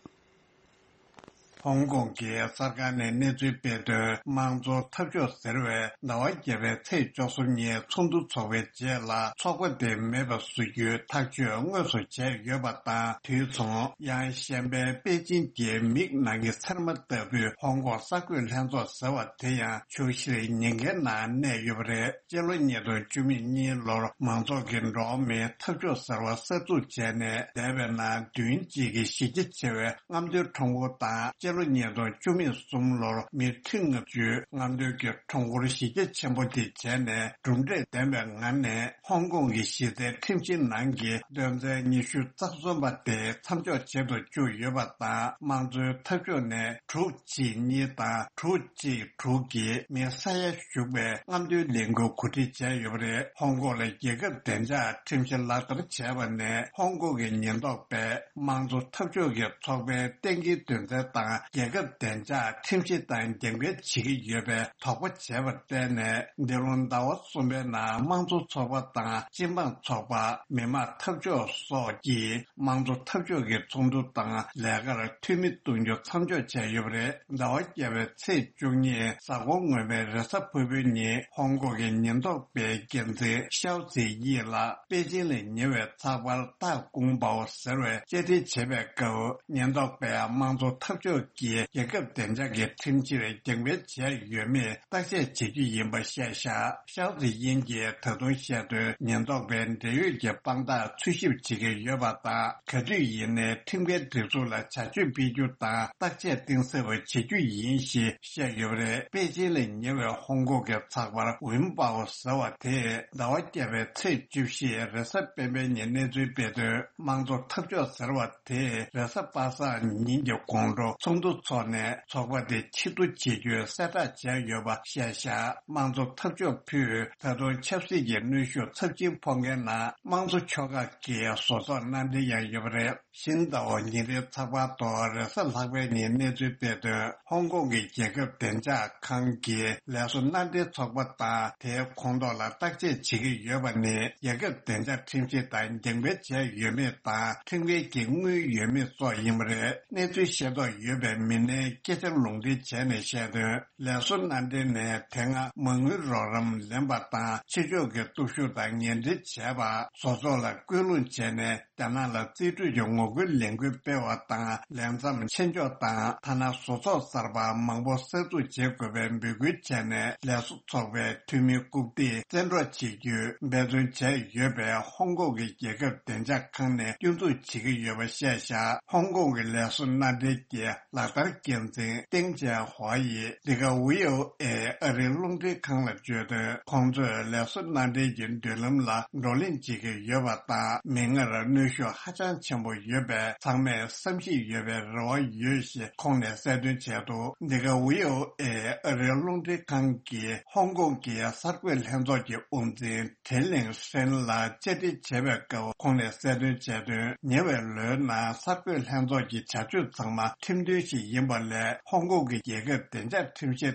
ཧོང་ཀོང་གི་གསར་ཁང་ནས་གནས་ཚུལ་སྤེལ་དོན། དམངས་གཙོ་འཐབ་ཕྱོགས་ཟེར་བས་ཟླ་བ་བརྒྱད་པའི་ཚེས་བཅུ་གསུམ་ཉིན་ཚོགས་འདུ་འཚོགས་པའི་རྗེས་ལ་ཚོགས་པ་དེ་མེད་པ་བཟོ་རྒྱུའི་ཐག་གཅོད་དངོས་སུ་བྱས་ཡོད་པ་དང་། དུས་མཚུངས་ཡང་གཞན་པའི་པེ་ཅིན་གྱི་མིག་ནང་གི་ཚེར་མ་ལྟ་བུའི་ཧོང་ཀོང་གསར་འགོད་ལྷན་ཚོགས་ཟེར་བ་དེ་ཡང་ཆུ་བཞིར་ཉེན་ཁའི་ནང་གནས་ཡོད་པ་རེད། སྤྱི་ལོ་ཉིས་སྟོང་བཅུ་མེད་གཉིས་ལོར་མང་ཚོགས་ཀྱི་འགྲོ་བ་མིའི་འཐབ་ཕྱོགས་ཟེར་བ་གསར་འཛུགས་བྱས་ནས། འདས་པའི་ནང་བདུན་གཅིག་གི་གཞི་རྒྱ་ཆེ་བའི་རྔམ་སྟོན་ཁྲོམ་སྐོར་དང་། སྤྱི་ལོ་ཉིས་སྟོང་བཅུ་མེད་གསུམ་ལོར་མི་ཁྲི་ལྔ་བཅུའི་རྔམ་སྟོན་གྱི་ཁྲོམ་སྐོར་གཞི་རྒྱ་ཆེན་པོ་དེ་བྱས་ནས། གྲུབ་འབྲས་ལྡན་པའི་ངང་ནས་ཧོང་ཀོང་གི་གཞི་རྩའི་ཁྲིམས་གཞིའི་ནང་གི་དོན་ཚན་ཉི་ཤུ་རྩ་གསུམ་པ་དེ་མཚམས་འཇོག་བྱེད་དུ་བཅུག་ཡོད་པ་དང་། དམངས་གཙོའི་འཐབ་ཕྱོགས་ནས་དྲུག་གཅིག་གཉིས་དང་དྲུག་གཅིག་དྲུག་གི་མི་ས་ཡ་ཞུགས་པའི་རྔམ་སྟོན་ལས་འགུལ་གོ་སྒྲིག་བྱས་ཡོད་པ་རེད། ཧོང་ཀོང་ལ་རྒྱལ་ཁབ་བདེ་འཇགས་ཁྲིམས་གཞི་ལག་བསྟར་བྱས་པ་ནས། ཧོང་ཀོང་གི་ཉེན་རྟོག་པས་དམངས་གཙོ་འཐབ་ཕྱོགས་ཀྱི་ཚོགས་པའི་གཏན་འཁེལ་དོན་ཚན་དང་ རྒྱལ་ཁབ་བདེ་འཇགས་ཁྲིམས་གཞི་ལྟར་འགན་འཁུར་བྱེད་ཀྱི་ཡོད་པའི་དོགས་པ་བྱས་པར་བརྟེན་ནས། འདི་ལོ་ཟླ་བ་གསུམ་པའི་ནང་དམངས་གཙོ་ཚོགས་པ་དང་སྤྱི་འབངས་ཚོགས་པ། མི་དམངས་འཐབ་ཕྱོགས་སོགས་ཀྱིས་དམངས་གཙོ་འཐབ་ཕྱོགས་ཀྱི་ཚོགས་འདུ་དང་ལས་ཀར་འཐུས་མི་གཏོང་རྒྱུ་མཚམས་འཇོག་བྱས་ཡོད་པ་རེད། ཟླ་བ་བརྒྱད་པའི་ཚེས་བཅུ་གཉིས་གཟའ་འཁོར་སྔོན་མའི་རེས་གཟའ་ཕུར་བུའི་ཉིན་ཧོང་ཀོང་གི་ཉེན་རྟོག་པའི་འགན་འཛིན་ཤའོ་ཙི་དབྱི་ལགས་པེ་ཅིང་ལ་ཉེ་བའི་ཚགས་པར་ཏཱ་ཀུང་པའོ་ཟེར་བའི་བཅར་འདྲི་བྱེད་པའི་སྐབས། ཉེན་རྟོག་པས་དམངས་གཙོ་འཐབ་ཕྱོགས་ཀྱི་རྒྱལ་ཁབ་བདེ་འཇགས་ཀྱི་ཁྲིམས་གཞིར་འགན་འཁུར་བྱས་ཡོད་མེད་བརྟག་དཔྱད་བྱེད་རྒྱུ་ཡིན་པ་བཤད་བཞག་ཤའོ་ཙི་དབྱིན་གྱིས་ད་དུང་བཤད་དོན། ཉེན་རྟོག་པས་འབྲེལ་ཡོད་ཀྱི་དཔང་རྟགས་འཚོལ་ཞིབ་བྱེད་ཀྱི་ཡོད་པ་དང་། ག་དུས་ཡིན་ནའི་ཁྲིམས་འགལ་སྒྲིག་འཛུགས་ལ་བྱ་སྤྱོད་སྤེལ་རྒྱུ་དང་བརྟག་དཔྱད་གཏིང་ཟབ་པ་བྱེད་རྒྱུ་ཡིན་ཞེས་བཤད་ཡོད་པ་རེད། པེ་ཅིང་ལ་ཉེ་བའི་ཧོང་ཀོང་གི་ཚགས་པར་ཝིན་པའོ་ཟེར་བ་དེས་ཟླ་བ་བརྒྱད་པའི་ཚེས་བཅུ་བཞི་རེས་གཟའ་སྤེན་པའི་ཉིན་གནས་ཚུལ་སྤེལ་དོན། དམངས་གཙོ་འཐབ་ཕྱོགས་ཟེར་བ་དེས་རེས་གཟའ་པ་སངས་ཉིན་གྱི་དགོང་དྲོ་ཚོགས་འདུ་འཚོགས་ནས་ཚོགས་པ་དེ་ཕྱིར་བསྡུ་བྱེད་རྒྱུའི་གསལ་བསྒྲགས་བྱས་ཡོད་པ་བཤད་བཞག་དམངས་གཙོ་འཐབ་ཕྱོགས་ཕུད་ད་དུང་ཆབ་སྲིད་ཀྱི་གནོན་ཤུགས་ཚབས་ཆེན་ཕོག་མཁན་ནང་དམངས་གཙོ་ཕྱོགས་ཁག་གི་བཟོ་ཚོགས་མནའ་འབྲེལ་ཡང་ཡོད་པ་རེད། ཤིན་ཏའོ་ཉིན་རེའི་ཚགས་པར་ཐོག་རེས་གཟའ་ལྷག་པའི་ཉིན་གནས་ཚུལ་སྤེལ་དོན། ཧོང་ཀོང་གི་རྒྱལ་ཁབ་བདེ་འཇགས་ཁང་གི་ལས་བཟོ་མནའ་འབྲེལ་ཚོགས་པ་དང་དེའི་ཁོངས་གཏོགས་ལ་བརྟག་དཔྱད་བྱེད་ཀྱི་ཡོད་པ་ནི། རྒྱལ་ཁབ་བདེ་འཇགས་ཁྲིམས་གཞི་ལྟར་འགན་འཁུར་བྱས་ཡོད་མེད་དང་། ཁྲིམས་འགལ་གྱི་དངུལ་ཡོད་མེད་སོགས་ཡིན་པ་རེད། གནས་ཚུལ་ཤེས་རྟོགས་ཡོད་པའི་མི་སྣའི་སྐད་ཆར་ལུང་འདྲེན་བྱས་ནས་བཤད་དོན། ལས་བཟོ་མནའ་འབྲེལ་ནས་དེ་སྔ་མ་དངུལ་རོགས་རམ་ལེན་པ་དང་། ཕྱི་ཕྱོགས་ཀྱི་སྟོབས་ཤུགས་དང་ངན་འབྲེལ་བྱས་པ། བཟོ་ཚོགས་ལ་སྐུལ་སློང་བྱས་ནས། རྒྱ་ནག་ལ་རྩིས་སྤྲོད་ཀྱི་ངོ་རྒོལ་ལས་འགུལ་སྤེལ་བ་དང་། ལས་མཚམས་ཆེད་འཇོག་དང་། ཐ་ན་བཟོ་ཚོགས་གསར་པ་མང་པོ་གསར་འཛུགས་བྱེད་དགོས་པའི་འབོད་སྐུལ་བྱས་ནས། ལས་བཟོ་ཚོགས་པའི་འཐུས་མི་རྐུབ་སྟེགས་བཙན་འཕྲོག་བྱེད་རྒྱུའི་འབད་བརྩོན་བྱས་ཡོད་པས། ཧོང་ཀོང་གི་རྒྱལ་ཁབ་བདེ་འཇགས་ཁང་ནས་སྐྱོན་འཛུགས་བྱེད་ཀྱི་ཡོད་པ་བཤད་བཞག་ཧོང་ཀོང་གི་ལས་བཟོ་མནའ་འབྲེལ་གྱི་ལག་བསྟར་འགན་འཛིན་ཏེང་ཅེ་ཧོ་ཡིས་འདི་ག་ཝི་ཨོ་ཨེ་ཨ་རིའི་རླུང་འཕྲིན་ཁང་ལ་བརྗོད་དོན། ཁོང་ཚོས་ལས་བཟོ་མནའ་འབྲེལ་གྱི་མདུན་ལམ་ལ་བགྲོ་གླེང་བྱེད་ཀྱི་ཡོད་པ་དང་། མིག་སྔར་གནོན་ཤུགས་ཧ་ཅང་ཆེན་པོ་ཡོད་པས། ཚང་མས་བསམ་ཤེས་ཡོད་པའི་རེ་བ་ཡོད་ཞེས་ཁོང་ནས་གསལ་སྟོན་བྱས་འདུག་འདི་ག་ཝི་ཨོ་ཨེ་ཨ་རིའི་རླུང་འཕྲིན་ཁང་གིས་ཧོང་ཀོང་གི་གསར་འགོད་ལྷན་ཚོགས་ཀྱི་དབུ་འཛིན་ཁྲེན་ལིང་ཧྲེན་ལ་བཅར་འདྲི་བྱས་པའི་སྐབས། ཁོང་ནས་གསལ་སྟོན་བྱས་དོན། ཉེ་བའི་ལོའི་ནང་གསར་འགོད་ལྷན་ཚོགས་ཀྱི་བྱ་སྤྱོད་ཚང་མ་ཁྲིམས་མཐུན་ཞིག་ཡིན་པ་ལས། ཧོང་ཀོང་གི་རྒྱལ་ཁབ་བདེ་འཇགས་ཁྲིམས་གཞི་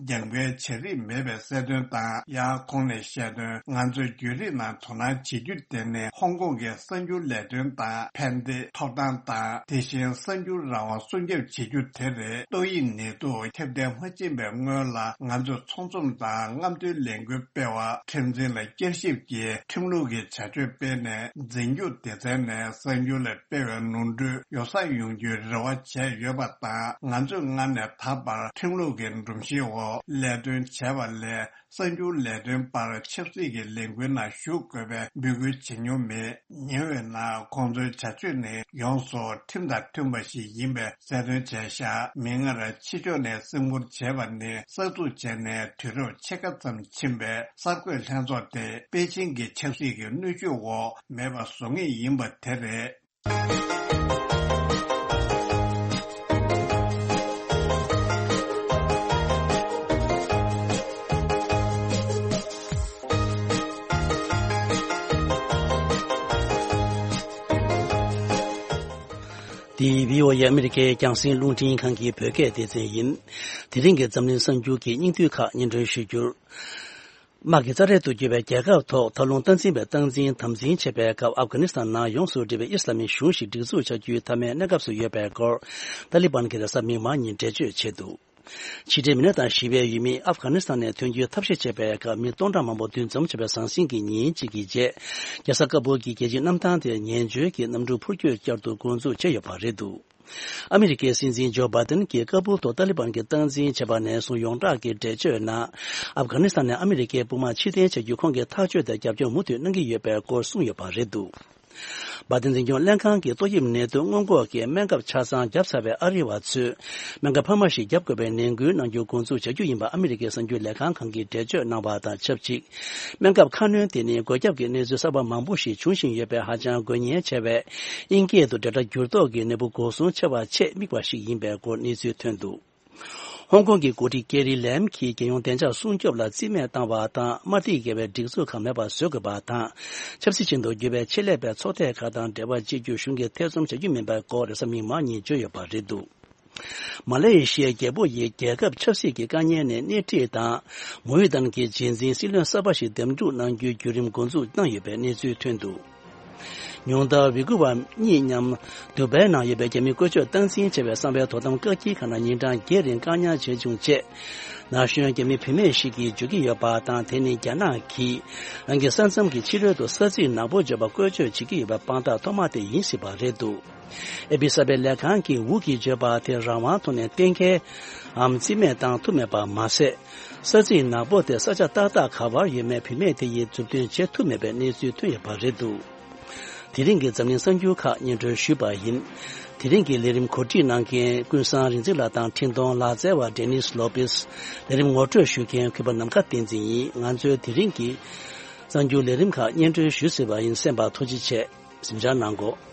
དང་རྒྱབ་འགལ་བྱ་རིགས་མེད་པའི་གསལ་སྟོན་དང་། ཡང་ཁོང་ནས་བཤད་དོན། ང་ཚོས་བརྒྱུད་རིམ་ནང་དོ་སྣང་བྱེད་རྒྱུ་དེ་ནི། ཧོང་ཀོང་གི་གསར་འགྱུར་ལས་དོན་དང་ཕན་བདེ་ཐོབ་ཐང་དང་། དེ་བཞིན་གསར་འགྱུར་རང་དབང་སྲུང་སྐྱོབ་བྱེད་རྒྱུ་དེ་རེད། ཏོག་དབྱིབས་ནད་དུག་ཁྱབ་གདལ་མ་ཕྱིན་པའི་སྔོན་ལ། ང་ཚོས་ཚོང་ཚོམས་དང་རྔམ་སྟོན་ལས་འགུལ་སྤེལ་བ། ཁྲིམས་འཛིན་ལ་བསྐྱར་ཞིབ་ཀྱིས་ཁྲིམས་ལུགས་ཀྱི་བྱ་སྤྱོད་སྤེལ་ནས། འཛིན་སྐྱོང་སྡེ་ཚན་ནས་གསར་འགྱུར་ལ་སྤེལ་བའི་ནོར་འཁྲུལ་ཡོ་བསྲང་ཡོང་རྒྱུའི་རེ་བ་བྱས་ཡོད་པ་དང་། ང་ཚོས་སྔར་ནས་ད་བར་ཁྲིམས་ལུགས་ཀྱི་སྒྲོམ་གཞིའི་འོག་ལས་དོན་བྱས་པ་ལས། གསར་འགྱུར་ལས་དོན་པར་ཆབ་སྲིད་ཀྱི་ལས་འགུལ་ནང་ཞུགས་དགོས་པའི་འབོད་སྐུལ་བྱེད་མྱོང་མེད། ཉེ་བའི་ནང་ཁོང་ཚོའི་བྱ་སྤྱོད་ནི་ཡོངས་སུ་ཁྲིམས་དང་མཐུན་པ་ཞིག་ཡིན་པའི་གསལ་སྟོན་བྱས་བཞག་མིག་སྔར་ཕྱི་ཕྱོགས་ནས་སེམས་ཁུར་བྱས་པ་ནི། གསར་འཛུགས་བྱས་ནས་དུས་རབས་ཕྱེད་ཀ་ཙམ་ཕྱིན་པའི་གསར་འགོད་ལྷན་ཚོགས་དེ། པེ་ཅིང་གི་ཆབ་སྲིད་ཀྱི་གནོན་ཤུགས་འོག་མེད་པ་བཟོ་ངེས་ཡིན་པ་དེ་རེད། འདི་བྷི་ཨོ་ཨེ་ཨ་མི་རི་ཀའི་རྒྱང་སྲིང་རླུང་འཕྲིན་ཁང་གི་བོད་སྐད་སྡེ་ཚན་ཡིན། དེ་རིང་གི་འཛམ་གླིང་གསར་འགྱུར་གྱི་སྙིང་བསྡུས་ཁག་སྙན་སྒྲོན་ཞུ་རྒྱུར། དམག་གི་རྩ་འགྲན་དུ་གྱུར་བའི་རྒྱལ་ཁབ་ཐོག་མཐའ་ལྷུང་སྟངས་འཛིན་པའི་སྟངས་འཛིན་དམ་འཛིན་བྱེད་པའི་སྐབས། ཨབ་གྷ་ནི་སི་ཐན་ནང་ཡོངས་སུ་འདྲེས་པའི་ཨི་སི་ལ་མིའི་གཞུང་ཞིག་སྒྲིག་འཛུགས་བྱ་རྒྱུའི་མཐའ་མའི་གནས་སྐབས་སུ་ཡོད་པའི་སྐོར། ཏཱ་ལི་བན་གྱིས་རེས་གཟའ་མིག་དམར་ཉིན་འགྲེལ་བརྗོད་བྱས་འདུག་ཕྱི་འབྲེལ་མི་སྣ་དང་ཞི་བའི་ཡུལ་མིས་ཨབ་གྷ་ནི་སི་ཐན་ནས་ཐོན་རྒྱུའི་ཐབས་ཤེས་བྱས་པའི་སྐབས། མི་སྟོང་ཕྲག་མང་པོ་འདུ་འཛོམས་བྱས་པའི་ཟང་ཟིང་གི་ཉིན་གཅིག་གི་རྗེས། རྒྱལ་ས་ཀ་སྦུལ་གྱི་རྒྱལ་སྤྱིའི་གནམ་ཐང་དེར་ངན་བྱུས་ཀྱི་གནམ་གྲུ་འཕུར་སྐྱོད་བསྐྱར་དུ་འགོ་འཛུགས་བྱས་ཡོད་པ་རེད་འདུག་ཨ་མི་རི་ཀའི་སྲིད་འཛིན་ཇོ་བྷའི་ཏིན་གྱིས་ཀ་སྦུལ་དུ་ཏཱ་ལི་བན་གྱིས་སྟངས་འཛིན་བྱས་པ་ནས་བཟུང་ཡོངས་གྲགས་ཀྱི་འགྲེལ་བརྗོད་ནང་། ཨབ་གྷ་ནི་སི་ཐན་ནས་ཨ་མི་རི་ཀའི་དཔུང་དམག་ཕྱིར་འཐེན་བྱ་རྒྱུའི་ཁོང་གི་ཐག་གཅོད་དེར་རྒྱབ་སྐྱོར་མུ་མཐུད་གནང་གི་ཡོད་པའི་སྐོར་གསུངས་ཡོད་པ་རེད་འདུག་བྷའི་ཏིན་འཛིན་སྐྱོང་ལྷན་ཁང་གིས་ཏོག་དབྱིབས་ནད་དུག་སྔོན་འགོག་གི་སྨན་ཁབ་ཆ་ཚང་བརྒྱབ་ཚར་བའི་ཨ་རི་བ་ཚོས་སྨན་ཁབ་འཕར་མ་ཞིག་བརྒྱབ་དགོས་པའི་ནན་སྐུལ་གནང་རྒྱུ་འགོ་འཛུགས་བྱ་རྒྱུ་ཡིན་པ་ཨ་མི་རི་ཀའི་གསར་འགྱུར་ལས་ཁང་ཁང་གིས་འགྲེལ་བརྗོད་གནང་བ་དང་ཆབས་ཅིག་སྨན་ཁབ་ཁ་སྣོན་དེ་ནི་འགོས་ཁྱབ་ཀྱི་གནས་ཚུལ་གསར་པ་མང་པོ་ཞིག་འབྱུང་བཞིན་ཡོད་པས། ཧ་ཅང་དགོས་ངེས་ཆེ་བའི་དབྱིན་སྐད་དུ་འབྲེལ་སྒྲ་འགྱུར་ལྡོག་གི་ནད་འབུ་འགོག་སྲུང་ཆེ་བ་ཆེད་དམིགས་པ་ཞིག་ཡིན་པའི་སྐོར་གནས་ཚུལ་ཐོན་འདུག་ཧོང་ཀོང་གི་འགོ་ཁྲིད་ཀེ་རི་ལེམ་གྱིས་རྒྱལ་ཡོངས་བདེ་འཇགས་སྲུང་སྐྱོབ་ལ་རྩིས་མེད་བཏང་བ་དང་། དམར་ཐིག་འགེལ་བའི་སྒྲིག་འཛུགས་ཁག་མེད་པ་བཟོ་དགོས་པ་དང་། ཆབ་སྲིད་ཅན་དུ་གྱུར་པའི་ཆེད་ལས་པའི་ཚོགས་སྡེ་ཁག་དང་འབྲེལ་བ་བྱེད་རྒྱུ་གཞུང་གིས་ཐེ་ཚོམ་བྱ་རྒྱུ་མིན་པའི་སྐོར་རེས་གཟའ་མིག་དམར་ཉིན་བརྗོད་ཡོད་པ་རེད་འདུག་མ་ལེ་ཤི་ཡའི་རྒྱལ་པོ་ཡིས་རྒྱལ་ཁབ་ཆབ་སྲིད་ཀྱི་དཀའ་ངལ་ནས་སྣེ་ཁྲིད་དང་། མུའུ་ཏན་གྱི་རྗེས་འཛིན་སྲིད་བློན་གསར་པ་ཞིག་འདེམས་སྒྲུག་གནང་རྒྱུའི་བརྒྱུད་རིམ་འགོ་འཛུགས་གནང་ཡོད་པའི་གནས་ཚུལ་ཐོན་འདུག་ཉུང་མཐར་ཝི་གུ་བ་གཉིས་མཉམ་དུ་བའི་ནང་ཡོད་པའི་རྒྱ་མི་བཀོལ་སྤྱོད་སྟངས་འཛིན་བྱས་པའི་གསང་བའི་དོ་དམ་བཀག་སྐྱིལ་ཁང་ནང་ཉིན་གྲངས་བརྒྱད་རིང་བཀག་ཉར་བྱས་བྱུང་རྗེས། ན་གཞོན་རྒྱ་མི་བུད་མེད་ཞིག་གིས་བརྗོད་ཀྱི་ཡོད་པ་དང་། དེ་ནི་རྒྱ་ནག་གིས་རང་གི་ས་མཚམས་ཀྱི་ཕྱི་རོལ་དུ་ས་ཚིགས་ནག་པོ་བརྗོད་པ་བཀོལ་སྤྱོད་བྱེད་ཀྱི་ཡོད་པའི་དཔང་རྟགས་ཐོག་མ་དེ་ཡིན་སྲིད་པ་རེད་འདུག་ཨེ་པི་གསར་པའི་ལས་ཁང་གིས་ཝུ་གིས་བརྗོད་པ་དེ་རང་དབང་ཐོག་ནས་གཏན་འཁེལ་འམ་རྩིས་མེད་བཏང་ཐུབ་མེད་པ་མ་ཟད། ས་ཚིགས་ནག་པོ་དེ་ས་ཆ་ཏག་ཏག་ག་བར་ཡོད་མེད་བུད་མེད་དེ་ཡིས་མཛུབ་སྟོན་བྱེད་ཐུབ་མེད་པའི་གནས་ཚུལ་ཐོན་ཡོད་པ་རེད་འདུག་དེ་རིང་གི་འཛམ་གླིང་གསར་འགྱུར་ཁག་སྙན་སྒྲོན་ཞུས་པ་ཡིན། དེ་རིང་གི་ལས་རིམ་གོ་སྒྲིག་གནང་མཁན་ཀུན་བཟང་རིག་འཛིན་ལགས་དང་འཕྲིན་གཏོང་ལག་རྩལ་བ་ཌེ་ནིས་ལོ་པེས། ལས་རིམ་ངོ་སྤྲོད་ཞུ་མཁན་གུས་པ་ནམ་མཁའ་བསྟན་འཛིན་ཡིན། ང་ཚོའི་དེ་རིང་གི་གསར་འགྱུར་ལས་རིམ་ཁག་སྙན་སྒྲོན་ཞུས་ཟིན་པ་ཡིན། གསན་པར་ཐུགས་རྗེ་ཆེ། གཟིམ་འཇགས་གནང་གོ།